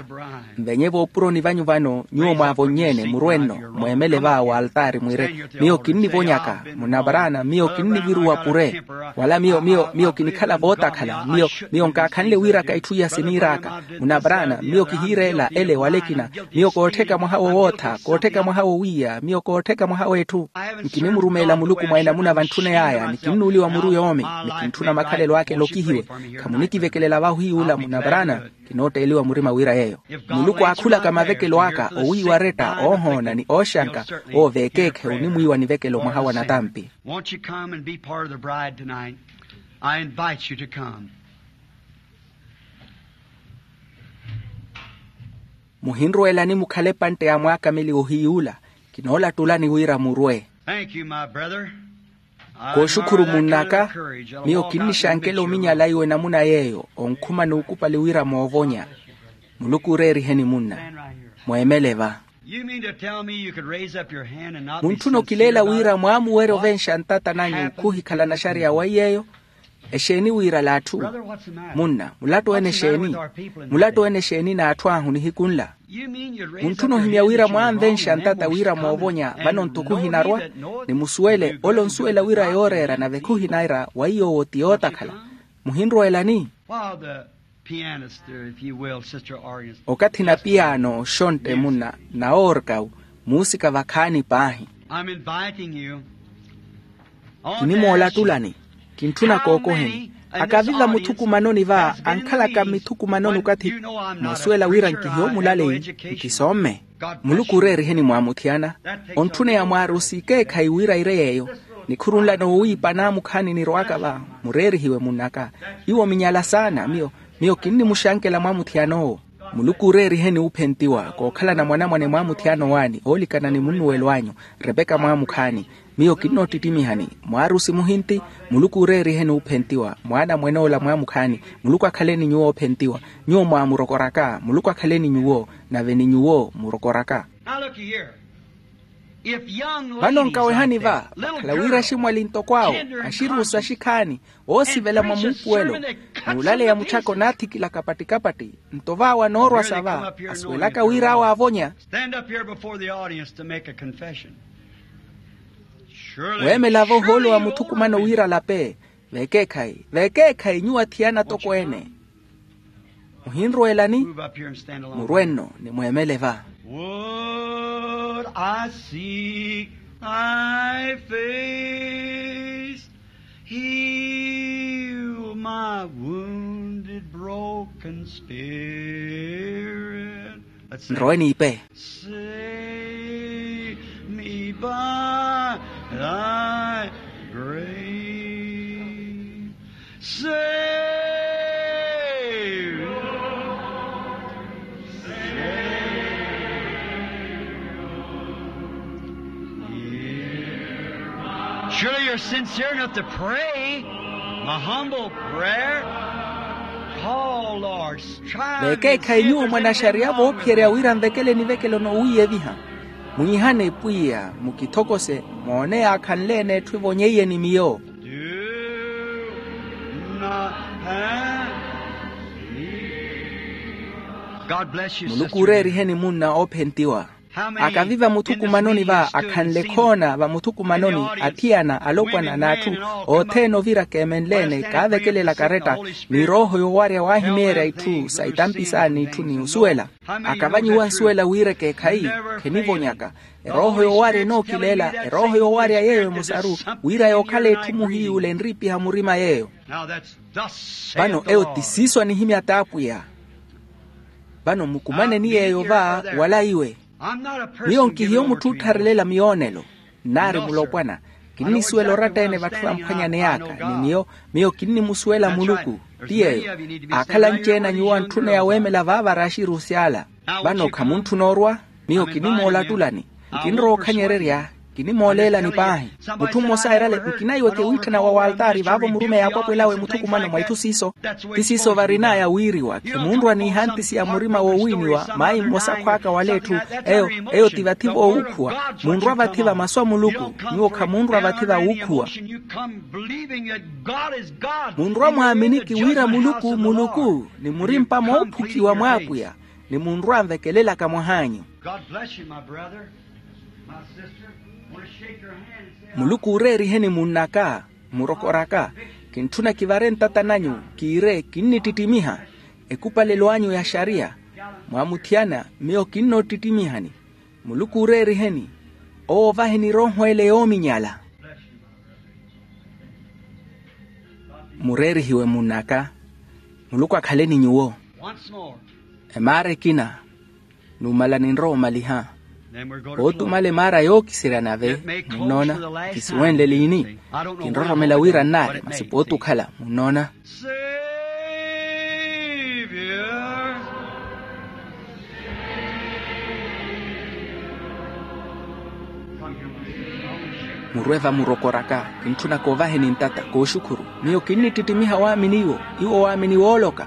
Nvenye voopuroni vanyu vano nyuwo mwaavonny'ene murwe-nno, mweemele va w'altaari mwiire, miyo kinnivonyaka munavaraana miyo kinniviruwa pure. Wala miyo miyo miyo kinikhala vootakhala miyo. Miyo nkaakhanle wiiraka itthu iya siniir'aka. Munavaraana miyo kihiireela ele wala ekina. Miyo koottheka mwaha wowootha koottheka mwaha wowiiya miyo koottheka mwaha w'etthu. Nkinimurumeela muluku mwa enamuna vantthuney'aya ni kinnuuliwa muru yoomi. Ni kintthuna makhalelo aka elokihiwe. Khamunikivekelela vahu hiy'ula munavaraana. Kinootteeliwa murima wira yeeyo. Muluku aakhulaka mavekelo aka owiiwa aretta oohoona ni ooxanka. Owo veekeekhe onimwiiwa nivekelo mwaha wa natampi. Won't you come and be part of the bride tonight? I invite you to come. Muhinrweelani mukhale epantte ya mwaakameliwa ohiy'ula. Kinoolattulani wira murwe. Thank you, my brother. Kooxukhuru munn'aka. Miyo kinnixankela ominyala iwe enamuna yeeyo onkhuma n'ukupali wira moovonya. Muluku ooreeriheni munna. Mweemele va. Muntthuna okileela wira mwaamuwerya ovenxa ntata nanyu khuhikhalana xariya wa iy'eyo? Exeeni wiirala atthu. Munna mulattu-ene exeeni? Mulattu-ene exeeni n'atthu ahu nihiku nla? Muntthuna ohimya wira mwaanvenxa ntata wira moovonya vano ntoko ohinarwa? Ni musuwele ole onsuwela wira yooreera nave khuhinarwa wa iy'owo ti yootakhala. Muhinrweelani? Okathi napiyaano oxontte munna na orkawu muusika vakhaani paahi. Kinimoolattulani. Kintthuna kookoheni. Akaviva muthukumanoni va ankhalaka mmithukumanoni okathi. Moosuwela wira nkihiyo mulaleyi, nkisomme. Muluku ooreeriheni mwaamuthiyana. Ontthuneya mwaarusi ekeekhayi wira ire yeeyo. Nikhurunla noowiipa naamukhaani nirowaka va. Mureerihiwe munn'aka. Iwo minyala saana miyo. Miyo kinnimuxankela mwaamuthiyana owo. Muluku ooreeriheni wuuphentiwa kookhalana mwanamwane mwaamuthiyana owaani oolikana ni munnuwelo anyu. Repeka mwaamukhaani. Miyo kinnoottittimiihani. Mwaarusi muhinti. Muluku ooreeriheni wuuphentiwa mwaana mwen'ola mwaamukhaani. Muluku akhaleni nyuwo oophentiwa. Nyuwo mwaamurokoraka muluku akhaleni nyuwo. Nave ni nyuwo murokoraka. Vano nkawehani va vakhala wira aximwali ntoko awo, axiruusu axikhaani, oosivela mwa muupuwelo, n'ulaleya muchaka onaathikilaka patti-kapatti. Nto vaawo anoorwa sa va asuwelaka wira awo aavonya. Weemela-vo ohoolo wa muthukumano wira alape. Vekeekhayi vekeekhayi nyuwo athiyana toko ene. Muhinrweelani? Murwe nno ni mweemele va. Would I seek thy face, heal my wounded, broken spirit. Nrowe niipe. Save me by thy grace. Save. Surely you're sincere enough to pray. My humble prayer. Call, Lord. Vekeekhayi nyuwo mwan'axariya voophiyerya wira nvekele nivekelo noowiiyeviha. Mwiihane pwiya mukithokose. Moone yaakhanle-ene etthu evonyeiye ni miyo. Muluku ooreeriheni munna oophentiwa. Akaviva muthukumanoni va akhanle khoona va muthukumanoni athiyana alopwana n'atthu othene ovira keemenle-ene kaavekelela karetta. Ni rooho yoowarya waahimeerya itthu sa itampi saani itthu ni osuwela. Akavanyiwa nsuwela wira ekeekhayi. Khenivonyaka. Erooho yoowarya enookileela erooho yoowarya yeeyo emosaru wira yookhala etthu muhiiy'ule enriipiha murima yeeyo. Vano eyo ti siiso anihimya t'apwiya. Vano mukumaneni yeeyo va wala iwe. Miyo nkihiyo mutthu oottharelela miyoonelo. Nnaari mulopwana. Kinnisuwela oratta-ene vatthu vamphwanyaney'aka ni miyo. Miyo kinnimusuwela muluku. Ti yeeyo. Aakhala anci-ene a nyuwo antthuneya weemela vaavara axiruusy'ala. Vano khamuntthuna orwa. Miyo kinimoolattulani. Nkinrowa okhanyererya. Kinimooleelani paahi. Mutthu mmosa eerale nkina iwe kewiitthana wa waltaari vaavo murumeya apwapwel'awe muthukumano mwa itthu siiso. Ti siiso varin'aya wiiriwa khimunrwa n'ihantisi ya murima woowiiniwa maayi mmosa akhw'aka wala etthu. Eyo eyo ti vathi voowuukhuwa. Munrwa vathi va masu a muluku. Nyuwo khamunrwa vathi va wuukhuwa. Munrwa mwaaminiki wira muluku muluku ni murimpa moophukiwa mw'apwiya. Ni munrwa anvekelelaka mwah'anyu. Muluku ooreeriheni munn'aka. Murokor'aka. Kintthuna kivare ntatta n'anyu kiire kinnittittimiha. Ekupalelo anyu ya xariya. Mwaamuthiyana miyo kinnoottittimiihani. Muluku ooreeriheni. Owo ovaheni erooho ele yoominyala. Mureerihiwe munn'aka. Muluku akhaleni nyuwo. Emaara ekina. Numala ninrowa omaliha. Pootumala emaara yookiserya nave. Munnoona? Kisuwenle liini. Kinroromela wira nnaari masi pootukhala munnoona? Murwe vamurokoraka. Kintthuna koovaheni ntatta kooxukhuru. Miyo kinnittittimiha waamini iwo. Iwo waamini wooloka.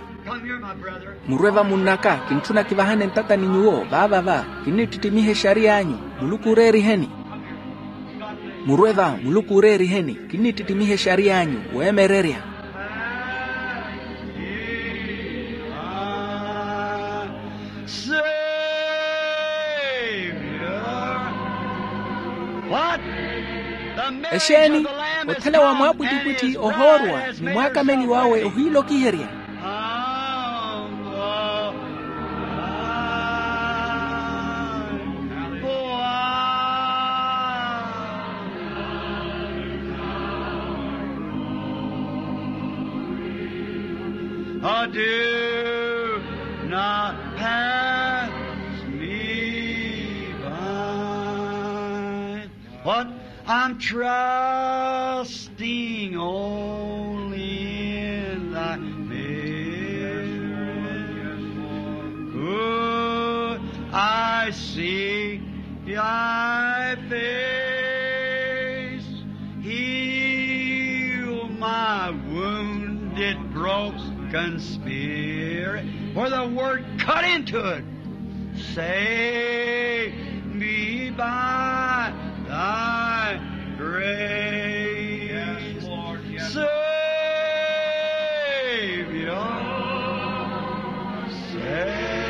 Murwe vamunn'aka. Kintthuna kivahane ntatta ni nyuwo vaava va. Kinnittittimiha exariy'anyu. Muluku ooreeriheni. Murwe va muluku ooreeriheni. Kinnittittimiha exariy'anyu. Weemererya. Exeeni? Othela wa mwaapwittipwitthi ohoorwa ni mwaakameliw'awe ohiilokiherya. Oh, do not pass me by. What I'm trusting only in thy mercy. Could I see thy face, heal my wounded, broken spirit, where the word cut into it. Save me by thy grace. Yes, Lord, yes. Savior, Savior,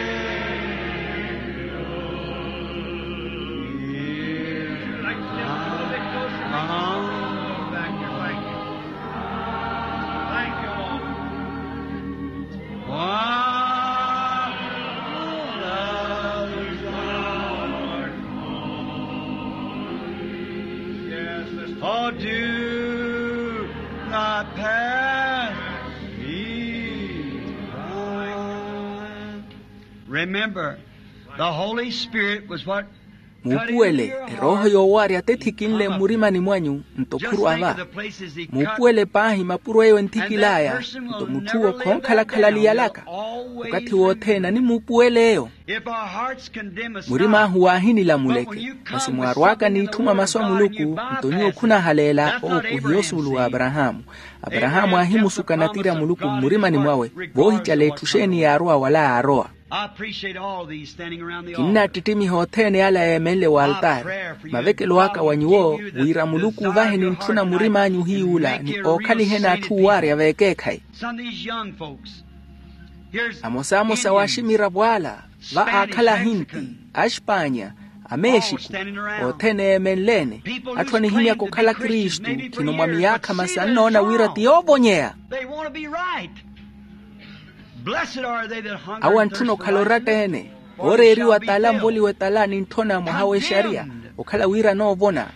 hear my. Thank you, Lord. While others are gone, oh, do not pass me by. Remember, the Holy Spirit was what. Muupuwele, erooho yoowarya te ethikinle mmurimani mwanyu. Nto khurwa va. Muupuwele paahi mapuro eyo enthikil'aya. Nto mutth'uwo khoonkhalakhalaliyalaka. Okathi wothene animuupuwele eyo. Murim'ahu waahinilamuleke. Masi mwaarw'aka n'itthu mwa masu a muluku, nto nyuwo khunahaleela ookuhiya osuulu w'aparahaamu. Aparahaamu aahimusuka natiri a muluku mmurimani mwawe. Voohicala etthu xeeni yaarowa wala yaarowa. Kinnattittimiha othene ala yeemenle w'altaari. Mavekelo aka wa nyuwo, wira muluku ovahe nintthuna murim'anyu ohiy'ula ni ookhaliheni atthu owaarya v'ekeekhayi. Amosamosa w'aximiravo ala, va aakhala ahinti, axpaanya, amexiku, othene eemenleene. Atthu anihimyaka okhala kristu khino mwa miyaakha masi annoona wira ti yoovonyeya. Awo antthuna okhala oratta-ene, ooreeriwa t'ala anvoliwe t'ala nintthona mwaha w'exariya, okhala wira anoovona.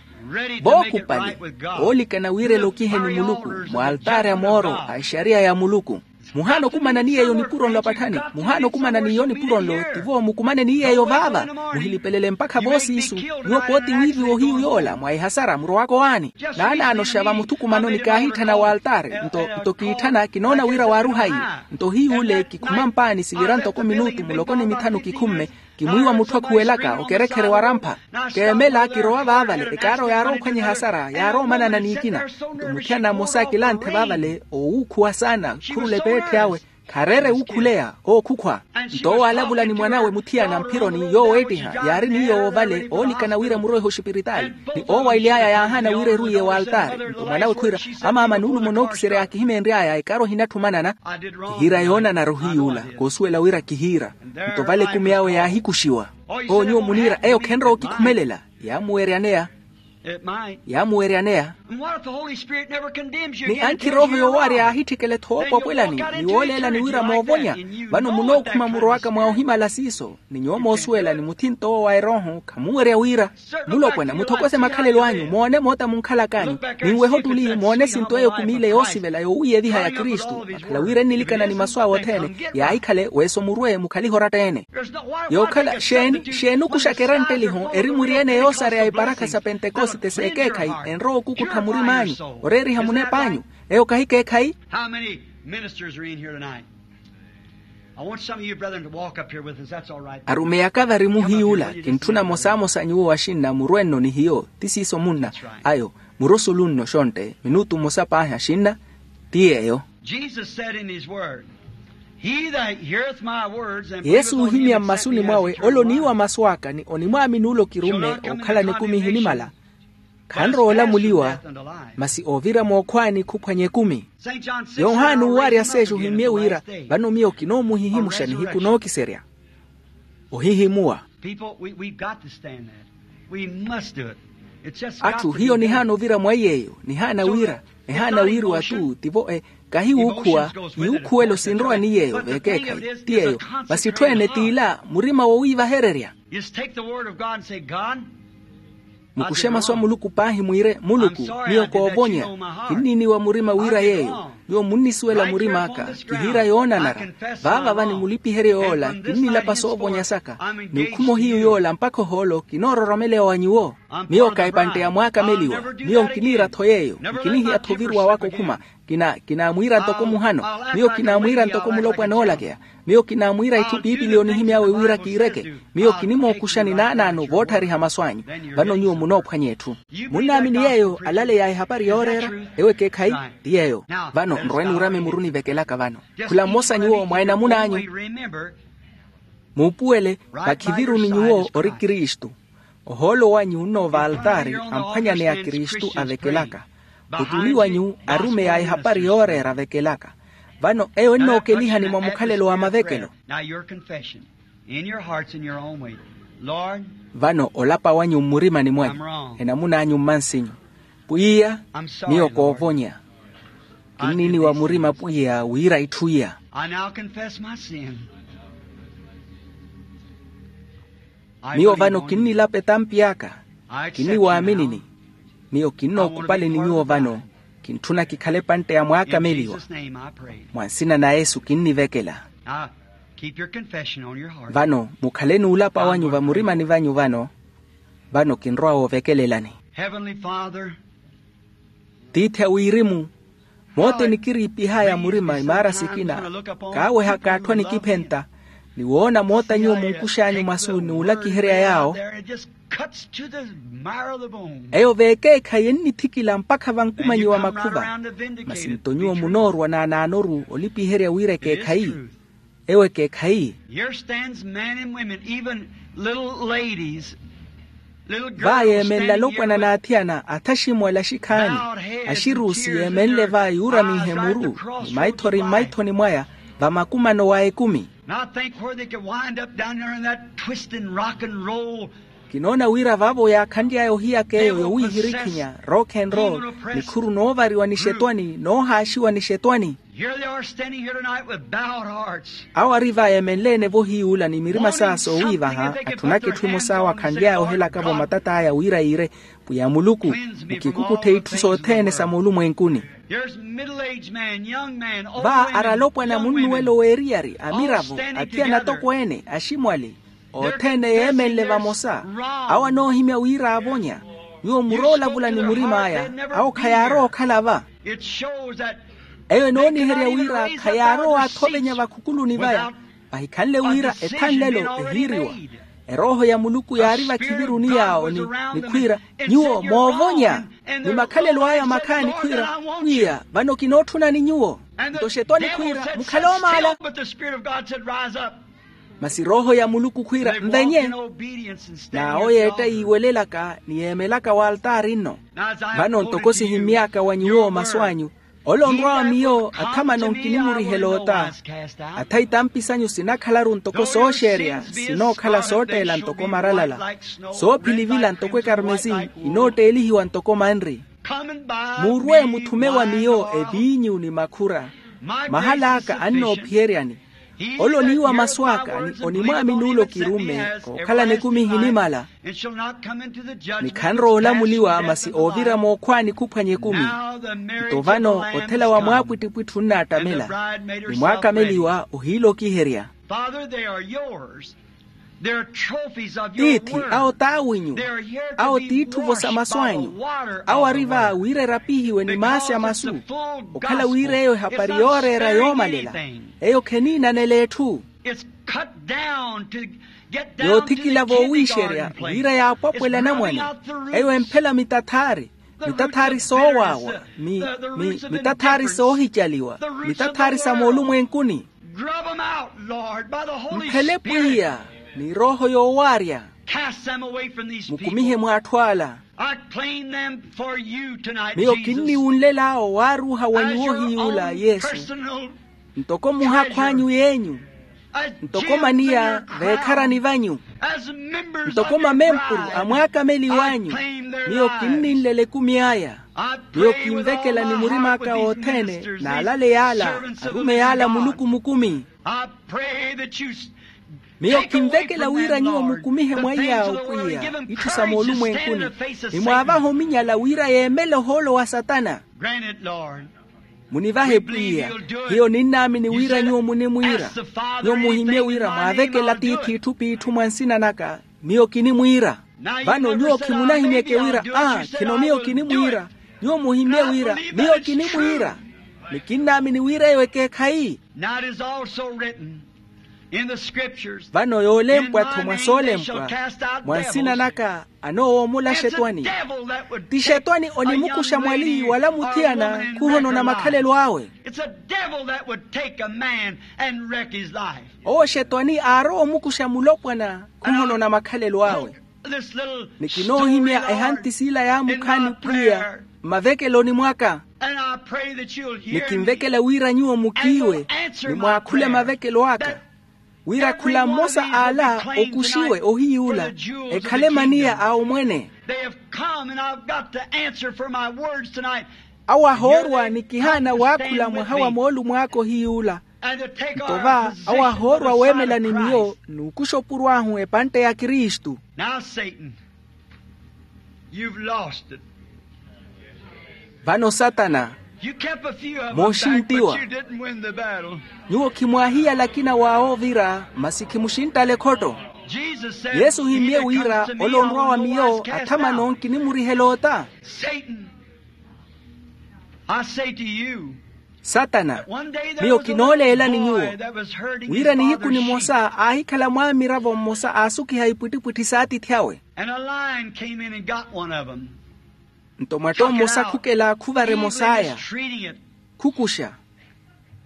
Vookupali, oolikana wira elokiheni muluku, mw'altaari a mooro a exariya ya muluku. Muhaana okumana ni yeeyo nipuro nlo apatthani. Muhaana okumana n'iyo nipuro nlo, tivo mukumane ni yeeyo vaava. Muhilipelele mpakha voosiisu. Nyuwo pooti wiiviwa ohiyu yoola mwa ehasara murowaka owaani. Naanaanoxa vamuthukumanoni kaahitthana w'altaari. Nto kiitthana kinoona wira waaruha iyo. Nto ohiy'ule kikhuma mpaani sivira ntoko minutu muloko ni mithanu kikhumme. Kimwiiwa mutthu akhuwelaka okerekhere warampha. Keemela kirowa vaavale ekaaro yaarowa okhwanya ehasara yaarowa omanana n'ikina. Nto muthiyana mmosa akilanthe vaavale oowuukhuwa saana khurula epeetthi awe. Khareere wuukhuleya ookhukhwa. Nto owo aalavula ni mwan'awe muthiyana mphironi yooweettiha yaari ni yoowo vale oolikana wira muroiha oxipiritaali. Ni oowaily'aya yaahaana wira erwiye w'altaari nto mwan'awe khwiira, amaama nuulumo nookiserya yaakihimeenry'aya ekaaro ehinatthi omanana. Kihiira yoonanara ohiy'ula koosuwela wira kihiira. Nto vale ekumi awe yaahikuxiwa. Oo nyuwo muniira eyo khenrowa okikhumelela. Yaamuweryaneya. Yaamuweryaneya. Ni ankhi erooho yoowaarya yaahitthikela-tho woopwapwelani ni wooleelani wira moovonya. Vano munookhuma murowaka mwa ohimala siiso. Ni nyuwo moosuwela ni muthinto owo wa erooho khamuwerya wira. Mulopwana muthokose makhalelo anyu moone moota munkhalak'anyu. Ninwehe ottuli moone esinto eyo kumi ile yoosivela yoowiiyeviha ya kristu akhala wira ennilikana ni masu awe othene. Yaahikhale weeso murwe mukhalihe oratta-ene. Yookhala xeeni xeeni okuxaka erantteliho eri muriyene yoosareya eparakha sa pentekosite s'ekeekhayi. Enrowa okukuttha murim'anyu oreeriha munep'anyu. Eyo kahi keekhayi. How many ministers are in here tonight? I want some of you brethren to walk up here with us. That's all right. Arumeyaka vari muhiy'ula kintthuna mmosamosa nyuwo axinna murwe-nno ni hiyo ti siiso munna. Ayo murosulu nno xontte minutu mmosa paahi axinna. Ti yeeyo. Jesus said in his word, he that heareth my words and yesu oohimya mmasuni mwawe ole oniiwa masu aka ni onimwaamini ole okirumme ookhalana ekumi ehinimala. Khanrowa olamuliwa. Masi oovira mookhwaani khuphwanya ekumi. Yohani uuwarya seexa ohimmye wira vano miyo kinoomuhihimuxa nihiku nookiserya. Ohihimuwa. Atthu hiyo nihaana ovira mwa yeeyo nihaana wira ehaana wiiriwa-tu tivo e kahi wuukhuwa. Yuukhuwelo sinrowa ni yeeyo veekeekhayi ti yeeyo. Masi etthu ene t'ila murima wowiivahererya. Mukuxe masu a muluku paahi mwiire muluku miyo koovonya. Kinniiniwa murima wira yeeyo. Nyuwo munnisuwela murim'aka, kihiira yoonanara. Vaava va ni mulipiheryo yoola kinnilapa soovonya saka, ni okhuma ohiyu yoola mpakha ohoolo kinoororomeleya wa nyuwo. Miyo ka epantte ya mwaakameliwa. Miyo nkiniira-tho yeeyo. Nkinihiya-tho oviruwa waka okhuma. Kina kinaamwiira ntoko muhano. Miyo kinaamwiira ntoko mulopwana oolakeya. Miyo kinaamwiira itthu piipili onihimy'awe wira kiireke. Miyo kinimookuxani naanaano voottariha masu anyu. Vano nyuwo munoophwanya etthu. Munnaamini yeeyo alaleya ehapari yooreera? Ewo ekeekhayi. Ti yeeyo. Vano nrwe nuurame muru nivekelaka vano. Khula mmosa nyuwo mwa enamuna anyu. Muupuwele, vakhiviruni nyuwo ori kristu. Ohoolo wanyu onnoova altaari amphwanyaneya kristu avekelaka. Otuni wanyu arumeya ehapari yooreera avekelaka. Vano eyo ennookelihani mwa mukhalelo wa mavekelo. Vano olapa wanyu mmurimani mwanyu, enamun'anyu mmansinyu. Pwiya, miyo koovonya. Kinniiniwa murima pwiya wira itthu iya. Miyo vano kinnilapa etampi aka. Kinniwaaminini. Miyo kinnookupaleni nyuwo vano. Kintthuna kikhale epantte ya mwaakameliwa. Mwa nsina na yesu kinnivekela. Vano mukhaleni olapa wanyu vamurimani vanyu vano. Vano kinrowa woovekelelani. Tiithi a wirimu, moota enikiriipih'aya murima imaara sikina. Kaawehaka atthu anikiphenta, ni woona moota nyuwo munkux'anyu masu n'ulakiherya yaawo. Eyo veekeekhayi ennithikila mpakha vankumanyiwa makhuva. Masi nto nyuwo munoorwa naanaanoru olipiherya wira ekeekhayi. Ewo ekeekhayi. Va yeemenle alopwana n'athiyana athaximwala axikhaani, axiruusi yeemenle va yuuramihe muru ni maithori mmaithoni mwaya, va makumano wa ekumi. Kinoona wira vaavo yaakhanly'aya ohiyaka eyo yowiihirikhinya, rock and roll, nikhuru noovariwa nixetwani noohaaxiwa nixetwani. Awo ari va yeemenle-ene vohiyuula ni mirima saa soowiivaha, atthunaka etthu emosa awo akhanly'aya ohelaka-vo matat'aya wira yiire, pwiya muluku, mukikukutthe itthu sothene sa moolumwenkuni. Va ari alopwana munnuwelo w'eriyari amiravo, athiyana atokweene aximwali, othene yeemenle vamosa. Awo anoohimya wira aavonya. Nyuwo muroolavula ni murim'aya. Awo khayaarowa okhala va. Eyo enooniherya wira khayaarowa athovenya vakhukuluni vaya. Vahikhanle wira ethanlelo ehiiriwa. Erooho ya muluku yaari vakhiviruni yaawo ni nikhwiira, nyuwo moovonya. Ni makhalelo aya makhaani khwiira, pwiya vano kinootthunani nyuwo. Nto xetwani khwiira mukhale oomaala. Masi rooho ya muluku khwiira nvenye. N'awo yeetta yiiwelelaka ni yeemelaka w'altaari nno. Vano ntoko sihimmy'aka wa nyuwo masu anyu, ole onrwa wa miyo athamano nkinimurihela ota. Atha itampi sanyu sinakhalaru ntoko sooxeerya, sinookhala sootteela ntoko maralala, soophilivila ntoko ekarmesi, inootteelihiwa ntoko manri. Murwe muthume wa miyo eviinyu ni makhura. Mahal'aka annoophiyeryani. Ole oniiwa masu aka ni onimwaamini ole okirumme, kookhalana ekumi ehinimala. Ni khanrowa olamuliwa masi oovira mookhwaani khuphwanya ekumi. Nto vano othela wa mwaapwittipwitthi onnaattamela, ni mwaakameliwa ohiilokiherya. Tiithi, awo t'awinyu. Awo t'itthuvo sa masu anyu. Awo ari va wira erapihiwe ni maasi a masu, okhala wira eyo ehapari yooreera yoomalela. Eyo kheniinanela etthu. Yoothikila voowiixerya wira yaapwapwela anamwane. Eyo emphela mitathaari, mitathaari soowaawa, mi- mi- mitathaari soohicaliwa, mitathaari sa moolumwenkuni. Mphele pwiya ni rooho yoowaarya. Mukumihe mw'atthu ala. Miyo kinniwunlel'awo waaruuha wa nyuwo hiy'ula yesu, ntoko muhakhu anyu yeenyu, ntoko maniya veekharani vanyu, ntoko mamempuru a mwaakameli w'anyu. Miyo kinninlela ekumi aya. Miyo kinvekela ni murim'aka wothene, n'alale y'ala, arumeyi ala muluku mukumi. Miyo kinvekela wira nyuwo mukumihe mwa iy'awo pwiya itthu sa moolumwenkuni, ni mwaavahe ominyala wira yeemele ohoolo wa satana. Munivahe pwiya. Hiyo ninnaamini wira nyuwo munimwiira. Nyuwo muhimmye wira mwaavekela tiithi itthu p'itthu mwa nsina naka. Miyo kinimwiira. Vano nyuwo khimunahimyeke wira aa khino miyo kinimwiira. Nyuwo muhimmye wira miyo kinimwiira. Ni kinnaamini wira eyo ekeekhayi. Now it is also written in the scriptures, vano yoolempwa-tho mwa soolempwa, mwa nsina naka anoowomola axetwani. Ti xetwani onimukuxa mwali wala muthiyana khuhonona makhalelo awe. It's a devil that would take a man and wreck his life. Owo xetwani aarowa omukuxa mulopwana khuhonona makhalelo awe. Ni kinoohimya ehanti siila yaamukhaani pwiya mmavekeloni mwaka. Ni kinvekela wira nyuwo mukiiwe ni mwaakhule mavekelo aka, wira khula mmosa ala okuxiwe ohiy'ula ekhale maniya a omwene. Awo ahoorwa ni kihaana waakhula mwaha wa moolumo aka ohiy'ula. Nto va awo ahoorwa weemela ni miyo n'ukuxa opuro ahu epantte ya kristu. Now, Satan, you've lost it. Vano satana, you kept a few of them back, but you didn't win the battle. Nyuwo khimwaahiyala akina w'awo ovira masi khimuxinttala ekhotto. Jesus said, yesu ohimmye wira ole onrwa wa miyo athamano nkinimurihela ota. Satan, I say to you, satana, miyo kinooleelani nyuwo wira nihiku nimosa aahikhala mwaamiravo mmosa aasukiha ipwittipwitthi s'atiithi awe. And a lion came in and got one of them. Nto mwatto mmosa khukela khuvara emos'aya, khukuxa.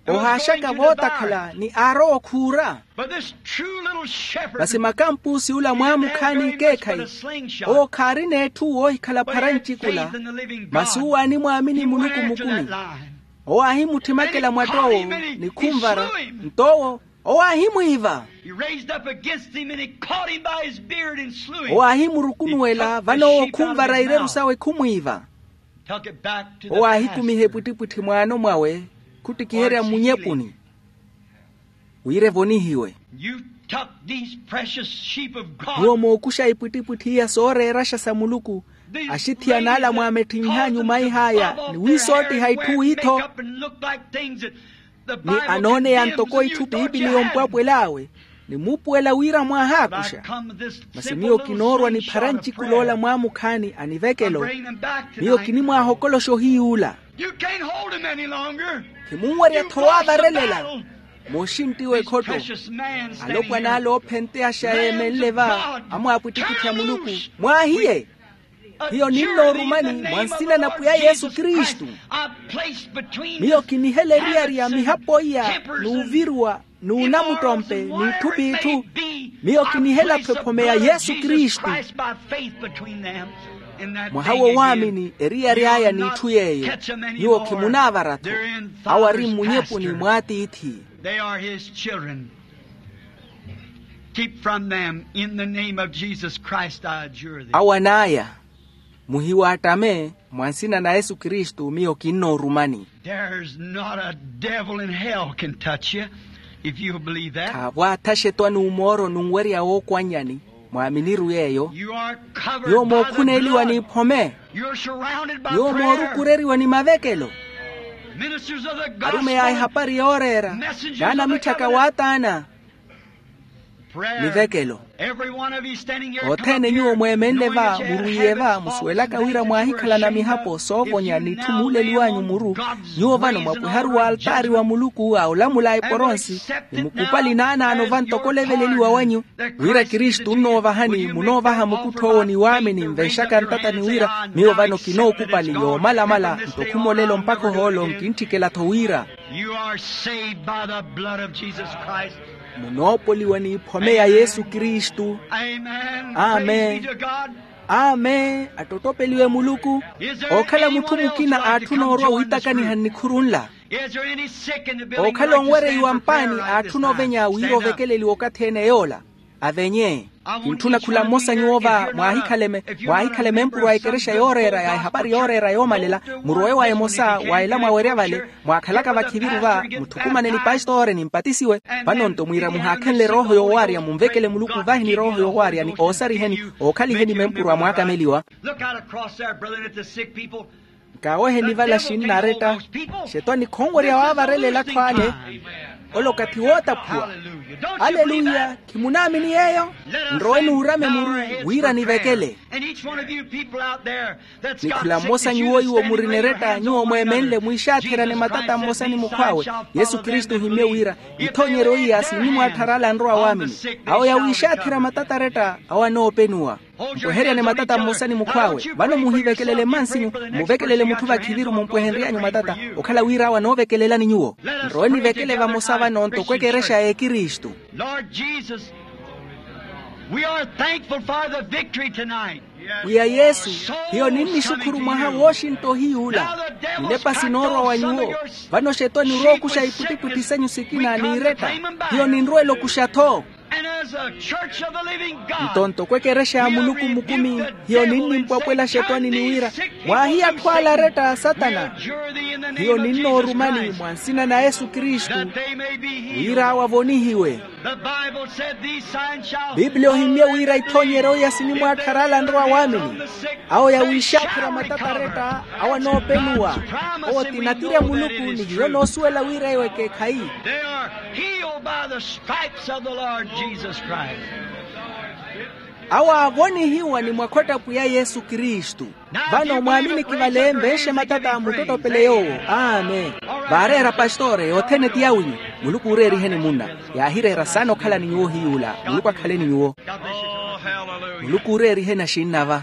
Ohaaxaka vootakhala ni aarowa okhuura. Masi makampuusi ula mwaamukhaani nkeekhayi, owo khaarina etthu woohikhala phara ncikula. Masi uwo aanimwaamini muluku mukumi. Owo aahimutthimekela mwatt'owo ni khunvara. Nto owo, owo aahimwiiva. Owo aahimurukunuwela vano owo khunvara ireru sawe khumwiiva. Owo aahikumiha epwittipwitthi mwaano mwawe, khuttikiherya mmunyepuni wira evonihiwe. Nyuwo mookuxa ipwittipwitthi iya sooreeraxa sa muluku, axithiyana ala mwaametthin'anyu maih'aya ni wiisoottiha itthu witho. Ni anooneya ntoko itthu piipili yompwapwel'awe ni muupuwela wira mwaahaakuxa. Masi miyo kinoorwa niphara ncikula ola mwaamukhaani a nivekelo. Miyo kinimwaahokoloxa ohiy'ula. Khimunwerya-tho waavarelela. Mooxinttiwa ekhotto. Alopwan'ala oophenteyaxa yeemenle va amwaapwittipwitthi a muluku, mwaahiye. Hiyo ninnoorumani mwa nsina na pwiya yesu kristu. Miyo kinihela eriyari ya mihapo iya n'uviruwa n'unamuttompe n'itthu p'itthu. Miyo kinihela-tho ephome ya yesu kristu. Mwaha wowaamini eriyari aya n'itthu yeeyo. Nyuwo khimunaavara-tho. Awo ari mmunyepuni mw'atiithi. They are his children. Keep from them in the name of Jesus Christ, I adjure thee. Awo an'aya, muhiwaattame. Mwa nsina na yesu kristu miyo kinnoorumani. There's not a devil in hell can touch you if you'll believe that. Khaavwaatha xetwani omooro nunwerya wookwannyani. Mwaaminiru yeeyo. Nyuwo mookhuneeliwa n'iphome. Nyuwo moorukureriwa ni mavekelo. Arumeyi a ehapari yooreera n'anamitthaka waataana. Mivekelo. Othene nyuwo mweemenle va muruwiye va musuwelaka wira mwaahikhalana mihapo soovonya n'itthu muuleliw'anyu muru. Nyuwo vano mwapwiharu w'altaari wa muluku a olamula eporonsi, ni mukupali naanaano va ntoko oleveleliwa wanyu. Wira kristu onnoovahani munoovaha mukuttho owo ni waamini nvenxaka ntatani wira miyo vano kinookupali yoomalamala nto khumolelo mpakha ohoolo nkintthikela-tho wira. You are saved by the blood of Jesus Christ. Munoopoliwa n'iphome ya yesu kristu. Amen. Amen. Amen. Attottopeliwe muluku. Okhala mutthu mukina aatthuna orwa wiitakaniha nnikhuru nla? Okhala onwereiwa mpaani aatthuna ovenya wira ovekeleliwa okathi ene yoola. Avenye. Kintthuna khula mmosa nyuwo va mwaahikhala emempurwa a ekerexa yooreera ya ehapari yooreera yoomalela. Murowe wa emosa wa ela mwawerya vale mwaakhalaka vakhiviru va, mutthukumane ni pastore ni mpatisiwe. Vano-nto mwiira muhaakhenle erooho yoowaarya munvekele muluku vahi ni rooho yoowaarya ni oosariheni ookhaliheni mempurwa mwaakameliwa. Look out across there, brethren, at the sick people. Kaawehe nivala xinna aretta. Xetwani khonwerya waavarela elatthu ale. Ole okathi wootaphuwa. Aleluya. Khimunaamini yeeyo? Nroweni uurame muru wira nivekele. Ni khula mmosa nyuwo iwo murina eretta nyuwo mweemenle mwiixaatherya ni matata mmosa ni mukhw'awe. Yesu kristu ohimmye wira ithoonyeryo iya sinnimwaatthara ale anrowa waamini. Awo yawiixaatherya matata aretta awo anoopenuwa. Mpweheryane matata mmosa ni mukhw'awe vano muhivekelele mmansinyu. Muvekelele mutthu vakhiviru mumpwehenry'anyu matata. Okhala wira awo anoovekelelani nyuwo. Nrowe nivekele vamosa vano ntoko ekerexa y'ekristu. Lord Jesus, we are thankful for the victory tonight. Pwiya yesu, hiyo ninnixukhuru mwaha wooxintta ohiy'ula. Ninepa sinoorwa wa nyuwo. Vano xetwani orookuxa ipwittipwitthi senyu sikina n'iiretta. Hiyo ninrwela okuxa-tho. Nto ntoko ekerexa ya muluku mukumi, hiyo ninnimpwapwela xetwani ni wira mwaahiya atthu ala aretta a satana. Hiyo ninnoorumani mwa nsina na yesu kristu, wira awo avonihiwe. Biblia ohimmye wira ithoonyeryo iya sinimwaatthara ala anrowa waamini. Awo yawiixaatthera matata aretta awo anoopenuwa. Owo ti natiri a muluku ni hiyo noosuwela wira eyo ekeekhayi. Awo aavonihiwa ni mwakhwatta pwiya yesu kristu. Vano mwaaminiki vale mveexe matata muttottopele yoowo. Amen. Vaareera pastore yothene ti yawinyu. Muluku uureeriheni munna. Yaahireera saana okhala ni nyuwo ohiy'ula muluku akhale ni nyuwo. Muluku uureeriheni axinnava.